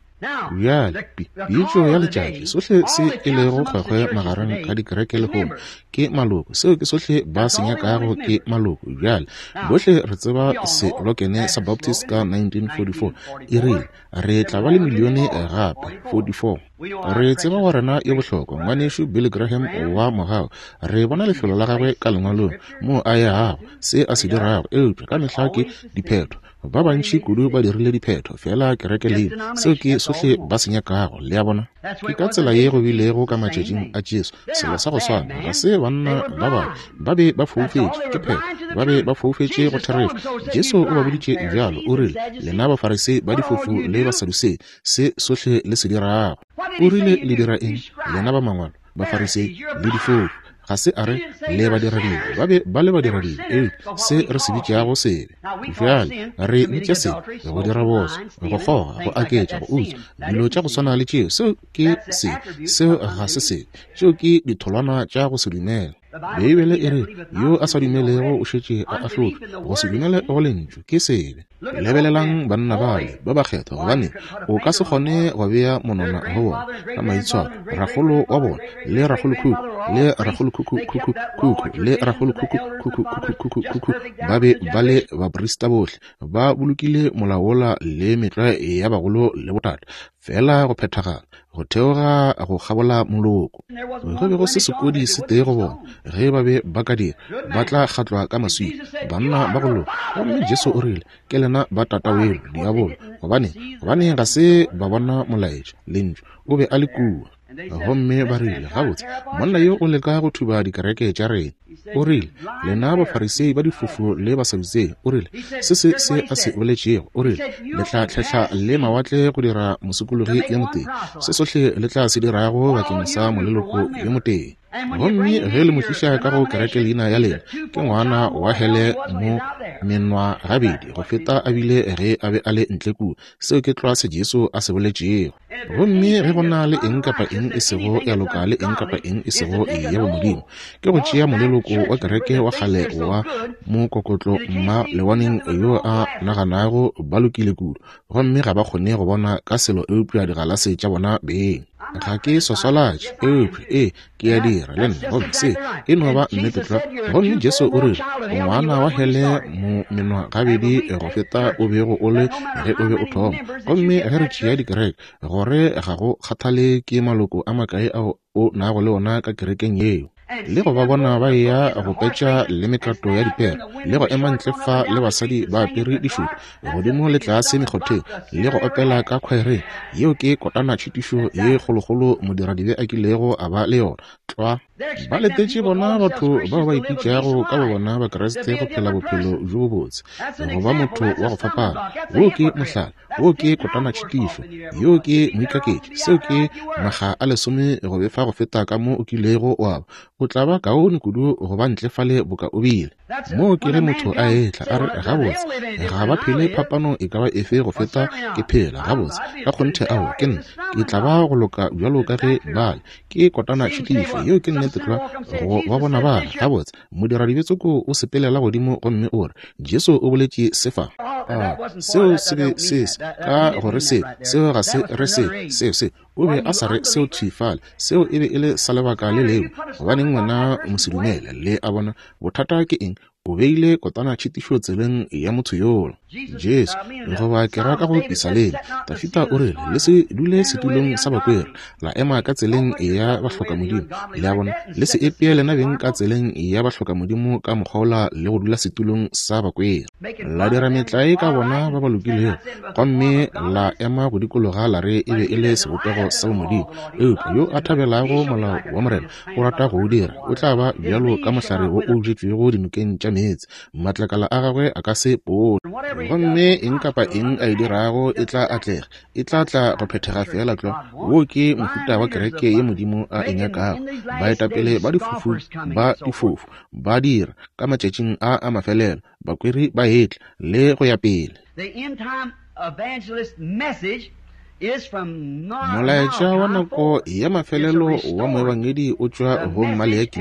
Bjale, pi, pitšo ya letšatši, sohle se e lego kgwekgwe magareng ga dikereke lehono, ke maloko. Seo ke sohle ba se nyakago ke maloko. Bjale, bohle re tseba selokene sa Baptist ka 1944, e rile, Re tla ba le milione gape, 44. Re tseba wa rena yo bohlokwa, Ngwanešu Billy Graham wa mogau. Re bona lefelo la gagwe ka Lengwalong, moo a yago, se a se dirago, eupša ka mehla ke diphetho. Ba bantši kudu ba dirile diphetho, feela kereke leina. Seo ke sohle ba se nyakago, le a bona. Ke ka tsela ye go bilego ka matšatšing a Jesu, selo sa go swana. Ga se banna ba babe, ba be ba foufetše, ke phetho, ba be ba foufetše go therešo. Jesu o ba boditše bjalo, o rile, Lena Bafarisei ba difofu le Basadusei, se sohle le se dirago. O rile, Le dira eng, lena ba mangwalo, Bafarisei le difofu? Ga se a re le badiradibe, ba be ba le badiradibe, eupša se re se bitšago sebe. Bjale re bitša sebe go dira botswa, go kgoga, go aketša, go utswa, dilo tša go swana le tšeo. Seo ke sebe, seo ga se sebe. Tšeo ke ditholwana tša go se dumele. Beibele e re, Yo a sa dumelego o šetše a ahlotšwe. Go se dumele go Lentšu ke sebe. Lebelelang banna bale ba bakgethwa, gobane o ka se kgone go bea monwana go bona ka maitshwaro. Rakgolo wa bona, le rakgolokhukhu, le rakgolokhukhu-khukhu-khukhu, le rakgolokhukhu-khukhu-khukhu-khukhu ba be ba le baprista bohle, ba bolokile molao wola le metlwae ya bagolo le botate, feela go phethagala, go theoga go kgabola moloko. Go be go se sekodi se tee go bona. Ge ba be ba ka dira, ba tla kgatlwa ka maswika, banna ba go loka. Gomme Jesu o rile, Ke lena ba tataweno, diabolo. Gobane, gobane ga se ba bona molaetša, Lentšu. O be a le kua. Gomme ba rile, Gabotse, monna yo o leka go thuba dikereke tša rena. O rile, Lena Bafarisei ba difofu le Basadutsei, o rile, se se se a se boletšego, o rile, le tla tlhehla le mawatle go dira mosokologi yo motee, se sohle le tla se dirago bakeng sa moleloko yo motee. Gomme ge le mo tliša ka go kereke leina ya lena, ke ngwana wa hele mo menwa gabedi go feta a bile ge a be a le ntle kua. Seo ke tlwa se Jesu a se boletšego. Gomme ge go na le eng kapa eng e sego ya loka le eng kapa eng e sego ya bomodimo, ke go tšea moleloko wa kereke wa kgale wa mokokotlo mma lewaneng yo a naganago ba lokile kudu, gomme ga ba kgone go bona ka selo eupša digalase tša bona beng. Ga ke swaswalatše, eupša ee, ke a dira le nna, gomme se e no ba nnete tlwa. Gomme Jesu o rile, O ngwana wa hele mo menwa gabedi go feta o bego o le ge o be o thoma. Gomme ge re tšea dikereke, gore ga go kgathale ke maloko a makae ao o nago le ona ka kerekeng yeo, le go ba bona ba eya go petša le mekato ya dipere, le go ema ntle fa le basadi ba apere dišoto, godimo le tlase mekgotheng, le go opela ka khwaereng, yeo ke kotana tšhitišo ye kgolokgolo modiradibe a kilego a ba le yona. Tlwa. Ba letetše bona batho bao ba ipitšago ka bobona Bakriste go phela bophelo bjo bobotse, go ba motho wa go fapana. Woo ke mohlala. Woo ke kotana tšhitišo. Yoo ke moikaketši. Seo ke makga a lesome go befa go feta ka mo o kilego wa ba. O tla ba kaone kudu go ba ntle fale boka o bile. Moo ke ge motho a etla, a re, Gabotse, ga ba phele phapano e ka ba efe go feta ke phela. Gabotse, ka kgonthe aowa, ke nna. Ke tla ba go loka bjalo ka ge ba le. Ke kotana tšhitišo. Yeo ke nnete tlwa, go ba bona ba re, Gabotse, modiradibe tsoko o sepelela godimo gomme o re, Jesu o boletše se fa. A seo se be se se ka gore se, seo ga se re se, seo se. O be a sa re seo thwi fale. Seo e be e le sa lebaka le lengwe. Gobaneng wena mosedumele? Le a bona, bothata ke eng? O beile kotana tšhitišo tseleng ya motho yola. Jesu, goba ke ra ka go Pisaleng, Dafida o rile, Le se dule setulong sa bakweri, la ema ka tseleng ya bahlokamodimo. Le a bona, le se epee lena beng ka tseleng ya bahlokamodimo ka mokgwa wola le go dula setulong sa bakweri. La dira metlae ka bona ba ba lokilego, gomme la ema go dikologa la re e be e le sebopego sa bomodimo. Eupša yo a thabelago molao wa Morena, o rata go o dira, o tla ba bjalo ka mohlare wo o bjetšwego dinokeng tša meetse, matlakala a gagwe a ka se pone. Gomme eng kapa eng a e dirago e tla atlega, e tla tla go phethega feela tlwa. Wo ke mohuta wa kereke ye Modimo a e nyakago. Baetapele ba difofu ba difofu ba dira ka matšatšing a a mafelelo, bakweri ba etla, le go ya pele. Molaetša wa nako ya mafelelo wa moebangedi o tšwa go Maleaki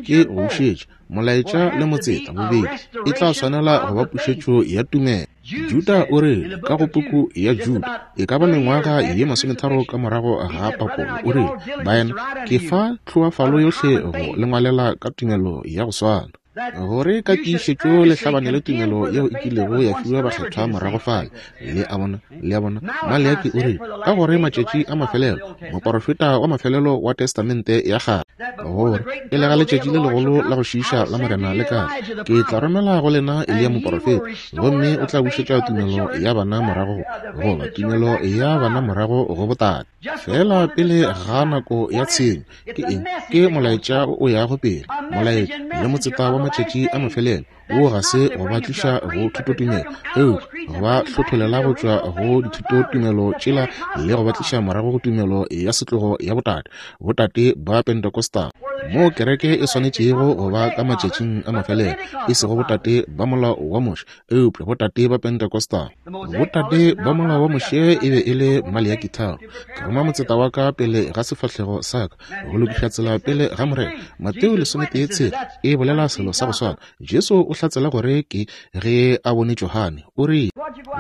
ke go bušetša molaetša le motseta bobedi e tla swanela go ba pušetšo ya tumelo. Juda o rile ka go puku ya Juda e ka ba mengwaga ye masometharo ka morago ga papolo o rile, Baena, ke fa tlhoafalo yohle go le ngwalela ka tumelo ya go swana. Gore ka tiišetšo le hlabane le tumelo yeo e kilego ya fiwa bakgethwa morago fale. Le a bona? Le a bona? Maleaki o rile, ka gore matšatši a mafelelo, moporofeta wa mafelelo wa Testamente ya Kgale, gore pele ga letšatši le legolo la go šiiša la Morena le ka tla, ke tla romela go lena Eliya moporofeta, gomme o tla bušetša tumelo ya bana morago, goba tumelo ya bana morago go botate. Feela pele ga nako ya tshenyo. Ke eng? Ke molaetša o yago pele, molaetša le motseta wa matšatši a mafelelo. Wo ga se go ba tliša go thutotumelo, eupša go ba hlotholela go tšwa go dithutotumelo tšela le go ba tliša morago go tumelo ya setlogo ya botate, botate ba Pentecostal, moo kereke e swanetšego go ba ka matšatšing a mafelelo, e sego botate ba molao wa Moshe, eupša botate ba Pentecostal. Botate ba molao wa Moshe e be e le Maleaki tharo. Ke roma motseta wa ka pele ga sefahlego sa ka go lokiša tsela pele ga Morena. Mateo 13 e bolela selo sa go swana. Jesu o hlatsela gore ke ge a bone Johane. O rile,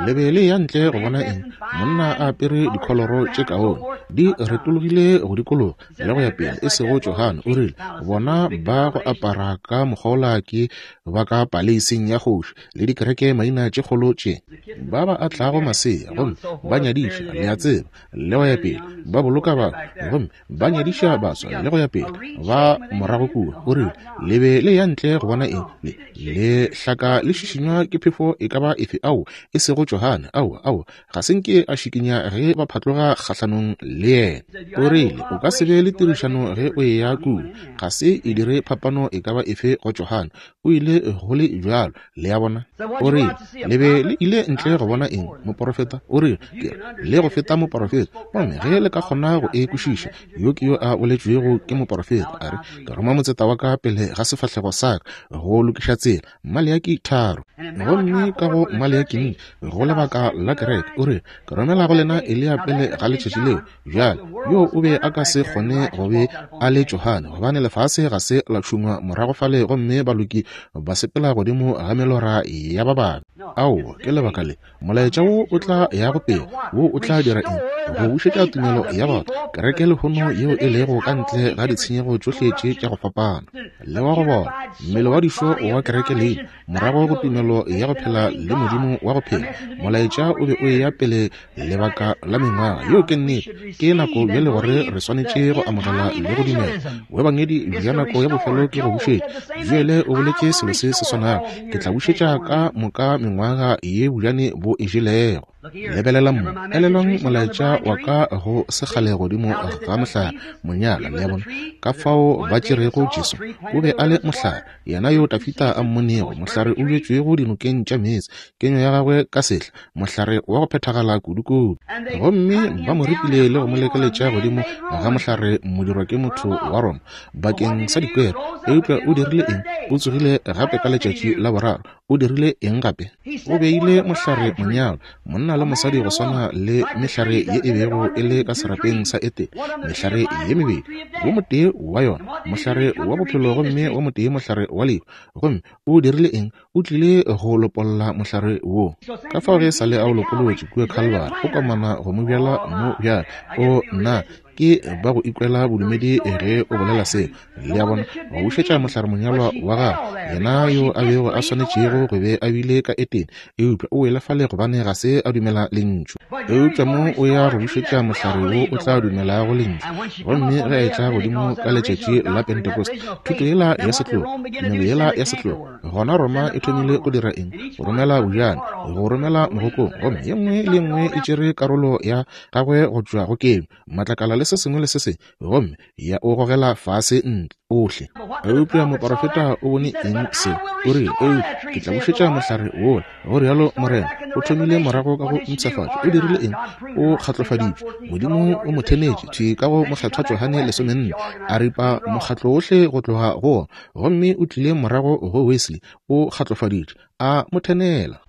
Le be le ya ntle go bona eng? Monna a apere dikholoro tše kaone, di retologile go dikologa le go ya pele, e sego Johane. O rile, Bona ba go apara ka mokgwa wola ke ba ka paleising ya kgoši le dikereke maina tše kgolo tše ba ba atlago masea gomme ba nyadiša, le a tseba, le go ya pele, ba boloka batho gomme ba nyadiša baswa le go ya pele, ba morago kua. O rile, Le be le ya ntle go bona eng? Le, le hlaka le šišinywa ke phefo e ka ba efe? Ao, e sego Johane. Aowa, aowa, ga se nke a šikinya ge ba phatloga kgahlanong le yena. O rile, O ka se be le tirišano ge o eya kua. Ga se e dire phapano e ka ba efe go Johane. O ile go le bjalo. Le a bona? O rile, Le be le ile ntle go bona eng? Moporofeta? O rile, Ke re, le go feta moporofeta. Gomme ge le ka kgona go e kwešiša, yo ke yo a boletšwego ke moporofeta, a re, Ke roma motseta wa ka pele ga sefahlego sa ka go lokiša tsela. Maleaki 3. Gomme ka go Maleaki 4, go lebaka la kereke, o rile, Ke romela go lena Eliya pele ga letšatši leo. Bjale, yo o be a ka se kgone go be a le Johane, gobane lefase ga se la tšhungwa morago fale gomme baloki ba sepela godimo ga melora ya ba babe. Aowa, ke lebaka le. Molaetša wo o tla yago pele, wo o tla dira eng? Go bušetša tumelo ya batho, kereke lehono yeo e lego ka ntle ga ditshenyego tšohle tše tša go fapana, le wa go bola, mmele wa dišo wa kereke leina, morago go tumelo ya go phela le Modimo wa go phela. Molaetša o be o eya pele lebaka la mengwaga. Yeo ke nnete. Ke nako bjale gore re swanetše go amogela le go dumela. Boebangedi bja nako ya bofelo ke go bušetša. Joele o boletše selo se se swanago. Ke tla bušetša ka moka mengwaga. mengwaga ye bojane bo e jelego. Lebelela mo. Elelwang molaetša wa ka go sekgale godimo ga mohlare, monyalwa, le a bona, ka fao ba tšerego Jesu. O be a le mohlare, yena yo Dafida a mmonego, mohlare o bjetšwego dinokeng tša meetse, kenyo ya gagwe ka sehla, mohlare wa go phethagala kudukudu. Gomme ba mo ripile le go mo lekeletša godimo ga mohlare modirwa ke motho wa Roma, bakeng sa dikwero. Eupša o dirile eng? O tsogile gape ka letšatši la boraro. O dirile eng gape? O beile mohlare monyalwa, monna le mosadi go swana le mehlare ye e bego e le ka serapeng sa Etene, mehlare ye mebedi, wo motee wa yona mohlare wa bophelo gomme wo motee mohlare wa lehu. Gomme o dirile eng? O tlile go lopolla mohlare wo. Ka fao ge e sa le a o lopolotše kua Khalibari, o komana go mo bjala mo bjale. O, nna, ke ba go ikwela bodumedi ge o bolela seo. Le a bona, go bušetša mohlare monyalwa wa gagwe, yena yo a bego a swanetšego go be a bile ka Etene, eupša o wele fale gobane ga se a dumela Lentšu. Eupša mo o ya go bušetša mohlare wo o tla dumelago Lentšu. Gomme ge a etla godimo ka letšatši la Pentecost, thuto yela ya setlogo, tumelo yela ya setlogo, gona Roma e thomile go dira eng? Go romela bojane, go romela mogokong, gomme ye nngwe le ye nngwe e tšere karolo ya gagwe go tšwa go keno, matlakala le se sengwe le se sengwe, gomme ya o gogela fase ntle ohle. Eupša moporofeta o bone eng seo? O rile, Eupša ke tla bušetša mohlare wola, go rialo Morena. O thomile morago ka go mpshafatšo. O dirile eng? O kgatlofaditšwe. Modimo o mo thenetše thwi ka go Mokgethwa Johane lesomenne, a ripa mokgatlo wohle go tloga go wona. Gomme o tlile morago go Wesley, o kgatlofaditšwe, a mo thenela.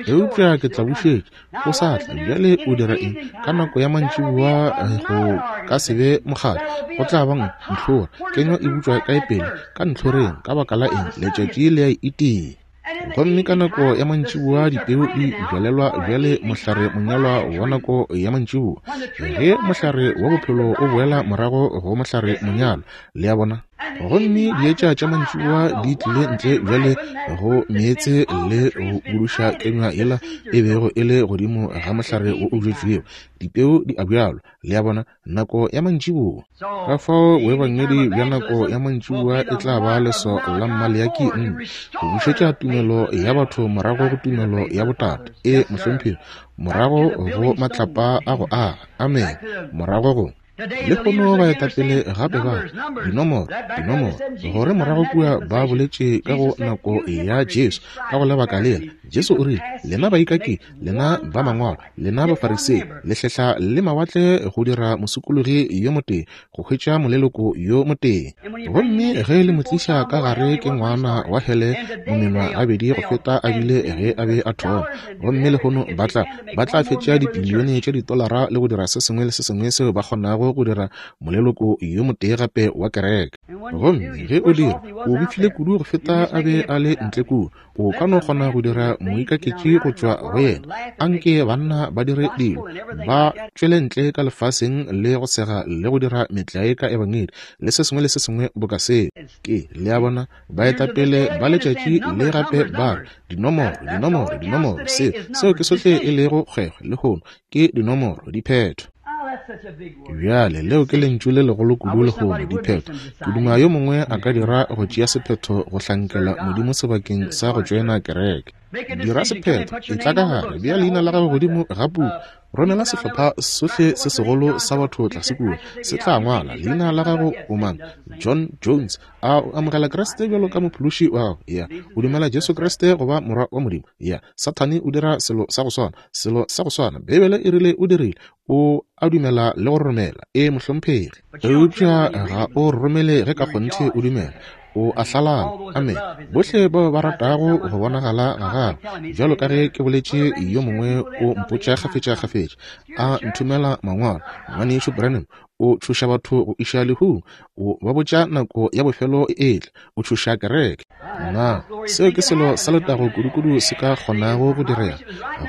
Eupša ke tla bušetša, o sa tla. Bjale o dira eng? Ka nako ya mantšiboa eh, go ka se be mokgatlo, go tla ba ntlhora. Kenywa e butšwa kae pele? Ka ntlhoreng. Ka baka la eng? Letšatši le a e itia. Gomme ka nako ya mantšiboa dipeu di bjalelwa bjale mohlare monyalwa wa nako ya mantšiboa. Ge mohlare wa bophelo o boela morago go mohlare monyalwa, le a bona? Gomme dietša tša mantšiboa di tlile ntle bjale go meetse le go buduša kenywa yela e bego e le godimo ga mohlare wo o bjetšwego. Dipeu di a bjalwa, le a bona, nako ya mantšiboa. Ka fao boebangedi bja nako ya mantšiboa e tla ba leso la Mmaleaki nne, go bušetša tumelo ya batho morago go tumelo ya botate, e mohlomphegi, morago go matlapa a go aga, amene, morago go. Lehono baetapele gape ba re, Dinomoro, dinomoro, gore morago kua ba boletše ka go nako ya Jesu, ka go lebaka lela. Jesu o rile, Lena baikaki, lena ba mangwalo, lena Bafarisei, le hlehla le mawatle go dira mosokologi yo motee, go hwetša moleloko yo motee. Gomme ge le mo tliša ka gare ke ngwana wa hele momenwa gabedi go feta a bile ge a be a thoma. Gomme lehono ba tla, ba tla fetša dibilione tša ditolara le go dira se sengwe le se sengwe seo ba kgonago go dira moleloko yo motee gape wa kereke. Gomme ge o dira, o befile kudu go feta a be a le ntle kua. O ka no kgona go dira moikaketši go tšwa go yena. Anke banna ba dire dilo, ba tšwele ntle ka lefaseng le go sega le go dira metlae ka Ebangedi le se sengwe le se sengwe boka seo. Ke, le a bona, baetapele ba letšatši le gape ba re, Dinomoro, dinomoro, dinomoro, seo, seo ke sohle e lego kgwekgwe lehono, ke dinomoro, diphetho. Bjale, leo ke lentšu le legolo kudu lehono, diphetho. Ke duma yo mongwe a ka dira go tšea sephetho go hlankela Modimo sebakeng sa go tšoena kereke. Dira sephetho, etla ka gare, bea leina la gago godimo ga puku, Romela sehlopha sohle se segolo sa batho tlase kua, se tla ngwala leina la gago. O mang? John Jones. A o amogela Kriste bjalo ka Mophološi wa gago? Ya. O dumela Jesu Kriste go ba Morwa wa Modimo? Ya. Sathane o dira selo sa go swana, selo sa go swana. Beibele e rile o dirile. O a dumela le go romela. Ee, mohlomphegi. Eupša ga o romele ge ka kgonthe o dumela. O a hlalala. Amene. Bohle bao ba ratago go bonagala ga gagwe, bjalo ka ge ke boletše, yo mongwe o mpotša kgafetšakgafetša, a nthomela mangwalo, Ngwanešu Branham, o tšhoša batho go iša lehung, o ba botša nako ya bofelo e etla, o tšhoša kereke. Na seo ke selo sa letago kudukudu se ka kgonago go direga?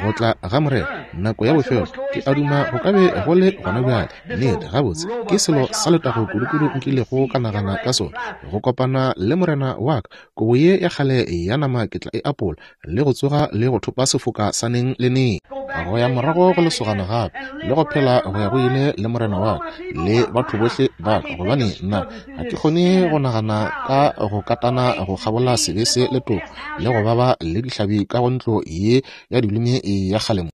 Go tla ga Morena, nako ya bofelo, ke a duma go ka be go le gona bjale. Nnete, gabotse, ke selo sa letago kudukudu nkilego ka nagana ka sona, go kopana le Morena wa ka. Kobo ye ya kgale ya nama ke tla e apola, le go tsoga le go thopa sefoka sa neng le neng. Go ya morago go lesogana gape, le go phela go ya go ile le Morena wa ka le batho bohle ba ka, gobane nna ga ke kgone go nagana ka go katana go kgabola sebe se le toko le go baba le dihlabi ka go ntlo ye ya dilumi ya kgale mo.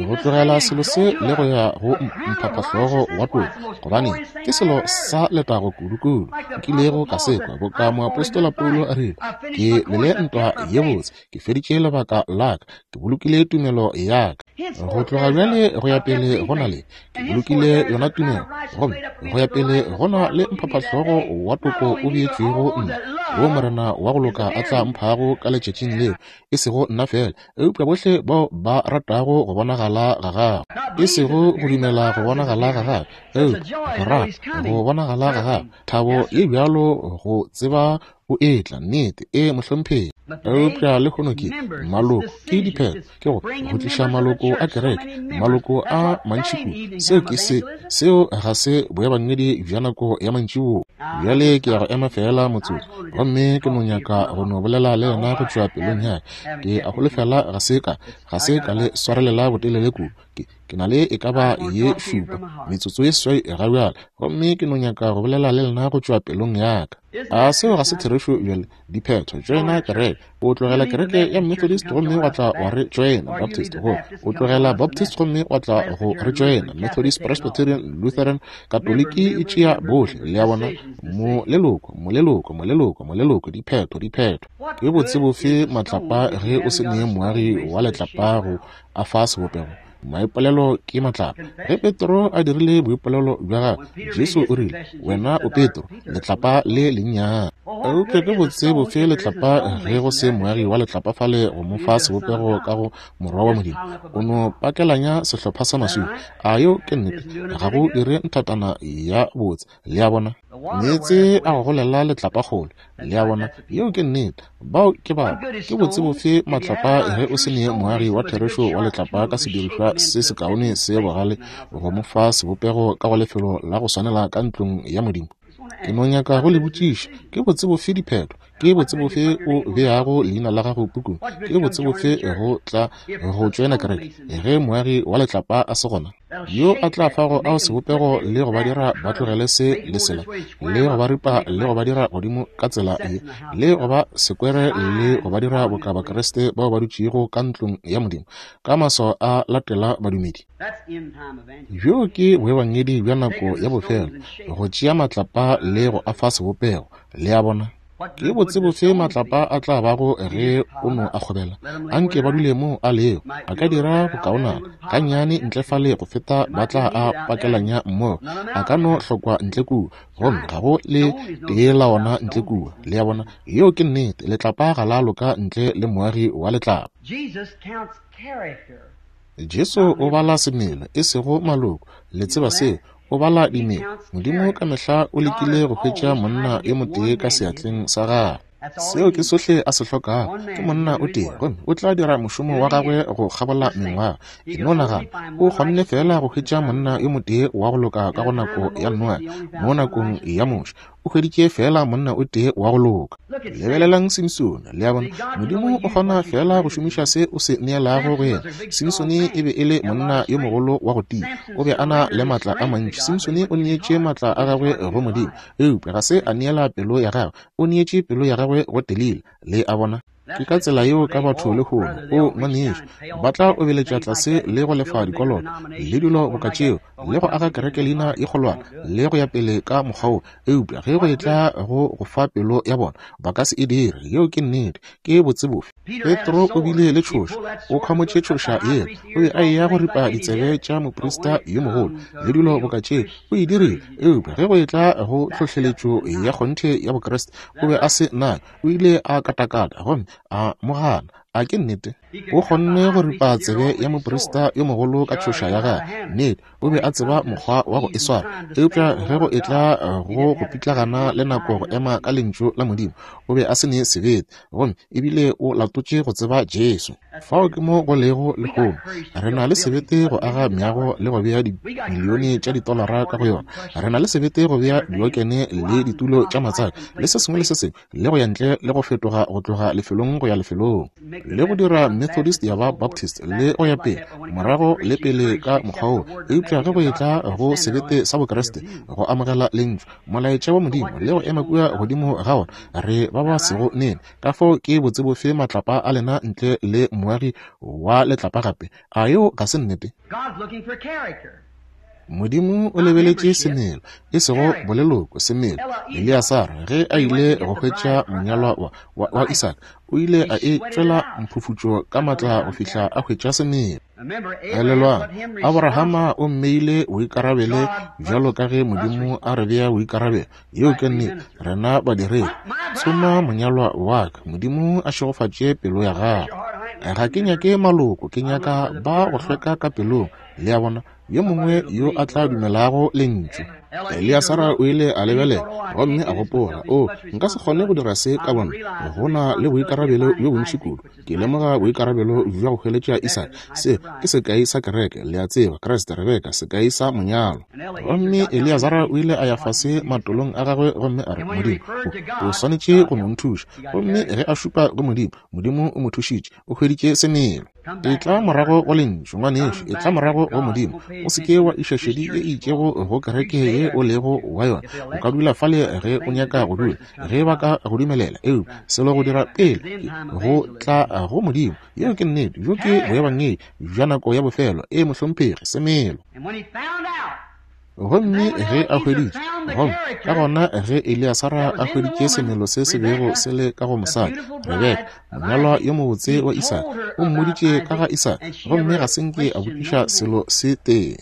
Go tlogela selo se le go ya go mphaphahlogo wa toko, gobane ke selo sa letago kudu-kudu nkilego ka se kwa, boka moapostola Paulo a rile, Ke lwele ntwa ye botse, ke feditše lebaka la ka, ke bolokile tumelo ya ka. Go tloga bjale go ya pele go na le, ke bolokile yona tumelo, gomme go ya pele go na le mphaphahlogo wa toko o beetšwego nna, wo Morena wa go loka a tla mphago ka letšatšing leo, e sego nna fela, eupša bohle bao ba ratago go bonagala ga gagwe, e sego go dumela go bonagala ga gagwe, eupša go rata go bonagala ga gagwe. Thabo ye bjalo go tseba o etla, nnete, e mohlomphegi. Eupša lehono ke maloko, ke diphetho, ke go go tliša maloko a kereke, maloko a mantši kudu. Seo ke se, seo ga se boebangedi bja nako ya mantšiboa. Bjale ke ya go ema feela motsotso, gomme ke no nyaka go no bolela le yena go tšwa pelong ya ka. Ke a holofela ga se ka, ga se ka le swarelela botelele kudu. Ke, ke na le e ka ba ye šupa, metsotso ye seswai ga bjale, gomme ke no nyaka go bolela le lena go tšwa pelong ya ka. A seo ga se therešo bjale? Diphetho, tšoena kereke. O tlogela kereke ya Methodist gomme wa tla wa re tšoena Baptist. Go, o tlogela Baptist gomme wa tla go re tšoena Methodist, Presbyterian, Lutheran, Katoliki, e tšea bohle. Le a bona? Moleloko, moleloko, moleloko, moleloko, diphetho, diphetho. Ke botse bofe matlapa ge o se ne moagi wa letlapa go a fa sebopego? Maipolelo ke matlapa. Ge Petro a dirile boipolelo bja gagwe, Jesu o rile, Wena o Petro, letlapa le lennyane. Eupša ke botse bofe letlapa ge go se moagi wa letlapa fale go mo fa sebopego ka go Morwa wa Modimo? O no pakelanya sehlopha sa maswika. A yeo ke nnete? Ga go dire nthatana ya botse. Le a bona? Meetse a go golela letlapa kgole. Le a bona? Yeo ke nnete. Bao ke batho. Ke botse bofe matlapa ge o se ne moagi wa therešo wa letlapa ka sedirišwa se sekaone se bogale go mo fa sebopego ka go lefelo la go swanela ka ntlong ya Modimo? Ke no nyaka go le botšiša, ke botse bofe diphetho? Ke botse bofe o beago leina la gago pukung? Ke botse bofe go tla go tšoena kereke ge moagi wa letlapa a se gona? Yo a tla fago ao sebopego le go ba dira ba tlogele se le sela, le go ba ripa le go ba dira godimo ka tsela ye, le go ba sekwere le go ba dira boka Bakriste bao ba dutšego ka ntlong ya Modimo, ka maswao a latela badumedi. Bjo ke boebangedi bja nako ya bofelo, go tšea matlapa le go a fa sebopego. Le a bona? Ke botse bofe matlapa a tla bago ge o no a kgobela? Anke ba dule mo a lego. A ka dira bokaonana gannyane ntle fale go feta ba tla a pakelanya mmogo. A ka no hlokwa ntle kua, gomme ga go le tee la ona ntle kua. Le a bona? Yeo ke nnete. Letlapa ga la loka ntle le moagi wa letlapa. Jesu o bala semelo, e sego maloko. Le tseba seo. O bala dimelo. Modimo ka mehla o lekile go hwetša monna yo motee ka seatleng sa gagwe. Seo ke sohle a se hlokago, ke monna o tee, gomme o tla dira mošomo wa gagwe go kgabola mengwaga. E no nagana, o kgonne feela go hwetša monna yo motee wa go loka ka go nako ya Noage, mo nakong ya Moshe, o hweditše feela monna o tee wa go loka. Lebelelang Simsone, le a bona, Modimo o kgona feela go šomiša se o se neelago go yena. Simsone e be e le monna yo mogolo wa go tia, o be a na le maatla a mantši. Simsone o neetše maatla a gagwe go Modimo, eupša ga se a neela pelo ya gagwe, o neetše pelo ya gagwe go Delila. Le a bona? Ke ka tsela yeo ka batho lehono. O, ngwanešu, ba tla obeletša tlase le go lefa dikoloto, le dilo boka tšeo, le go aga kerekeleina ye kgolwana, le go ya pele ka mokgwa wo. Eupša ge go etla go go fa pelo ya bona, ba ka se e dire. Yeo ke nnete. Ke botse bofe? Petro o bile le tšhoša. O khwamotše tšhoša yela. O be a eya go ripa ditsebe tša moprista yo mogolo, le dilo boka tšeo. O e dirile. Eupša ge go etla go tlhohleletšo ya kgonthe ya Bokriste, o be a se nayo. O ile a katakata gomme a mo gana. A ke nnete? O kgonne go ripa tsebe ya moprista yo mogolo ka tšhoša ya gagwe. Nnete, o be a tseba mokgwa wa go e swara. Eupša ge go etla go go pitlagana le nako go ema ka Lentšu la Modimo, o be a se ne sebete, gomme ebile o latotše go tseba Jesu. Fao ke mo go lego lehono. Re na le sebete go aga meago le go bea dimilione tša ditolara ka go yona. Re na le sebete go bea diokene le ditulo tša matsaka le se sengwe le se sengwe, le go ya ntle le go fetoga go tloga lefelong go ya lefelong, le go dira Methodist ya ba Baptist le go ya pele, morago le pele ka mokgwa wo. Eupša ge go etla go sebete sa Bokriste, go amogela Lentšu, molaetša wa Modimo, le go ema kua godimo ga ona, re ba ba sego nene. Ka fao ke botse bofe matlapa a lena ntle le moagi wa letlapa gape? A yeo ga se nnete? Modimo o lebeletše semelo, e sego boleloko, semelo. Eliasara, ge a ile go hwetša monyalwa wa Isaka, o ile a e tšwela mphufutšo ka matla go fihla a hwetša semelo. Elelwang, Aborahama o mmeile boikarabele bjalo ka ge Modimo a re bea boikarabelo. Yeo ke nnete, rena badiredi. Tsoma monyalwa wa ka, Modimo a šegofatše pelo ya gago. Ga ke nyake maloko, ke nyaka ba go hlweka ka pelong. Le a bona, yo mongwe yo a tla dumelago Lentšu. Eliasara o ile a lebelela gomme a gopola, o, nka se kgone go dira se ka bona, go na le boikarabelo bjo bontši kudu. Ke lemoga boikarabelo bja go hweletša Isaka. Se ke sekai sa kereke, le a tseba, Kriste, Rebeka, sekai sa monyalo. Gomme Eliasara o ile a ya fase matolong a gagwe gomme a re, Modimo, o swanetše go no nthuša. Gomme ge a šupa go Modimo, Modimo o mo thušitše, o hweditše semelo. Etla morago go Lentšu, ngwanešu, etla morago go Modimo. O se ke wa iša šedi ye e itšego go kereke ye o lego wa yona. O ka dula fale ge o nyaka go dula, ge ba ka go dumelela, eupša selo go dira pele ke go tla go Modimo. Yeo ke nnete. Bjo ke boebangedi bja nako ya bofelo. Ee, mohlomphegi, semelo. Gomme ge a hweditše, gomme ka gona ge Eliasara a hweditše semelo se se bego se le ka go mosadi, Rebeka, monyalwa yo mobotse wa Isaka, o mmoditše ka ga Isaka, gomme ga se nke a botšiša selo se tee.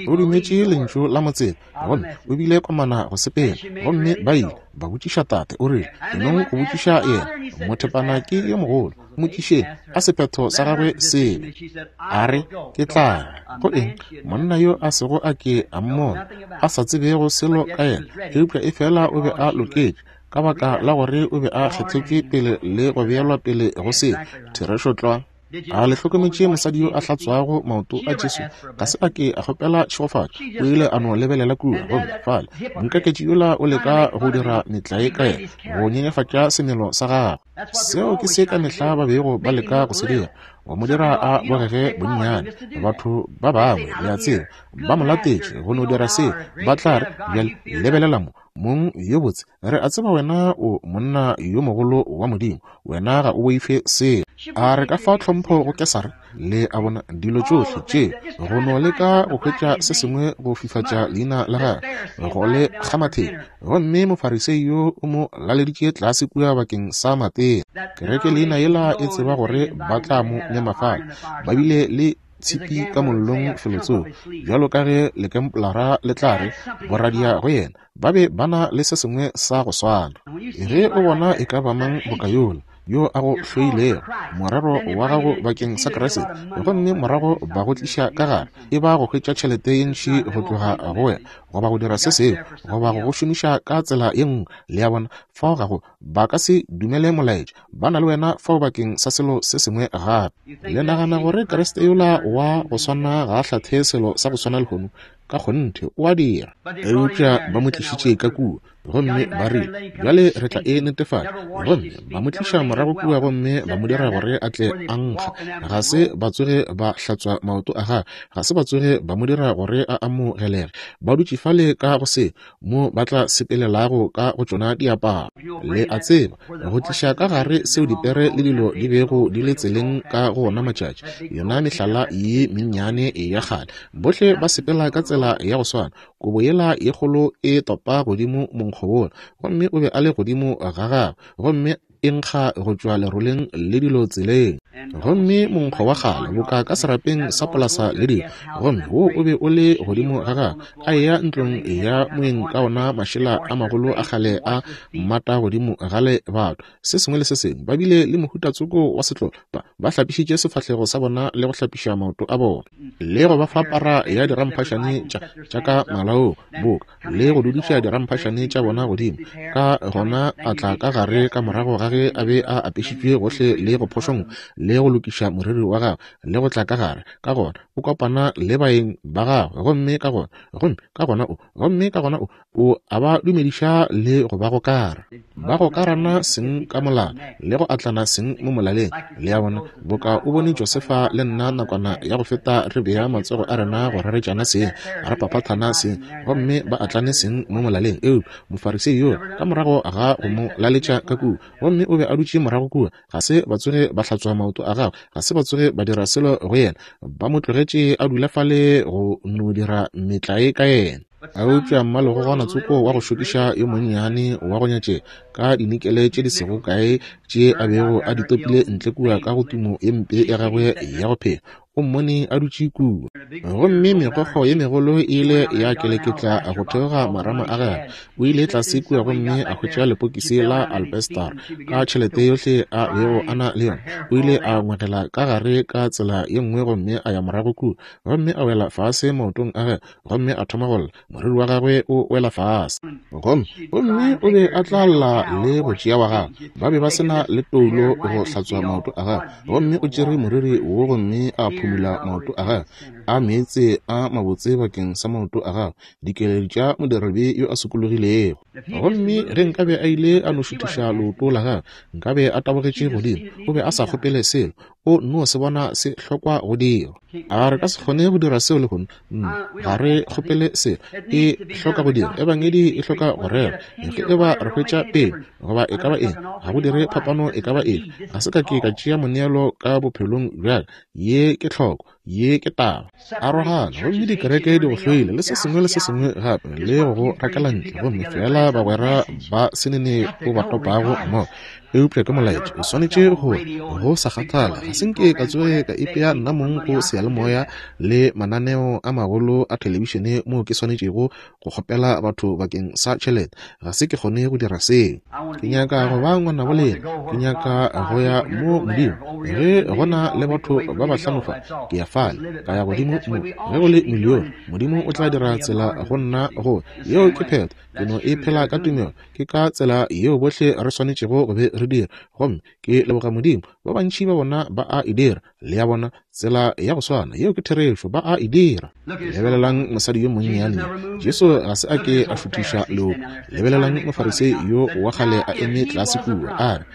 O dumetše lentšu la motseta, gomme o bile komana go sepela. Gomme ba ile ba botšiša tate, o rile, Enong go botšiša yena, mothepana ke yo mogolo, mmotšišeng a sephetho sa gagwe se be. A re, Ke tla ya. Go eng? Monna yo a sego a ke a mmona, a sa tsebego selo ka yena, eupša efela o be a loketše, ka baka la gore o be a kgethetšwe pele le go beelwa pele go se. Therešo tlwa. A le hlokometše mosadi yo a hlatswago maoto a Jesu? Ga se a ke a kgopela tšhegofatšo. O ile a no lebelela kua, gomme fale moikaketši yola o leka go dira metlae ka yena, go nyenyefatša semelo sa gagwe. Seo ke se ka mehla ba bego ba leka go se dira, go mo dira a bogege bonnyane. Batho ba bangwe, le a tseba, ba mo latetše go no dira seo. Ba tla re, Bjale lebelela mo, mong yo botse, re a tseba wena o monna yo mogolo wa Modimo, wena ga o boife selo. A re ka fa tlhompho go Kesare? Le a bona, dilo tšohle tše, go no leka go hwetša se sengwe go fifatša leina la gagwe, go le kgamatheng. Gomme Mofarisei yo o mo laleditše tlase kua bakeng sa matena. Kereke leina yela e tseba gore ba tla mo mema fale. Ba bile le tshipi ka mollong felotsoko, bjalo ka ge lekempolara le tla re, boradia go yena. Ba be ba na le se sengwe sa go swana. Ge o bona e ka ba mang boka yola, yo a go hloilego, morero wa gago bakeng sa Kriste, gomme morago ba go tliša ka gare, e ba go hwetša tšhelete ye ntši go tloga go wena, goba go dira se sengwe, goba go go šomiša ka tsela ye nngwe, le a bona, fao ga go, ba ka se dumele molaetša, ba na le wena fao bakeng sa selo se sengwe gape. Le nagana gore Kriste yola wa go swana ga a hlathe selo sa go swana lehono? Ka kgonthe o a dira. Eupša ba mo tlišitše ka kua, gomme ba rile, Bjale re tla e netefatša. Gomme ba mo tliša morago kua gomme ba mo dira gore a tle a nkga. Ga se ba tsoge ba hlatswa maoto a gagwe, ga se ba tsoge ba mo dira gore a amogelege. Ba dutše fale ka go se, mo ba tla sepelelago ka go tšona diaparo. Le a tseba, go tliša ka gare seo dipere le dilo di bego di le tseleng ka go ona matšatši, yona mehlala ye mennyane ya kgale, bohle ba sepela ka tsela ya go swana, kobo yela ye kgolo e topa godimo monkgo wola, gomme o be a le godimo ga gagwe, gomme e nkga go tšwa leroleng le dilo tseleng. Gomme monkgo wa kgale boka ka serapeng sa polasa le dilo, gomme wo o be o le godimo ga gagwe, a eya ntlong ya moeng ka ona mašela a magolo a kgale a mmata godimo ga lebato, se sengwe le se sengwe. Ba bile le mohuta tsoko wa setlolo, ba, ba hlapišitše sefahlego sa bona le go hlapiša maoto a bona, le go ba fa para ya diramphašane tša, tša ka malaong, boka, le go dudiša diramphašane tša bona godimo. Ka gona a tla ka gare ka morago ga ge ge a be a apešitšwe gohle le go phošongwa le go lokiša moriri wa gagwe le go tla ka gare, ka gona o kopana le baeng ba gagwe, gomme ka gona, gomme ka gona o, gomme ka gona o, o a ba dumediša le go ba gokara. Ba gokarana seng ka molala le go atlana seng mo molaleng. Le a bona, boka o bone Josefa le nna nakwana ya go feta re bea matsogo a rena go raretšana seng, re paphathana seng, gomme ba atlane seng mo molaleng. Eupša Mofarisei yola, ka morago ga go mo laletša ka kua, gomme o be a dutše morago kua, ga se ba tsoge ba hlatswa maoto a gagwe, ga se ba tsoge ba dira selo go yena, ba mo tlogetše a dula fale go no dira metlae ka yena. Eupša mmalegogwana tsoko wa go šokiša yo monnyane wa go nyatšega, ka dinikele tše di sego kae tše a bego a di topile ntle kua ka go tumo ye mpe ya gagwe ya go phela, o mmone a dutše kua. Gomme megokgo ye megolo e ile ya keleketla go theoga marama a gagwe. O ile tlase kua gomme a hwetša lepokisi la albestar ka tšhelete yohle a bego a na le yona. O ile a ngwegela ka gare ka tsela ye nngwe gomme a ya morago kua, gomme a wela fase maotong a gagwe gomme a thoma go lla, moriri wa gagwe o wela fase. Gomme, gomme o be a tla lla le go tšea wa gagwe. Ba be ba se na le toulo go hlatswa maoto a gagwe. Gomme o tšere moriri wo gomme a phumula maoto a gagwe, a meetse a mabotse bakeng sa maoto a gagwe, dikeledi tša modiradibe yo a sokologilego. Gomme ge nkabe a ile a no šuthiša leoto la gagwe, nkabe a tabogetše godimo. O be a sa kgopele selo. O nno se bona se hlokwa go dirwa. A re ka se kgone go dira seo lehono? Nno, ga re kgopele selo. E hloka go dirwa. Ebangedi e hloka go rerwa. Ge e ba re hwetša pele, goba e ka ba eng, ga go dire phapano e ka ba efe. Ga se ka ke ka tšea moneelo ka bophelong bja ka. Ye ke tlhoko. Ye ke taba. Arogana, gomme dikereke di go hloile, le se sengwe le se sengwe gape, le go go rakela ntle, gomme feela bagwera ba se nene o ba topago mmogo. Eupša ke molaetša, o swanetše go, go sa kgathale. Ga se nke ka tsoge ka ipea nna mong go seyalemoya le mananeo a magolo a thelebišene moo ke swanetšego go kgopela batho bakeng sa tšhelete. Ga se ke kgone go dira seo. Ke nyaka go ba ngwanabo lena. Ke nyaka go ya mo Modimo. Ge go na le batho ba bahlano fa, ke ya fale, ka ya godimo mo. Ge go le milione, Modimo o tla dira tsela go nna go. Yeo ke phetho. Ke no e phela ka tumelo. Ke ka tsela yeo bohle re swanetšego go be re dira. Gomme ke leboga Modimo, ba bantši ba bona ba a e dira. Le a bona, tsela ya go swana, yeo ke therešo, ba a e dira. Lebelelang mosadi yo monnyane yo. Jesu ga se a ke a šuthiša leoto. Lebelelang Mofarisei yo wa kgale a eme tlase kua, a re,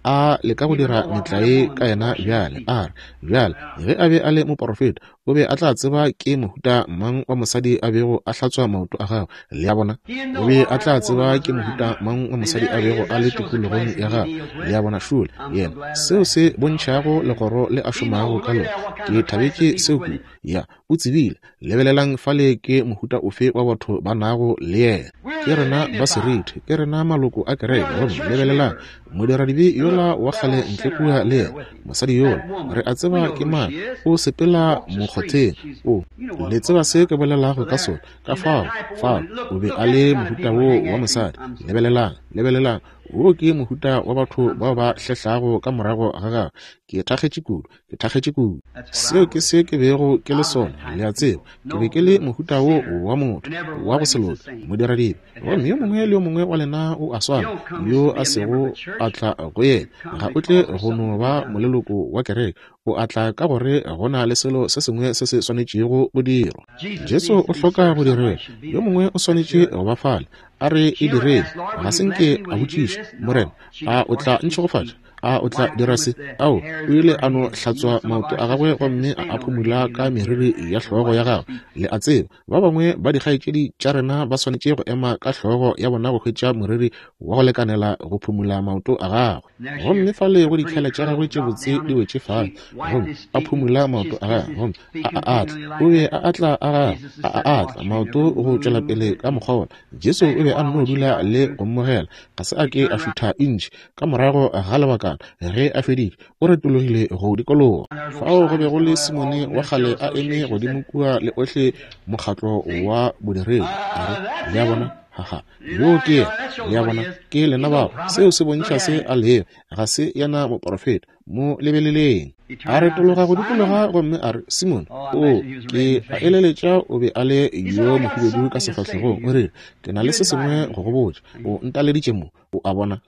A leka go dira metlae ka yena bjale, a re, Bjale, ge a be a le moporofeta, o be a tla tseba ke mohuta mang wa mosadi a bego a hlatswa maoto a gagwe. Le a bona? O be a tla tseba ke mohuta mang wa mosadi a bego a le tikologong ya gagwe. Le a bona? Šole yena, seo se bontšhago legoro le a šomago ka lona. Ke thabetše seo kudu. Ya, o tsebile. Lebelelang fale ke mohuta ofe wa batho ba nago le yena. Ke rena ba seriti, ke rena maloko a kereke. Gomme lebelelang modiradibe yola wa kgale ntle kua le yena, mosadi yola, re a tseba ke mang, o sepela mokgotheng. O, le tseba se ke bolelago ka sona. Ka fao, fao, o be a le mohuta woo wa mosadi. Lebelelang, lebelelang, wo ke mohuta wa batho bao ba hlehlago ka morago ga gagwe. Ke thakgetše kudu. Ke thakgetše kudu. Seo ke se ke bego ke le sona, le a tseba. Ke be ke le mohuta wo wa motho, wa go se loke, modiradibe. Gomme yo mongwe le yo mongwe wa lena o a swana, yo a sego a tla go yena. Ga o tle go no ba moleloko wa kereke. O a tla ka gore go na le selo se sengwe se se swanetšego go dirwa. Jesu o hloka go direlwa. Yo mongwe o swanetše go ba fale. A re e direng. Ga se nke a botšiša, Morena, a o tla ntšhegofatša? A o tla dira se? Ao, o ile a no hlatswa maoto a gagwe gomme a a phumula ka meriri ya hlogo ya gagwe. Le a tseba, ba bangwe ba dikgaetšedi tša rena ba swanetše go ema ka hlogo ya bona go hwetša moriri wa go lekanela go phumula maoto a gagwe. Gomme fale go ditlhale tša gagwe tše botse di wetše fale, gomme a phumula maoto a gagwe, gomme a a atla. O be a atla a gagwe, a a atla maoto go tšwela pele ka mokgwa wola. Jesu o be a nno dula le go mmogela, ga se a ke a šutha intšhi. Ka morago ga lebakana, ge a feditše, o retologile go dikologa. Fao go be go le Simone wa kgale a eme godimo kua le ohle mokgatlo wa bodiredi. A re, Le a bona? Ha-ha. Yoo ke yena. Le a bona? Ke lena bao. Seo se bontšha se a lego. Ga se yena moporofeta. Mo lebeleleng. A retologa go dikologa gomme a re, Simone, oo, ke a eleletša o be a le yo mohubedu ka sefahlegong. O rile, Ke na le se sengwe go go botša. O ntaleditše mo. O a bona?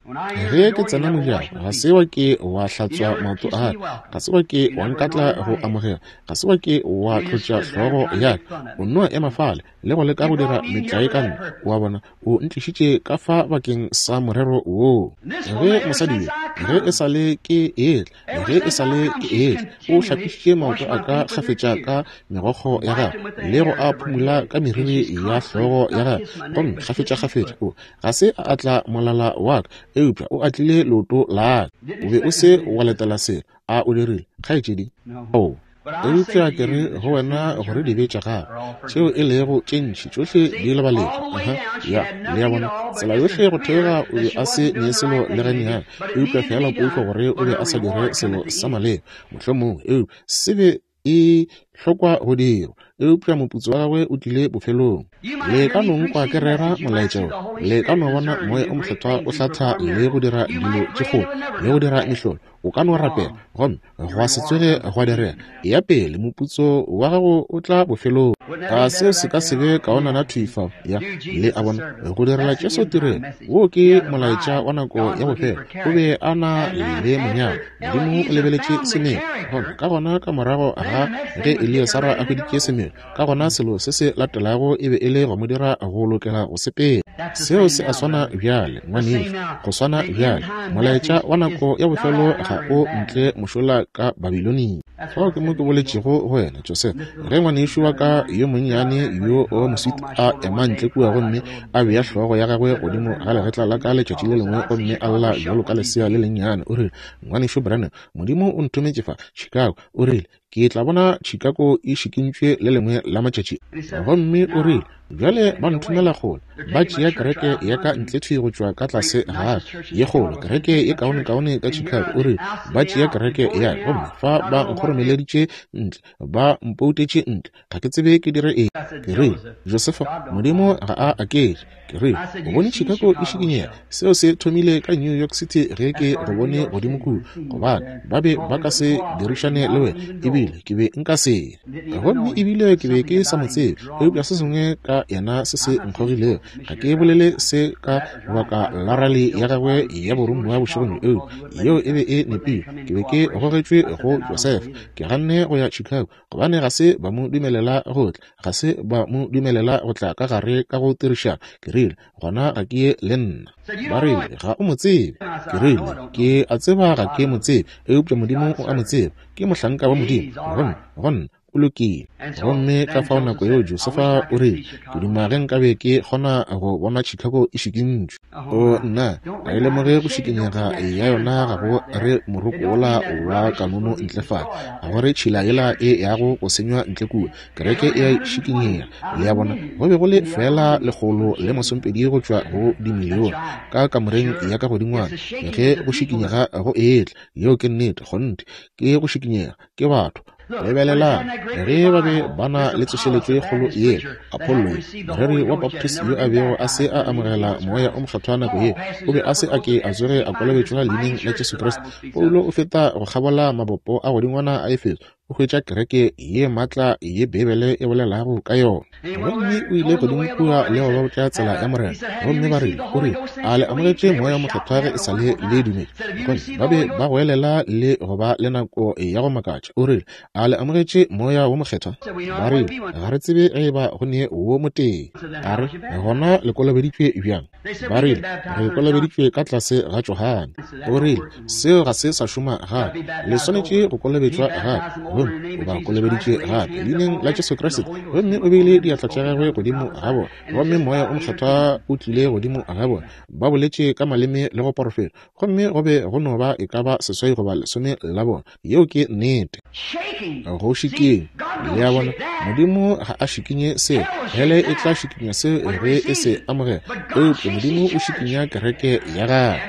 Ge ke tsena mojako, ga se wa ke wa hlatswa maoto a ka, ga se wa ke wa nkatla go amogela, ga se wa ke wa tlotša hlogo ya ka. O nno ema fale le go leka go dira metlae ka nna. O a bona? O ntlišitše ka fa bakeng sa morero woo. Ge mosadi yo, ge e sa le ke etla, ge e sa le ke etla, o hlapišitše maoto a ka kgafetša ka megokgo ya gagwe le go a phumula ka meriri ya hlogo ya gagwe, gomme kgafetšakgafetša o ga se a atla molala wa ka, eupša o atlile leoto la ka. O be o se wa letela selo, a o dirile, kgaetšedi? Oo. Eupša ke re go wena gore dibe tša gago, tšeo e lego tše ntši, tšohle di lebaletšwe. Aha, ya, le a bona, tsela yohle go theoga o be a se ne selo le gannyane, eupša feela poifo gore o be a sa dire selo sa maleba, mohlomongwe, eupša se be e hlokwa go dirwa, eupša moputso wa gagwe o tlile bofelong. Le ka no nkwa ke rera molaetša wo, le ka no bona Moya o Mokgethwa o hlatha le go dira dilo tše kgolo le go dira mehlolo, o ka no rapela gomme gwa se tsoge gwa direga. Eya pele, moputso wa gago o tla bofelong. A seo se ka se be kaonana thwi fao? Ya, le a bona, go direla Jesu tirelo. Woo ke molaetša wa nako ya bofelo. O be a na le monyalwa. Modimo o lebeletše semelo. Gomme ka gona ka morago ga ge Eliasara a hweditše semelo, ka gona selo se se latelago e be e le go mo dira go lokela go sepela. Seo se a swana bjale, ngwanešu, go swana bjale. Molaetša wa nako ya bofelo ga o ntle mošola ka Babilonia. Fao ke mo ke boletšego go wena, Joseph, ge ngwanešu wa ka yo monnyane yo wa moswiti a ema ntle kua gomme a bea hlogo ya gagwe godimo ga legetla la ka letšatši le lengwe gomme a lla bjalo ka lesea le lennyane, o rile, Ngwanešu Branham, Modimo o nthometše fa, Chicago. O rile, Ke tla bona Chicago e šikintšwe le lengwe la matšatši. Gomme o rile, Bjale ba nthomela kgole, ba tšea kereke ya ka ntle thwi go tšwa ka tlase ga ka, ye kgolo, kereke ye kaonekaone ka Chicago. O rile, Ba tšea kereke ya ka, gomme fa ba nkgoromeleditše ntle, ba mpoutetše ntle. Ga ke tsebe ke dire eng. Ke rile, Josefa, Modimo ga a aketše. Ke rile, O bone Chicago e šikinyega. Seo se thomile ka New York City ge ke go bone godimo kua, gobane ba be ba ka se dirišane le wena, ebile ke be nka se. Gomme ebile ke be ke sa mo tsebe, eupša se sengwe ka yena se se nkgogilego. Ga ke bolele se ka baka la rali ya gagwe ya boromiwa bošegong bjo, eupša yeo e be e nepile. Ke be ke gogetšwe go Josefa. Ke ganne go ya Chicago gobane ga se ba mo dumelela go tla, ga se ba mo dumelela go tla ka gare ka go tirišana. Ke rile, Gona ga ke ye le nna. Ba rile, Ga o mo tsebe. Ke rile, Ke a tseba ga ke mo tsebe, eupša Modimo o a mo tseba. Ke mohlanka wa Modimo, gomme go nna o lokile. Gomme ka fao nako yeo Josefa o rile, Ke duma ge nkabe ke kgona go bona Chicago e šikintšwe. O nna, ga e lemoge go šikinyega ya yona ga go re moroko wola wa kanono ntle fale, ga go re tšhila yela e yago go senywa ntle kua. Kereke e a šikinyega. Le a bona, go be go le feela 120 go tšwa go dimilione ka kamoreng ya ka godingwana ge go šikinyega go etla. Yeo ke nnete, kgonthe. Ke go šikinyega, ke batho. Lebelelang, ge ba be ba na le tsošeletšo e kgolo yela, Apollo ye, moreri wa Baptist yo a bego a se a amogela Moya o Mokgethwa nako ye, o be a se a ke a tsoge a kolobetšwa Leineng la Jesu Kriste. Paulo o feta go kgabola mabopo a godingwana a Efeso, o hwetša kereke ye maatla ye Beibele e bolelago ka yona. Gomme o ile godimo kua le go ba botša tsela ya Morena. Gomme ba rile, o rile, A le amogetše Moya wo Mokgethwa ge e sa le le dumetše? Gomme ba be ba goelela le go ba le nako ya go makatša. O rile, A le amogetše Moya wo Mokgethwa? Ba rile, Ga re tsebe ge eba go ne wo motee. A re, Gona le kolobeditšwe bjang? Ba rile, Re kolobeditšwe ka tlase ga Johane. O rile, Seo ga se sa šoma gape. Le swanetše go kolobetšwa gape. Gomme o ba kolobeditše gape Leineng la Jesu Kriste. Gomme o beile diatla tša gagwe godimo ga bona. Gomme Moya o Mokgethwa o tlile godimo ga bona. Ba boletše ka maleme le go porofeta. Gomme go be go no ba e ka ba 8 goba 10 la bona. Yeo ke nnete. Go šikinya. Le a bona? Modimo ga a šikinye seo. Hele e tla šikinya seo ge e se amogela. Eupša Modimo o šikinya kereke ya gagwe.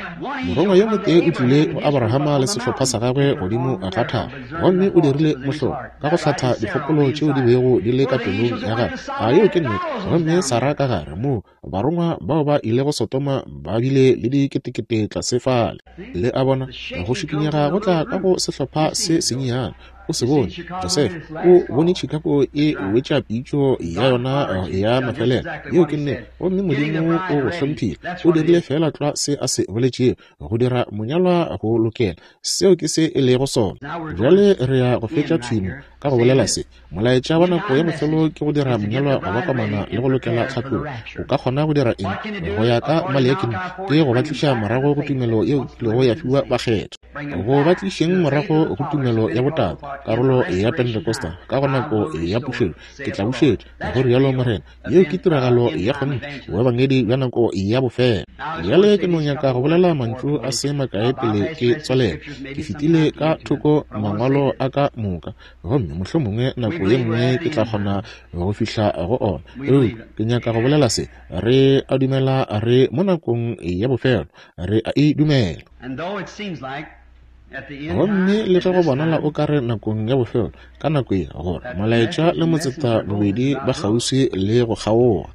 Morongwa yo motee o tlile go Abrahama le sehlopha sa gagwe godimo ga thaba, gomme o dirile mohlolo, ka go hlatha dikgopolo tšeo di bego di le ka pelong ya gagwe. A yeo ke nnete? Gomme Sarah ka gare moo, barongwa bao ba ilego Sodoma ba bile le diketekete tlase fale. Le a bona, go šikinyega go tla ka go sehlopha se senyenyane. O se bone, Josefa o bone Chicago e wetša pitšo ya yona ya mafelelo. Yeo ke nnete. Gomme Modimo o go hlomphile. O dirile feela tlwa se a se boletšego, go dira monyalwa go lokela. Seo ke se e lego sona. Bjale re ya go fetša thwi mo ka go bolela se. Molaetša wa nako ya bofelo ke go dira monyalwa go ba komana le go lokela tlhatlogo. O ka kgona go dira eng? Go ya ka Maleaki ke go ba tliša morago go tumelo yeo e kilego ya fiwa bakgethwa. Go ba tlišeng morago go tumelo ya botate, karolo ya Pentecostal, ka go nako ya pušetšo. Ke tla bušetša, go rialo Morena. Yeo ke tiragalo ya kgonthe, boebangedi bja nako ya bofelo. Bjale ke no nyaka go bolela mantšu a se makae pele ke tswalela. Ke fetile ka thoko mangwalo a ka moka, gomme mohlomongwe nako ye nngwe ke tla kgona go fihla go ona. Eupša ke nyaka go bolela se. Re a dumela re mo nakong ya bofelo. Re a e dumela. Gomme le ge go bonala o ka re nakong ya bofelo, ka nako ye, gore molaetša le motseta bobedi ba kgauswi le go kgaoga.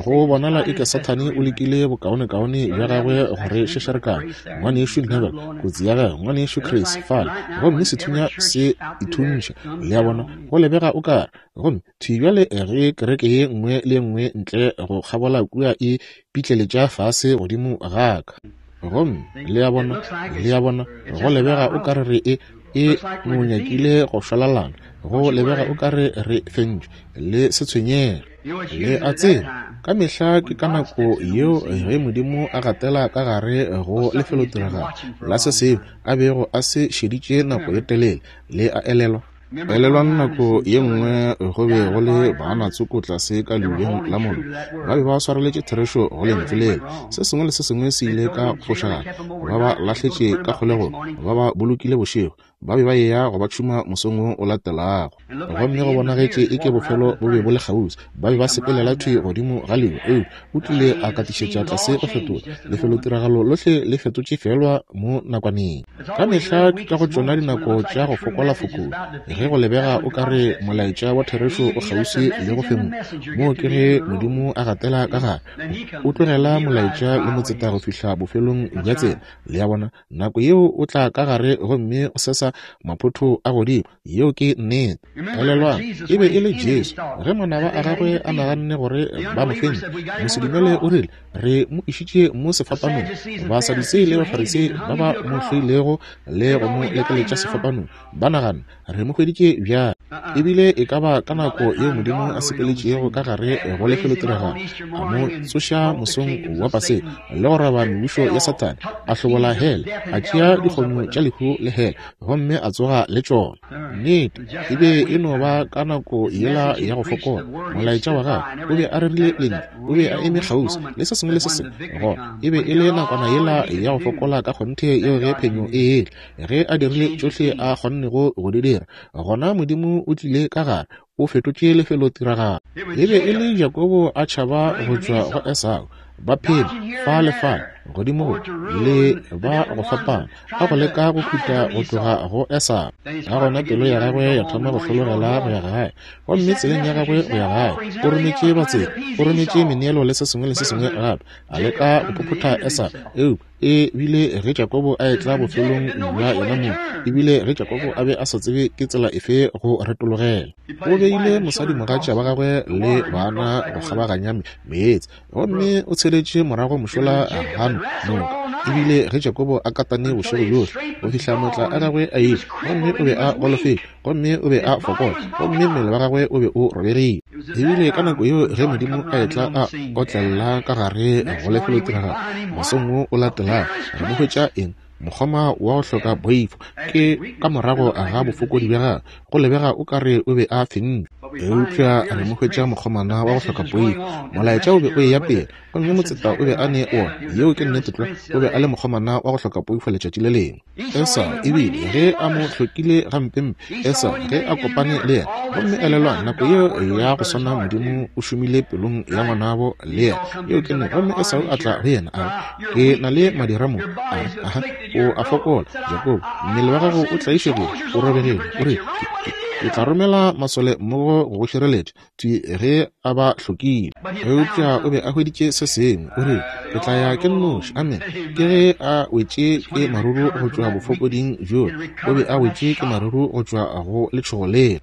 Go bonala eke Sathane o lekile bokaonekaone bja gagwe go re šešerekana. Ngwanešu Neville, kotsi ya gagwe, Ngwanešu Chris, fale, gomme sethunya se ithuntšha. Le a bona, go lebega o ka re. Gomme thwi bjale ge kereke ye nngwe le ye nngwe ntle go kgabola kua e pitleletša fase godimo ga ka. Gomme le a bona, le a bona, go lebega o ka re re e, e no nyakile go šwalalana. Go lebega o ka re re fentšwe. Le se tshwenyege. Le a tseba, ka mehla ke ka nako yeo ge Modimo a gatela ka gare go lefelotiragalo la se sengwe a bego a se šeditše nako ye telele. Le a elelwa? Elelwang nako ye nngwe go be go le baana tsoko tlase ka leubeng la mollo. Ba be ba swareletše therešo go lentšu lela. Se sengwe le se sengwe se ile ka fošagala. Ba ba lahletše ka kgolegong, ba ba bolokile bošego. Ba be ba eya go ba tšhuma mosong wo o latelago. Gomme go bonagetše eke bofelo bo be bo le kgauswi. Ba be ba sepelela thwi godimo ga leuba, eupša o tlile a katišetša tlase go fetola. Lefelotiragalo lohle le fetotše feelwa mo nakwaneng. Ka mehla ke ka go tšona dinako tša go fokola-fokola, ge go lebega o ka re molaetša wa therešo o kgauswi le go fenngwa. Moo ke ge Modimo a gatela ka gare. O tlogela molaetša le motseta go fihla bofelong bja tsela. Le a bona? Nako yeo o tla ka gare gomme o sesa maphotho a godimo. Yeo ke nnete. Elelwang, e be e le Jesu. Ge manaba a gagwe a naganne gore ba mo fentše, mosedumele o rile, Re mo išitše mo sefapanong. Basadutsei le Bafarisei ba ba mo hloilego le go mo lekeletša sefapanong, ba nagana, Re mo hweditše bjang? Ebile e ka ba ka nako yeo Modimo a sepeletšego ka gare go lefelotiragalo, a mo tsoša mosong wa Paseka, le go roba mebušo ya Sathane, a hlobola hele, a tšea dikgonyo tša lehu le hele, gomme a tsoga le tšona. Nnete, e be e no ba ka nako yela ya go fokola. Molaetša wa gagwe o be a rerile lentšu, o be a eme kgauswi le se sengwe le se sengwe. Gona e be e le nakwana yela ya go fokola ka kgonthe yeo ge phenyo e etla, ge a dirile tšohle a kgonnego go di dira, gona Modimo o tlile ka gare, o fetotše lefelotiragalo. E be e le Jakobo a tšhaba go tšwa go Esau, ba phela fa le fale, godimo go le ba go fapana, a go leka go khuta go tloga go Esau. Ka gona pelo ya gagwe ya thoma go hlologela go ya gae, gomme tseleng ya gagwe go ya gae o rometše batseta, o rometše meneelo le se sengwe le se sengwe gape, a leka go phophotha Esau. Eupša E bile ge Jakobo a etla bofelong bja yena mong, e bile ge Jakobo a be a sa tsebe ke tsela efe go retologela. O beile mosadimogatša wa gagwe le bana go kgabaganya meetse, gomme o tsheletše morago mošola gano noka. E bile ge Jakobo a katane bošego bjohle go fihla maatla a gagwe a ile, gomme o be a golofetše, gomme o be a fokola, gomme mmele wa gagwe o be o robegile. Ebile ka nako yeo ge Modimo a etla a otlella ka gare go lefelotiragalo mosong wo o latelago, re mo hwetša eng? Mokgoma wa go hloka poifo. Ke ka morago ga bofokodi bja gagwe, go lebega o ka re o be a fentšwe. Eupša re mo hwetša mokgomana wa go hloka poifo. Molaetša o be o eya pele, gomme motseta o be a ne wona. Yeo ke nnete tlwa. O be a le mokgomana wa go hloka poifo letšatši le lengwe. Esau ebile ge a mo hlokile gampempe, Esau ge a kopane le yena. Gomme elelwang, nako yeo ya go swana Modimo o šomile pelong ya ngwanabo le yena. Yeo ke nnete. Gomme Esau a tla go yena, a re, Ke na le madira mo. A re, Aha, o a fokola, Jakobo. Mmele wa gago o tlaišegile, o robegile. O re, Ke, ke, Ke tla romela masole mmogo go go šireletša, thwi ge a ba hlokile. Eupša o be a hweditše se sengwe. O rile, Ke tla ya ke nnoši. Amene. Ke ge a wetše ke maruru go tšwa bofokoding bjola. O be a wetše ke maruru go tšwa go letšhogo lela.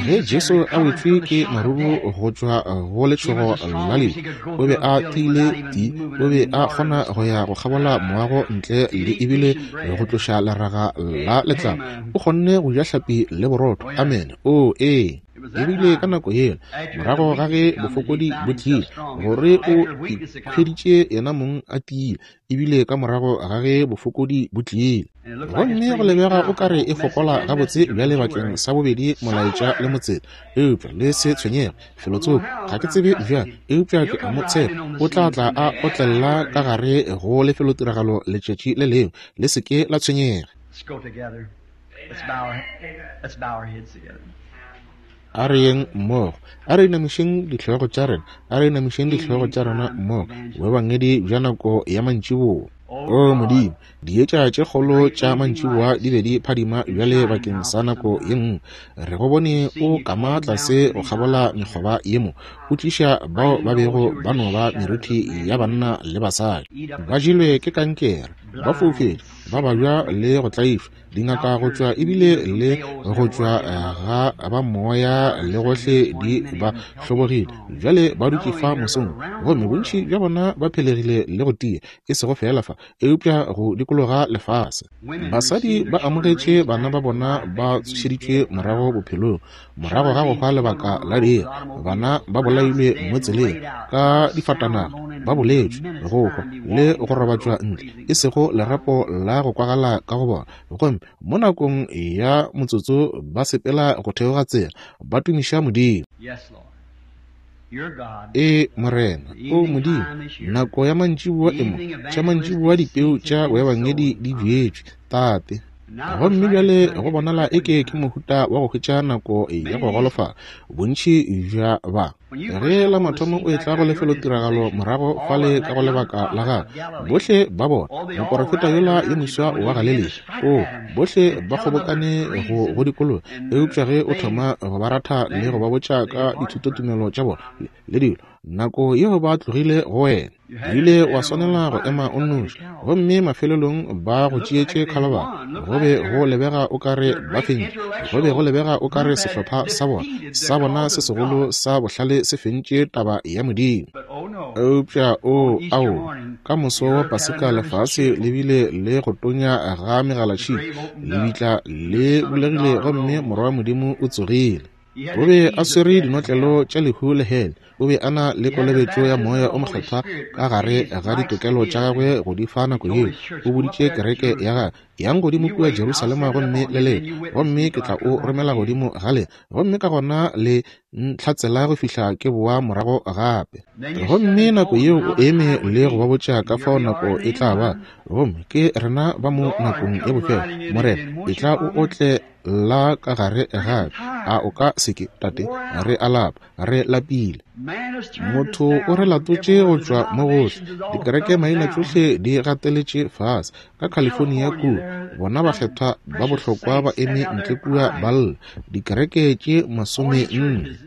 Ge Jesu a wetšwe ke maruru go tšwa go letšhogo la lehu, o be a tiile ti. O be a kgona go ya go kgabola moago ntle le ebile go tloša leraga la letlapa. O kgonne go ja hlapi le borotho. Amene. Oo, ee. E bile ka nako yela, morago ga ge bofokodi bo tlile, gore o ikhweditše yena mong a tiile, ebile ka morago ga ge bofokodi bo tlile. Gomme go lebega o ka re e fokola gabotse bjale bakeng sa bobedi molaetša le motseta. Eupša le se tshwenyege, felotsoko, ga ke tsebe bjang, eupša ke a mo tshepa, o tla tla a otlella ka gare go lefelotiragalo letšatši le lengwe. Le se ke la tshwenyega. A re yeng mmogo. A re inamišeng dihlogo tša rena. A re inamišeng dihlogo tša rena mmogo. Boebangedi bja nako ya mantšiboa. O Modimo, dietša tše kgolo tša mantšiboa di be di phadima bjale bakeng sa nako ye nngwe. Re go bone o kama tlase go kgabola mekgoba ye mo, o tliša bao ba bego ba no ba merithi ya banna le basadi. Ba jelwe ke kankere, ba foufetše, ba babja le go tlaišwa. Dingaka go tšwa ebile le go tšwa ga ba moya le gohle di ba hlobogile. Bjale ba dutše fa mosong, gomme bontši bja bona ba phelegile le go tia, e sego feela fa, eupša go dikologa lefase. Basadi ba amogetše bana ba bona ba tsošeditšwe morago bophelong, morago ga go hwa lebaka la diiri. Bana ba bolailwe mo tseleng ka difatanaga, ba boletšwe go hwa le go robatšwa ntle, e sego lerapo la go kwagala ka go bona. Gomme mo nakong ya motsotso ba sepela go theoga tsela, ba tumiša Modimo. Ee, Morena, O Modimo, nako ya mantšiboa e mo, tša mantšiboa dipeu tša boebangedi di bjetšwe, Tate. Gomme bjale go bonala eke ke mohuta wa go hwetša nako ya go golofala, bontši bja ba. Ge la mathomo o etla go lefelotiragalo morago fale ka go lebaka la gagwe, bohle ba bona moporofeta yola yo moswa wa Galelia, oo, bohle ba kgobokane go go dikologa. Eupša ge o thoma go ba ratha le go ba botša ka dithutotumelo tša bona le dilo, nako yeo ba tlogile go wena. O ile wa swanela go ema o nnoši, gomme mafelelong ba go tšeetše Khalabara. Go be go lebega o ka re ba fentše. Go be go lebega o ka re sehlopha sa bona, sa bona se segolo sa bohlale se fentše taba ya Modimo. Eupša, oo, aowa, ka moso wa Paseka lefase le bile le go tonya ga megalatšhika, lebitla le bulegile gomme Morwa wa Modimo o tsogile. O be a swere dinotlelo tša lehu le hele. O be a na le kolobetšo ya Moya o Mokgethwa ka gare ga ditokelo tša gagwe go di fa nako yeo. O boditše kereke ya gagwe, Yang godimo kua Jerusalema gomme le lete, gomme ke tla o romela godimo ga lena, gomme ka gona le ntlhatsela go fihla ke boa morago gape. Gomme nako yeo o eme le go ba botša ka fao nako e tla ba, gomme ke rena ba mo nakong ya bofelo. Morena, etla o otle la ka gare gape. A o ka se ke, Tate? Re a lapa. Re lapile. Motho o re latotše go tšwa mo gohle. Dikereke maina tšohle di gateletše fase. Ka California kua, bona bakgethwa ba bohlokwa ba eme ntle kua ba lla, dikereke tše masomenne.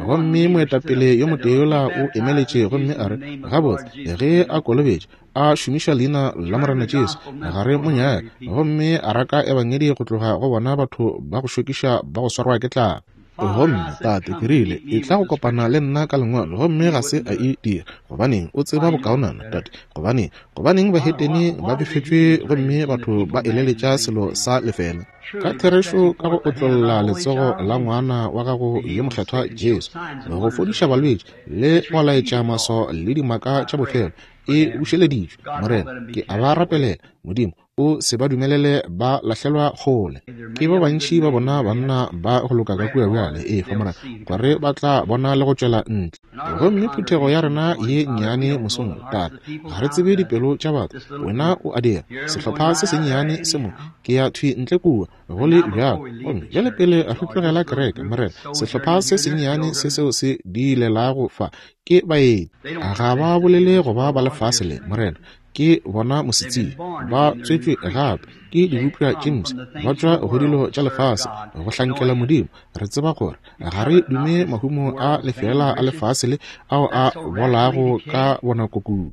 Gomme moetapele yo motee yola o emeletše gomme a re, Gabotse, ge a kolobetša, a šomiša leina la Morena Jesu, ga re mo nyake, gomme a raka Ebangedi go tloga go bona batho ba go šokiša ba go swarwa ke tlala. Gomme, Tate, ke rile, etla go kopana le nna ka lengwalo, gomme ga se a e dira. Gobaneng? O tseba bokaonana, Tate. Gobaneng? Gobaneng bahetene ba befetšwe gomme batho ba eleletša selo sa lefeela? Ka therešo ka go otlolla letsogo la ngwana wa gago yo mokgethwa Jesu, go fodiša balwetši le go laetša maswao le dimaka tša bofelo, e bušeleditšwe. Morena, ke a ba rapelela. Modimo, o se ba dumelele ba lahlelwa kgole. Ke ba bantši ba bona banna ba go loka ka kua bjale, e fa Morena, gore ba tla bona le go tšwela ntle. Gomme phuthego ya rena ye nnyane mosong, Tate, ga re tsebe dipelo tša batho. Wena o a dira. Sehlopha se sennyane se mo, ke ya thwi ntle kua, go le bjalo. Gomme bjale pele re tlogela kereke, Morena, sehlopha se sennyane se seo se diilelago fa, ke baeti. Ga ba bolele go ba ba lefase le, Morena. Ke bona mosetsebje, ba tswetšwe gape. Ke dibopša tše mpsha, ba tšwa go dilo tša lefase, go hlankela Modimo. Re tseba gore ga re dume mahumo a lefeela a lefase le ao a bolago ka bonako kudu.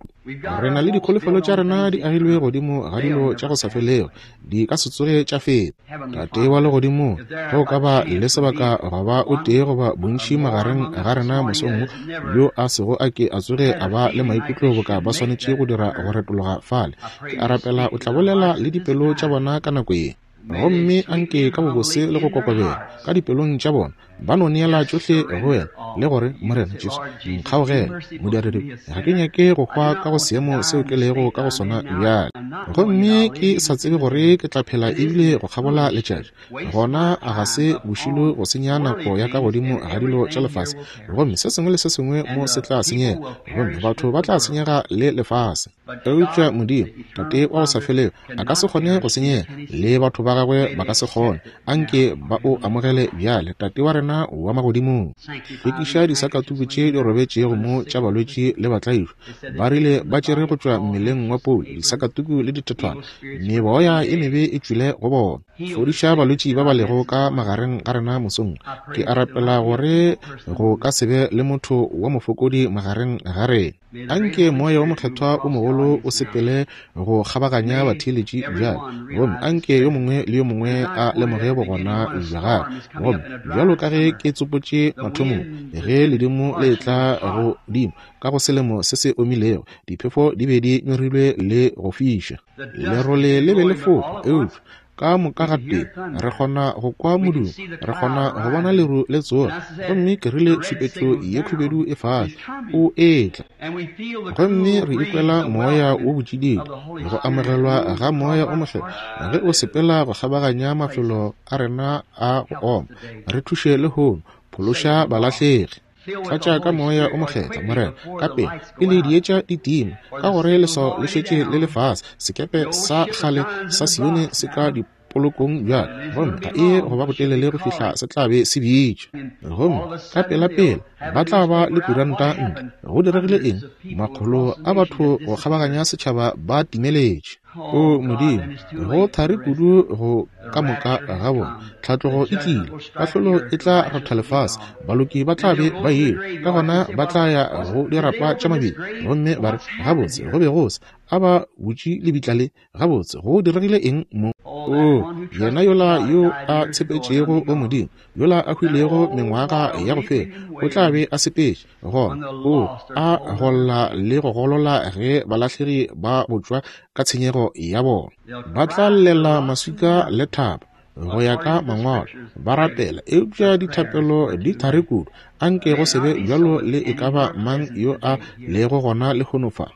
Re na le dikholofelo tša rena di agilwe godimo ga dilo tša go sa felego, di ka se tsoge tša feta. Tate wa Legodimong, ge o ka ba le sebaka goba o tee goba bontši magareng ga rena mosong wo, yo a sego a ke a tsoge a ba le maikutlo boka ba swanetše go dira go retologa fale, ke a rapela o tla bolela le dipelo tša bona ka nako ye. Gomme anke ka bobose le go kokobela ka dipelong tša bona ba no neela tšohle go wena le gore, Morena Jesu, nkgaogele, modiredi, ga ke nyake go hwa ka go seemo seo ke lego ka go sona bjale, gomme ke sa tsebe gore ke tla phela ebile go kgabola letšatši. Gona a ga se bošilo go senya nako ya ka godimo ga dilo tša lefase, gomme se sengwe le se sengwe mo se tla senyega, gomme batho ba tla senyega le lefase. Eupša Modimo, Tate wa go sa felego, a ka se kgone go senyega, le batho ba gagwe ba ka se kgone. Anke ba o amogele bjale, Tate wa rena wa magodimong. Hlwekiša disakatuku tše di robetšego mo tša balwetši le batlaišwa. Ba rile ba tšere go tšwa mmeleng wa Paulo disakatuku le dithethwana, meboya e mebe e tšwile go bona. Fodiša balwetši ba ba lego ka magareng ga rena mosong. Ke a rapela gore go ka se be le motho wa mofokodi magareng ga rena. Anke Moya wo Mokgethwa o mogolo o sepele go kgabaganya batheeletši bjale, gomme anke yo mongwe le yo mongwe a lemoge bogona bja Gagwe. Gomme bjalo ka ge ke tsopotše mathomong, ge ledimo le etla godimo ka go selemo se se omilego, diphefo di be di nyorilwe le go fiša, lerole le be le fofa, eupša ka moka gatee re kgona go kwa modumo, re kgona go bona leru le tsoga, gomme ke rile tšhupetšo ye khubedu e fase, o etla. Gomme re ikwela moya wo botšididi, go amogelwa ga Moya o Mokgethwa ge o sepela go kgabaganya mafelo a rena a go oma. Re thuše lehono, phološa balahlegi. Tlatša ka Moya o Mokgethwa, Morena, ka pele, pele dietša di tima, ka gore leswao le šetše le le fase, sekepe sa kgale sa Sione se ka dipolokong bjale, gomme ga e go ba botelele go fihla se tla be se bitša. Gomme ka pelapela ba tla ba le kuranta ntle. Go diregile eng? Makgolo a batho go kgabaganya setšhaba ba timeletše. O Modimo, go thari kudu go ka moka ga bona. Tlhatlogo e tlile, kahlolo e tla ratha lefase, baloki ba tla be ba ile, ka gona ba tla ya go dirapa tša mabili gomme ba re, Gabotse, go be go se a ba butše lebitla le. Gabotse, go diregile eng mo? Oo, yena yola yo a tshepetšego go Modimo, yola a hwilego mengwaga ya go feta, o tla be a sepetše. Gona o a golla le go golola ge balahlegi ba botšwa ka tshenyego ya bona. Ba tla llela maswika le thaba go ya ka mangwalo, ba rapela, eupša dithapelo di thari kudu. Anke go se be bjalo le e ka ba mang yo a lego gona lehono fa.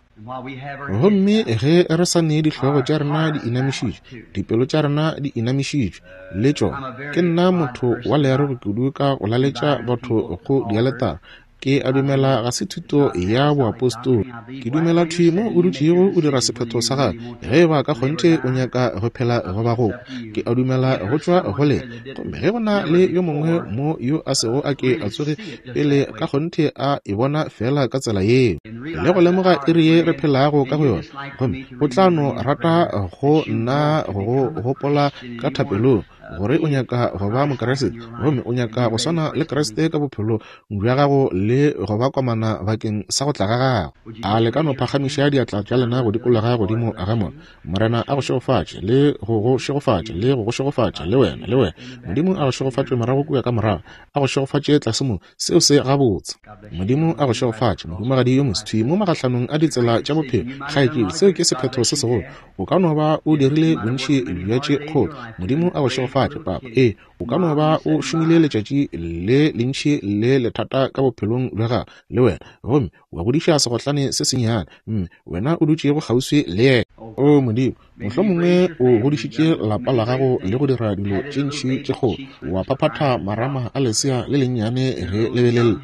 Gomme ge re sa ne dihlogo tša rena di inamišitšwe, dipelo tša rena di inamišitšwe le tšona, ke nna motho wa learogi kudu ka go laletša batho go dialetara. Ke a dumela ga se thuto ya boapostolo. Ke dumela thwi mo o dutšego o dira sephetho sa gago, ge e ba ka kgonthe o nyaka go phela goba go hwa. Ke a dumela go tšwa go lena. Gomme ge go na le yo mongwe mo yo a sego a ke a tsoge pele ka kgonthe a e bona feela ka tsela yeo, le go lemoga iri ye re phelago ka go yona, gomme o tla no rata go nna go go gopola ka thapelong, gore o nyaka go ba Mokriste, gomme o nyaka go swana le Kriste ka bophelong bja gago le go ba komana bakeng sa go tla ga gagwe. A le ka no phagamiša diatla tša lena go dikologa godimo ga mona? Morena a go šegofatše, le go go šegofatša, le go go šegofatša, le wena, le wena. Modimo a go šegofatše morago kua ka morago, a go šegofatše tlase mo. Seo se gabotse. Modimo a go šegofatše, mohumagadi yo mosthwi, mo magahlanong a ditsela tša bophelo. Kgaetšedi, seo ke sephetho se segolo. O ka no ba o dirile bontši bja tše kgolo. Modimo a go šegofatše, papa. Ee, o ka no ba o šomile letšatši le lentši le lethata ka bophelong bja gago, le wena, gomme wa godiša segotlane se sennyane, mme wena o dutšego kgauswi le yena. O Modimo, mohlomongwe o godišitše lapa la gago le go dira dilo tše ntši tše kgolo, wa phaphatha marama a lesea le lennyane ge le be le lla,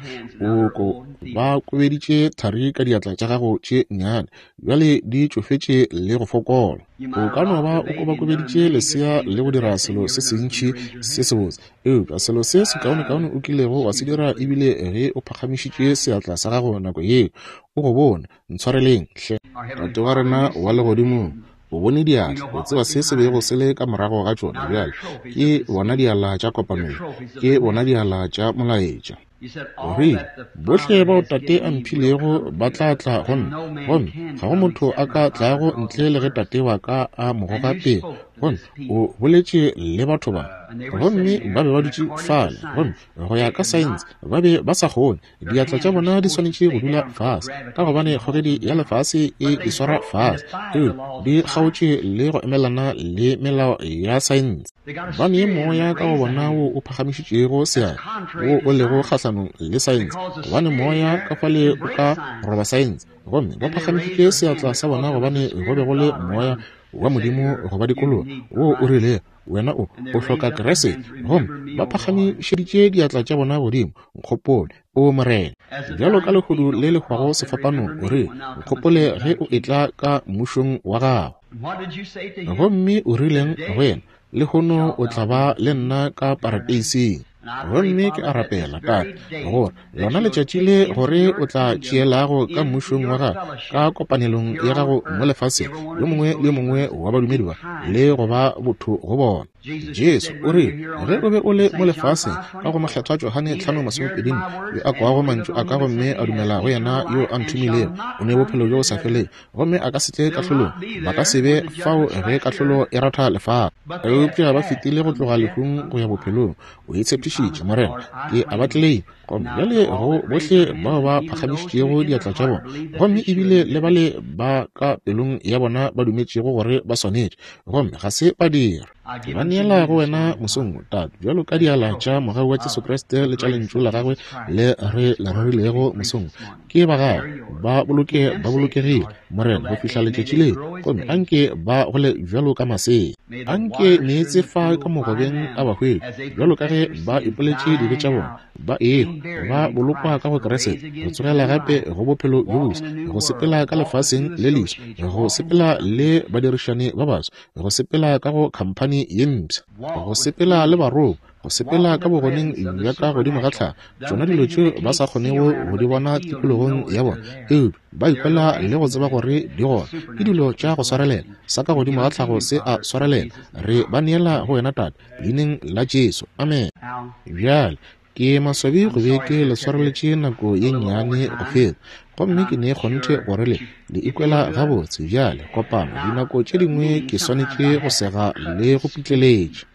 o ko ba kobeditše thari ka diatla tša gago tše nnyane, bjale di tšofetše le go fokola. O ka no ba o kobakobeditše lesea le go dira selo se sentši se sebotse, Eupša selo se sekaonekaone o kilego wa se dira e bile ge o phagamišitše seatla sa gago nako yeo. O go bone. Ntshwareleng, hle. Tate wa rena wa Legodimong, O bone diatla, o tseba se se bego se le ka morago ga tšona. Bjale, ke bona diala tša kopanelo, ke bona diala tša molaetša. O rile, Bohle bao Tate a mphilego ba tla tla go nna, gomme ga go motho a ka tlago ntle le ge Tate wa ka a mo goga pele. Gomme o boletše le batho ba, gomme ba be ba dutše fale, gomme go ya ka saense ba be ba sa kgone. Diatla tša bona di swanetše go dula fase, ka gobane kgogedi ya lefase e di swara fase, eupša di kgaotše le go emelana le melao ya saense. Ba ne moya ka go bona wo o phagamišitšego seatla, wo o lego kgahlanong le saense, gobane moya ka fale o ka roba saense. Gomme ba phagamišitše seatla sa bona gobane go be go le moya wa Modimo go ba dikologa, wo o rilego, Wena o, o hloka Kriste. Gomme ba phagamišeditše diatla tša bona godimo, Nkgopole, O Morena. Bjalo ka lehodu le le hwago sefapanong, o rile, Nkgopole ge o etla ka mmušong wa gago. Gomme o rileng go yena? Lehono o tla ba le nna ka parateising. Gomme ke a rapela, Tate, gore lona letšatši le gore o tla tšeelago ka mmušong wa gago, ka kopanelong ya gago mo lefaseng, yo mongwe le yo mongwe wa badumedi ba, le go ba botho go bona. Jesu o rile, ge o be o le mo lefaseng, ka go Mokgethwa Johane 5:24, yo a kwago mantšu a ka gomme a dumela go yena yo a nthomilego, o ne bophelo bjo bo sa felego, gomme a ka se tle kahlolong, ba ka se be fao ge kahlolo e ratha lefase. Eupša ba fetile go tloga lehung go ya bophelong. O e tshepišitše, Morena. Ke a ba tleleima. Gomme bjale go bohle bao ba phagamišitšego diatla tša bona, gomme ebile le bale ba ka pelong ya bona ba dumetšego gore ba swanetše, gomme ga se ba dira. Ke ba neela go wena mosong wo, Tate, bjalo ka diala tša mogau wa Jesu Kriste le tša Lentšu la Gagwe le re le rerilego mosong wo. Ke ba Gago, ba boloke ba bolokegile, Morena, go fihla letšatši leo, gomme anke ba gole bjalo ka masea. Anke meetse fa ka mogobeng a ba hwetše, bjalo ka ge ba ipoletše dibe tša bona, ba ehwa, ba bolokwa ka go Kriste, go tsogela gape go bophelo bjo boswa, go sepela ka lefaseng le leswa, go sepela le badirišani ba baswa, go sepela ka go khamphani ye mpsha, go sepela le barongwa, go sepela ka bogoneng bja ka godimo ga tlhago, tšona dilo tšeo ba sa kgonego go di bona tikologong ya bona, eupša ba ikwela le go tseba gore di gona. Ke dilo tša go swarelela, sa ka godimo ga tlhago se a swarelela. Re ba neela go wena, Tate, Leineng la Jesu. Amene. Bjale, ke maswabi go be ke le swareletše nako ye nnyane go feta, gomme ke ne kgonthe gore le le ikwela gabotse. Bjale, kopano, dinako tše dingwe ke swanetše go sega le go pitleletša.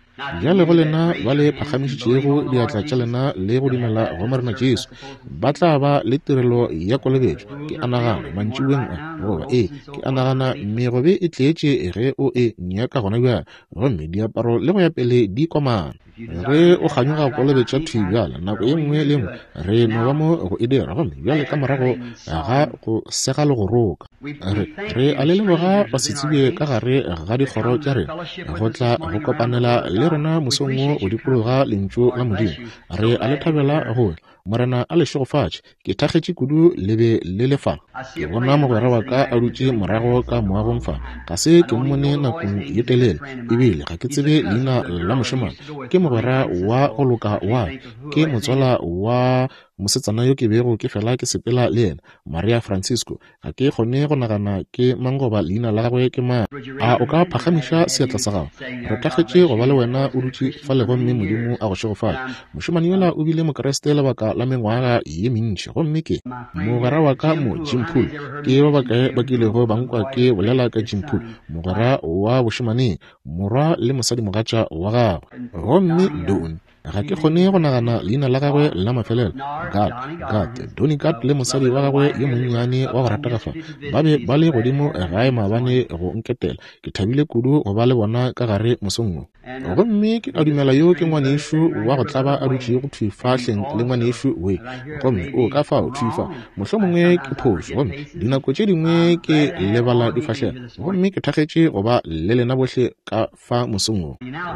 Bjale go lena ba le phagamišitšego diatla tša lena le go dumela go Morena Jesu, ba tla ba le tirelo ya kolobetšo, ke a nagana, mantšiboeng a, goba, ee, ke a nagana megobe e tletše ge o e nyaka gona bjale, gomme diaparo le go ya pele di komana. Ge o kganyoga kolobetša thwi bjale, nako ye nngwe le ye nngwe, re no ba mo go e dira, gomme bjale ka morago ga go sega le go roka. Re, re a le leboga basetsebje ka gare ga dikgoro tša rena go tla go kopanela le rena mosong wo go dikologa Lentšu la Modimo. Re a le thabela go tla. Morena a le šegofatše. Ke thakgetše kudu le be le le fa. Ke bona mogwera wa ka a dutše morago ka moagong fa. Ga se ke mmone nakong ye telele, ebile ga ke tsebe leina la mošemane. Ke mogwera wa go loka wa ka. Ke motswala wa mosetsana yo ke bego ke fela ke sepela le yena, Maria Francisco. Ga ke kgone go nagana ke mang goba leina la gagwe ke mang. A o ka phagamiša seatla sa gago? Re thakgetše go ba le wena o dutše fale gomme Modimo a go šegofatše. Mošemane yola o bile Mokriste lebaka la mengwaga ye mentši gomme ke mogwera wa ka mo, Jim Poole. Ke ba bakae ba kilego ba nkwa ke bolela ka Jim Poole, mogwera wa bošemaneng, morwa le mosadimogatša wa gagwe? Gomme Don, Ga ke kgone go nagana leina la gagwe la mafelelo. Gad, Gad, Donny Gad le mosadi wa gagwe yo monnyane wa go ratega fa, ba be ba le godimo gae maabane go nketela. Ke thabile kudu go ba le bona ka gare mosong wo. Gomme ke a dumela yo ke ngwanešu wa go tlaba a dutšego thwi fa hleng le ngwanešu we. Gomme o ka fao thwi fa. Mohlomongwe ke phošo, gomme dinako tše dingwe ke lebala difahlego. Gomme ke thakgetše go ba le lena bohle ka fa mosong wo.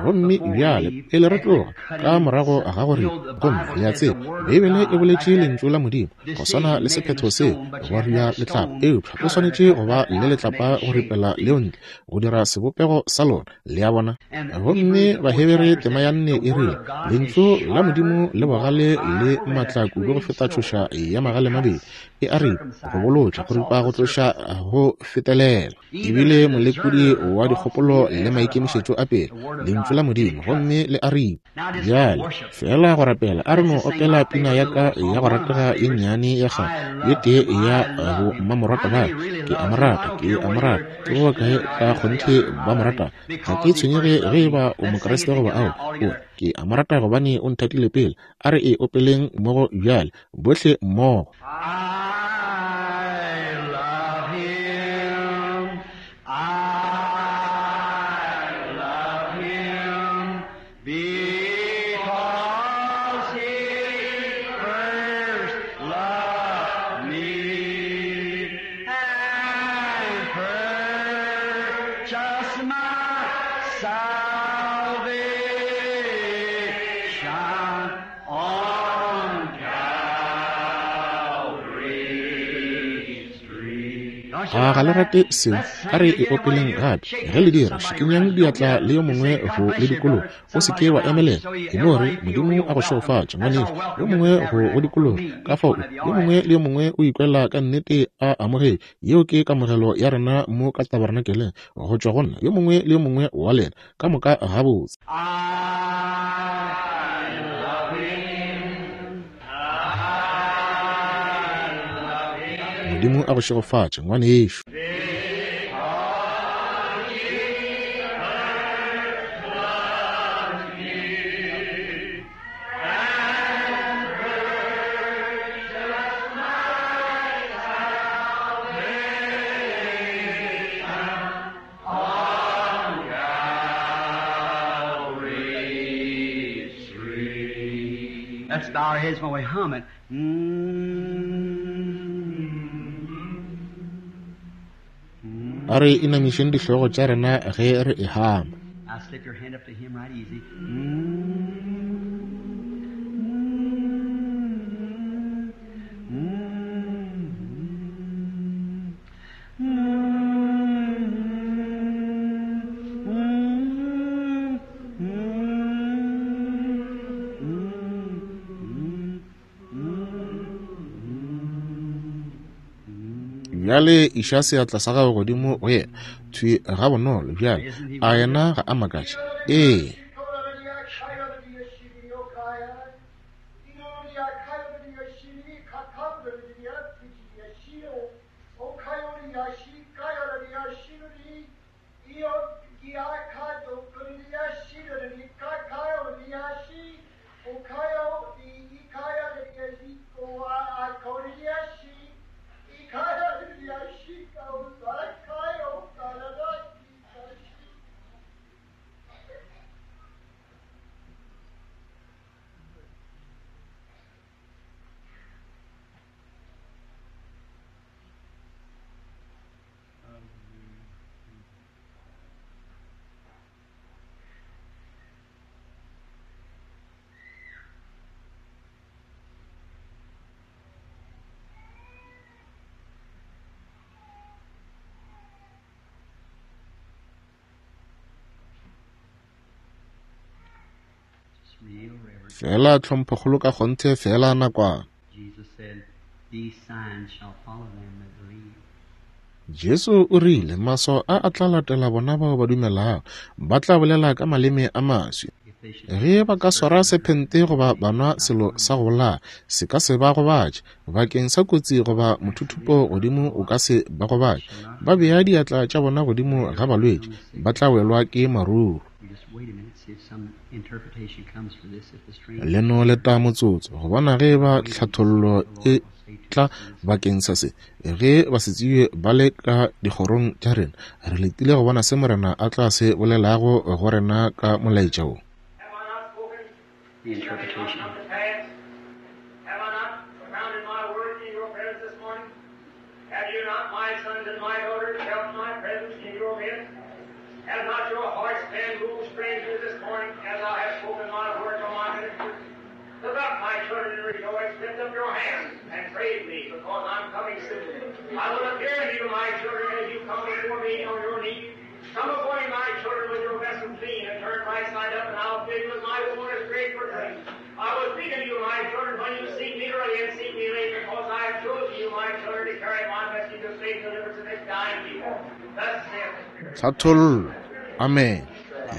Gomme bjale, pele re tloga, ka morago ga go ripa, gomme le a tseba, Beibele e boletše Lentšu la Modimo, go swana le sephetho se, go ria letlapa, eupša o swanetše go ba le letlapa go ripela leo ntle, go dira sebopego sa lona, le a bona. Gomme Gomme Bahebere tema ya 4 e rile, Lentšu la Modimo le bogale le maatla kudu go feta tšhoša ya magale mabedi, e a ripa, go bolotša, go ripa, go tloša, go fetelela. Ebile molekodi wa dikgopolo le maikemišetšo a pele, Lentšu la Modimo, gomme le a ripa. Bjale, feela go rapela, a re no opela pina ya ka ya go ratega ye nnyane ya kgale, ye tee ya bo mmamorata ba. Ke a mo rata, ke a mo rata. Ke ba bakae ka kgonthe ba mo rata? Ga ke tshwenyege ge e ba o Mokriste goba ao, o ke a mo rata gobane o nthatile pele. A re e opeleng mmogo bjale, bohle mmogo. I love him. I love him because he first loved me and purchased my salvation on Calvary's tree. A ga le rate seo? A re e opeleng gape. Ge le dira, šikinyang diatla le yo mongwe go le dikologa. O se ke wa emelela. E no re, Modimo a go šegofatše, ngwanešu. Yo mongwe go go dikologa. Ka fao, yo mongwe le yo mongwe o ikwela ka nnete a amogetše. Yeo ke kamogelo ya rena mo ka tabernakeleng, go tšwa go nna, yo mongwe le yo mongwe wa lena. Ka moka gabotse. I love him. I love him. Modimo a go šegofatše, ngwanešu. Because he first loved me and purchased my salvation on Calvary's tree. Let's bow our heads while we hum it. Mm. A re inamišeng dihlogo tša rena ge re e hama. Now slip your hand up to him right easy. Bjale iša seatla sa gago godimo go yena, thwi ga bonolo bjale. A yena ga a makatše? Ee. Just real reverent. Fela tlhomphokgolo ka kgonthe feela nakwana. Jesus said, These signs shall follow them that believe. Jesu o rile, maswao a a tla latela bona bao ba dumelago, ba tla bolela ka maleme a maswi. If they should Ge ba ka swara sephente goba ba nwa selo sa go bolaya, se ka se ba gobatše. Bakeng sa kotsi goba mothuthupo godimo o ka se ba gobatše. Ba bea diatla tša bona godimo ga balwetši, ba tla welwa ke maruru. You just wait a minute, see if some interpretation comes for this. If the strange Le no leta motsotso go bona ge ba tlhathollo e tla bakeng sa se. Ge basetsebje ba le ka dikgorong tša rena, re letile go bona se Morena a tla se bolelago go rena ka molaetša wo. Have I not spoken? the interpretation. Come to pass? Have I not propounded my word in your presence this morning? Have you not, my sons and my daughters, felt my presence in your midst? Has not your hearts been moved strangely this morning as I have spoken my word to my ministers? Look up, my children, and rejoice. Lift up your hands and praise me, because I'm coming soon. I will appear to you, my children, as you come before me on your knees. Come away, my children, with your vessel clean and turn right side up, and I'll fill you with my waters great for drink. I will speak unto you, my children, when you seek me early and seek me late, because I have chosen you, my children, to carry my message of faith deliverance to this dying people. Thus saith the Spirit. Tlhathollo. Amen.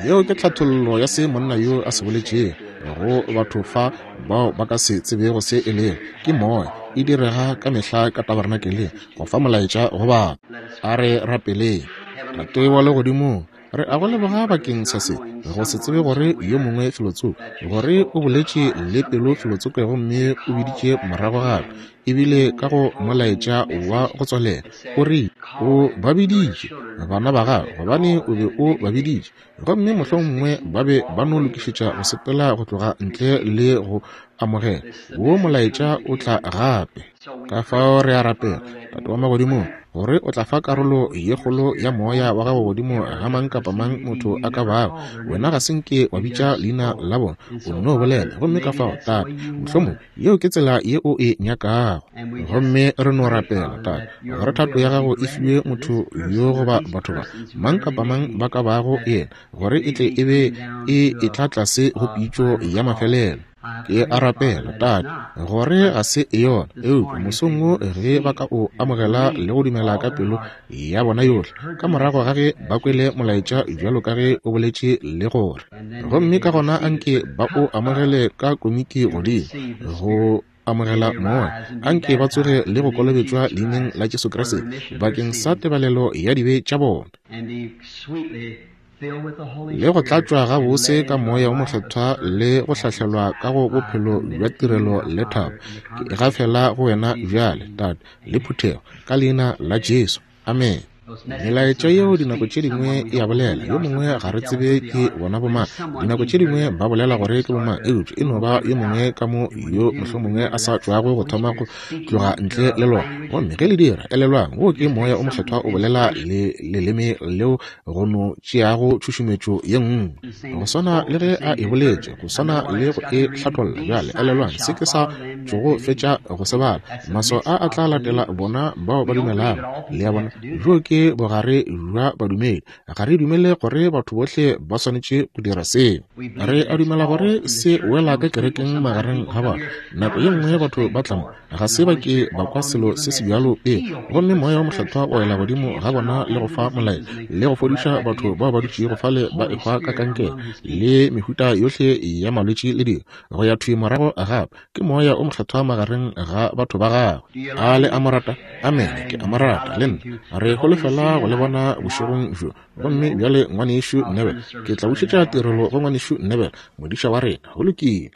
Yeo ke tlhathollo ya se monna yo a se boletšego go batho fa bao ba ka se tsebego se e lego. Ke moya, e direga ka mehla ka tabernakeleng go fa molaetša go batho. A re rapeleng. Tate wa Legodimong, re a go leboga bakeng sa se, go se tsebe gore yo mongwe felotsoko, gore o boletše le pelo felotsoko gomme o biditše morago gape, ebile ka go molaetša wa go tswalela, o rile o ba biditše bana ba gago, gobane o be o ba biditše, gomme mohlomongwe ba be ba no lokišetša go sepela go tloga ntle le go amogela wo molaetša o tla gape. Ka fao re a rapela, Tate wa Magodimong, gore o tla fa karolo ye kgolo ya moya wa gago godimo ga mang kapa mang motho a ka bago. Wena ga se nke wa bitša leina la bona, o nno bolela. Gomme ka fao, Tate, mohlomongwe yeo ke tsela ye o e nyakago. Gomme re no rapela, Tate, gore thato ya gago e fiwe motho yo goba batho ba, mang kapa mang ba ka bago yena, gore e tle e be e etla tlase go pitšo ya mafelelo. Ke a rapela, Tate, gore ga se yona, eupša mosong wo ge ba ka o amogela le go dumela ka pelo ya bona yohle, ka morago ga ge ba kwele molaetša bjalo ka ge o boletše le gore, gomme ka gona anke ba o amogele ka komiki godimo, go amogela moya, anke ba tsoge le go kolobetšwa leineng la Jesu Kriste bakeng sa tebalelo ya dibe tša bona, le go tlatšwa gabose ka moya o mokgethwa le go hlahlelwa ka go bophelo bja tirelo le thabo. Ke e gafela go wena bjale, Tate, le phuthego, ka leina la Jesu. Amen. Melaetša yeo dinako tše dingwe e a bolela, yo mongwe ga re tsebe ke bona bomang. Dinako tše dingwe ba bolela gore ke bomang, eupša e no ba yo mongwe ka mo yo mohlomongwe a sa tšwago go thoma go tloga ntle le lona. Gomme ge le dira, elelwang, wo ke moya o mokgethwa o bolela le leleme leo go no tšeago tšhušumetšo ye nngwe, go swana le ge a e boletše, go swana le go e hlatholla. Bjale elelwang se ke sa tšogo fetša go se bala. Maswao a a tla latela bona bao ba dumelago. Le a bona, bjo ke bogare bja badumedi. Ga re dumele gore batho bohle ba swanetše go dira seo. Re a dumela gore se wela ka kerekeng magareng ga batho. Nako ye nngwe batho ba tla mo, ga se ba ke ba kwa selo se se bjalo pele, gomme moya wa mokgethwa wa wela godimo ga bona le go fa molaetša le go fodiša batho bao ba dutšego fale ba ehwa ka kankere le mehuta yohle ya malwetši le dilo, go ya thwi morago gape. Ke moya o mokgethwa magareng ga batho ba gagwe. A le a mo rata? Amene, ke a mo rata le nna. Re holofela go le bona bošegong bjo. Gomme bjale, Ngwanešu Neville, ke tla bušetša tirelo go Ngwanešu Neville, modiša wa rena. Go lokile.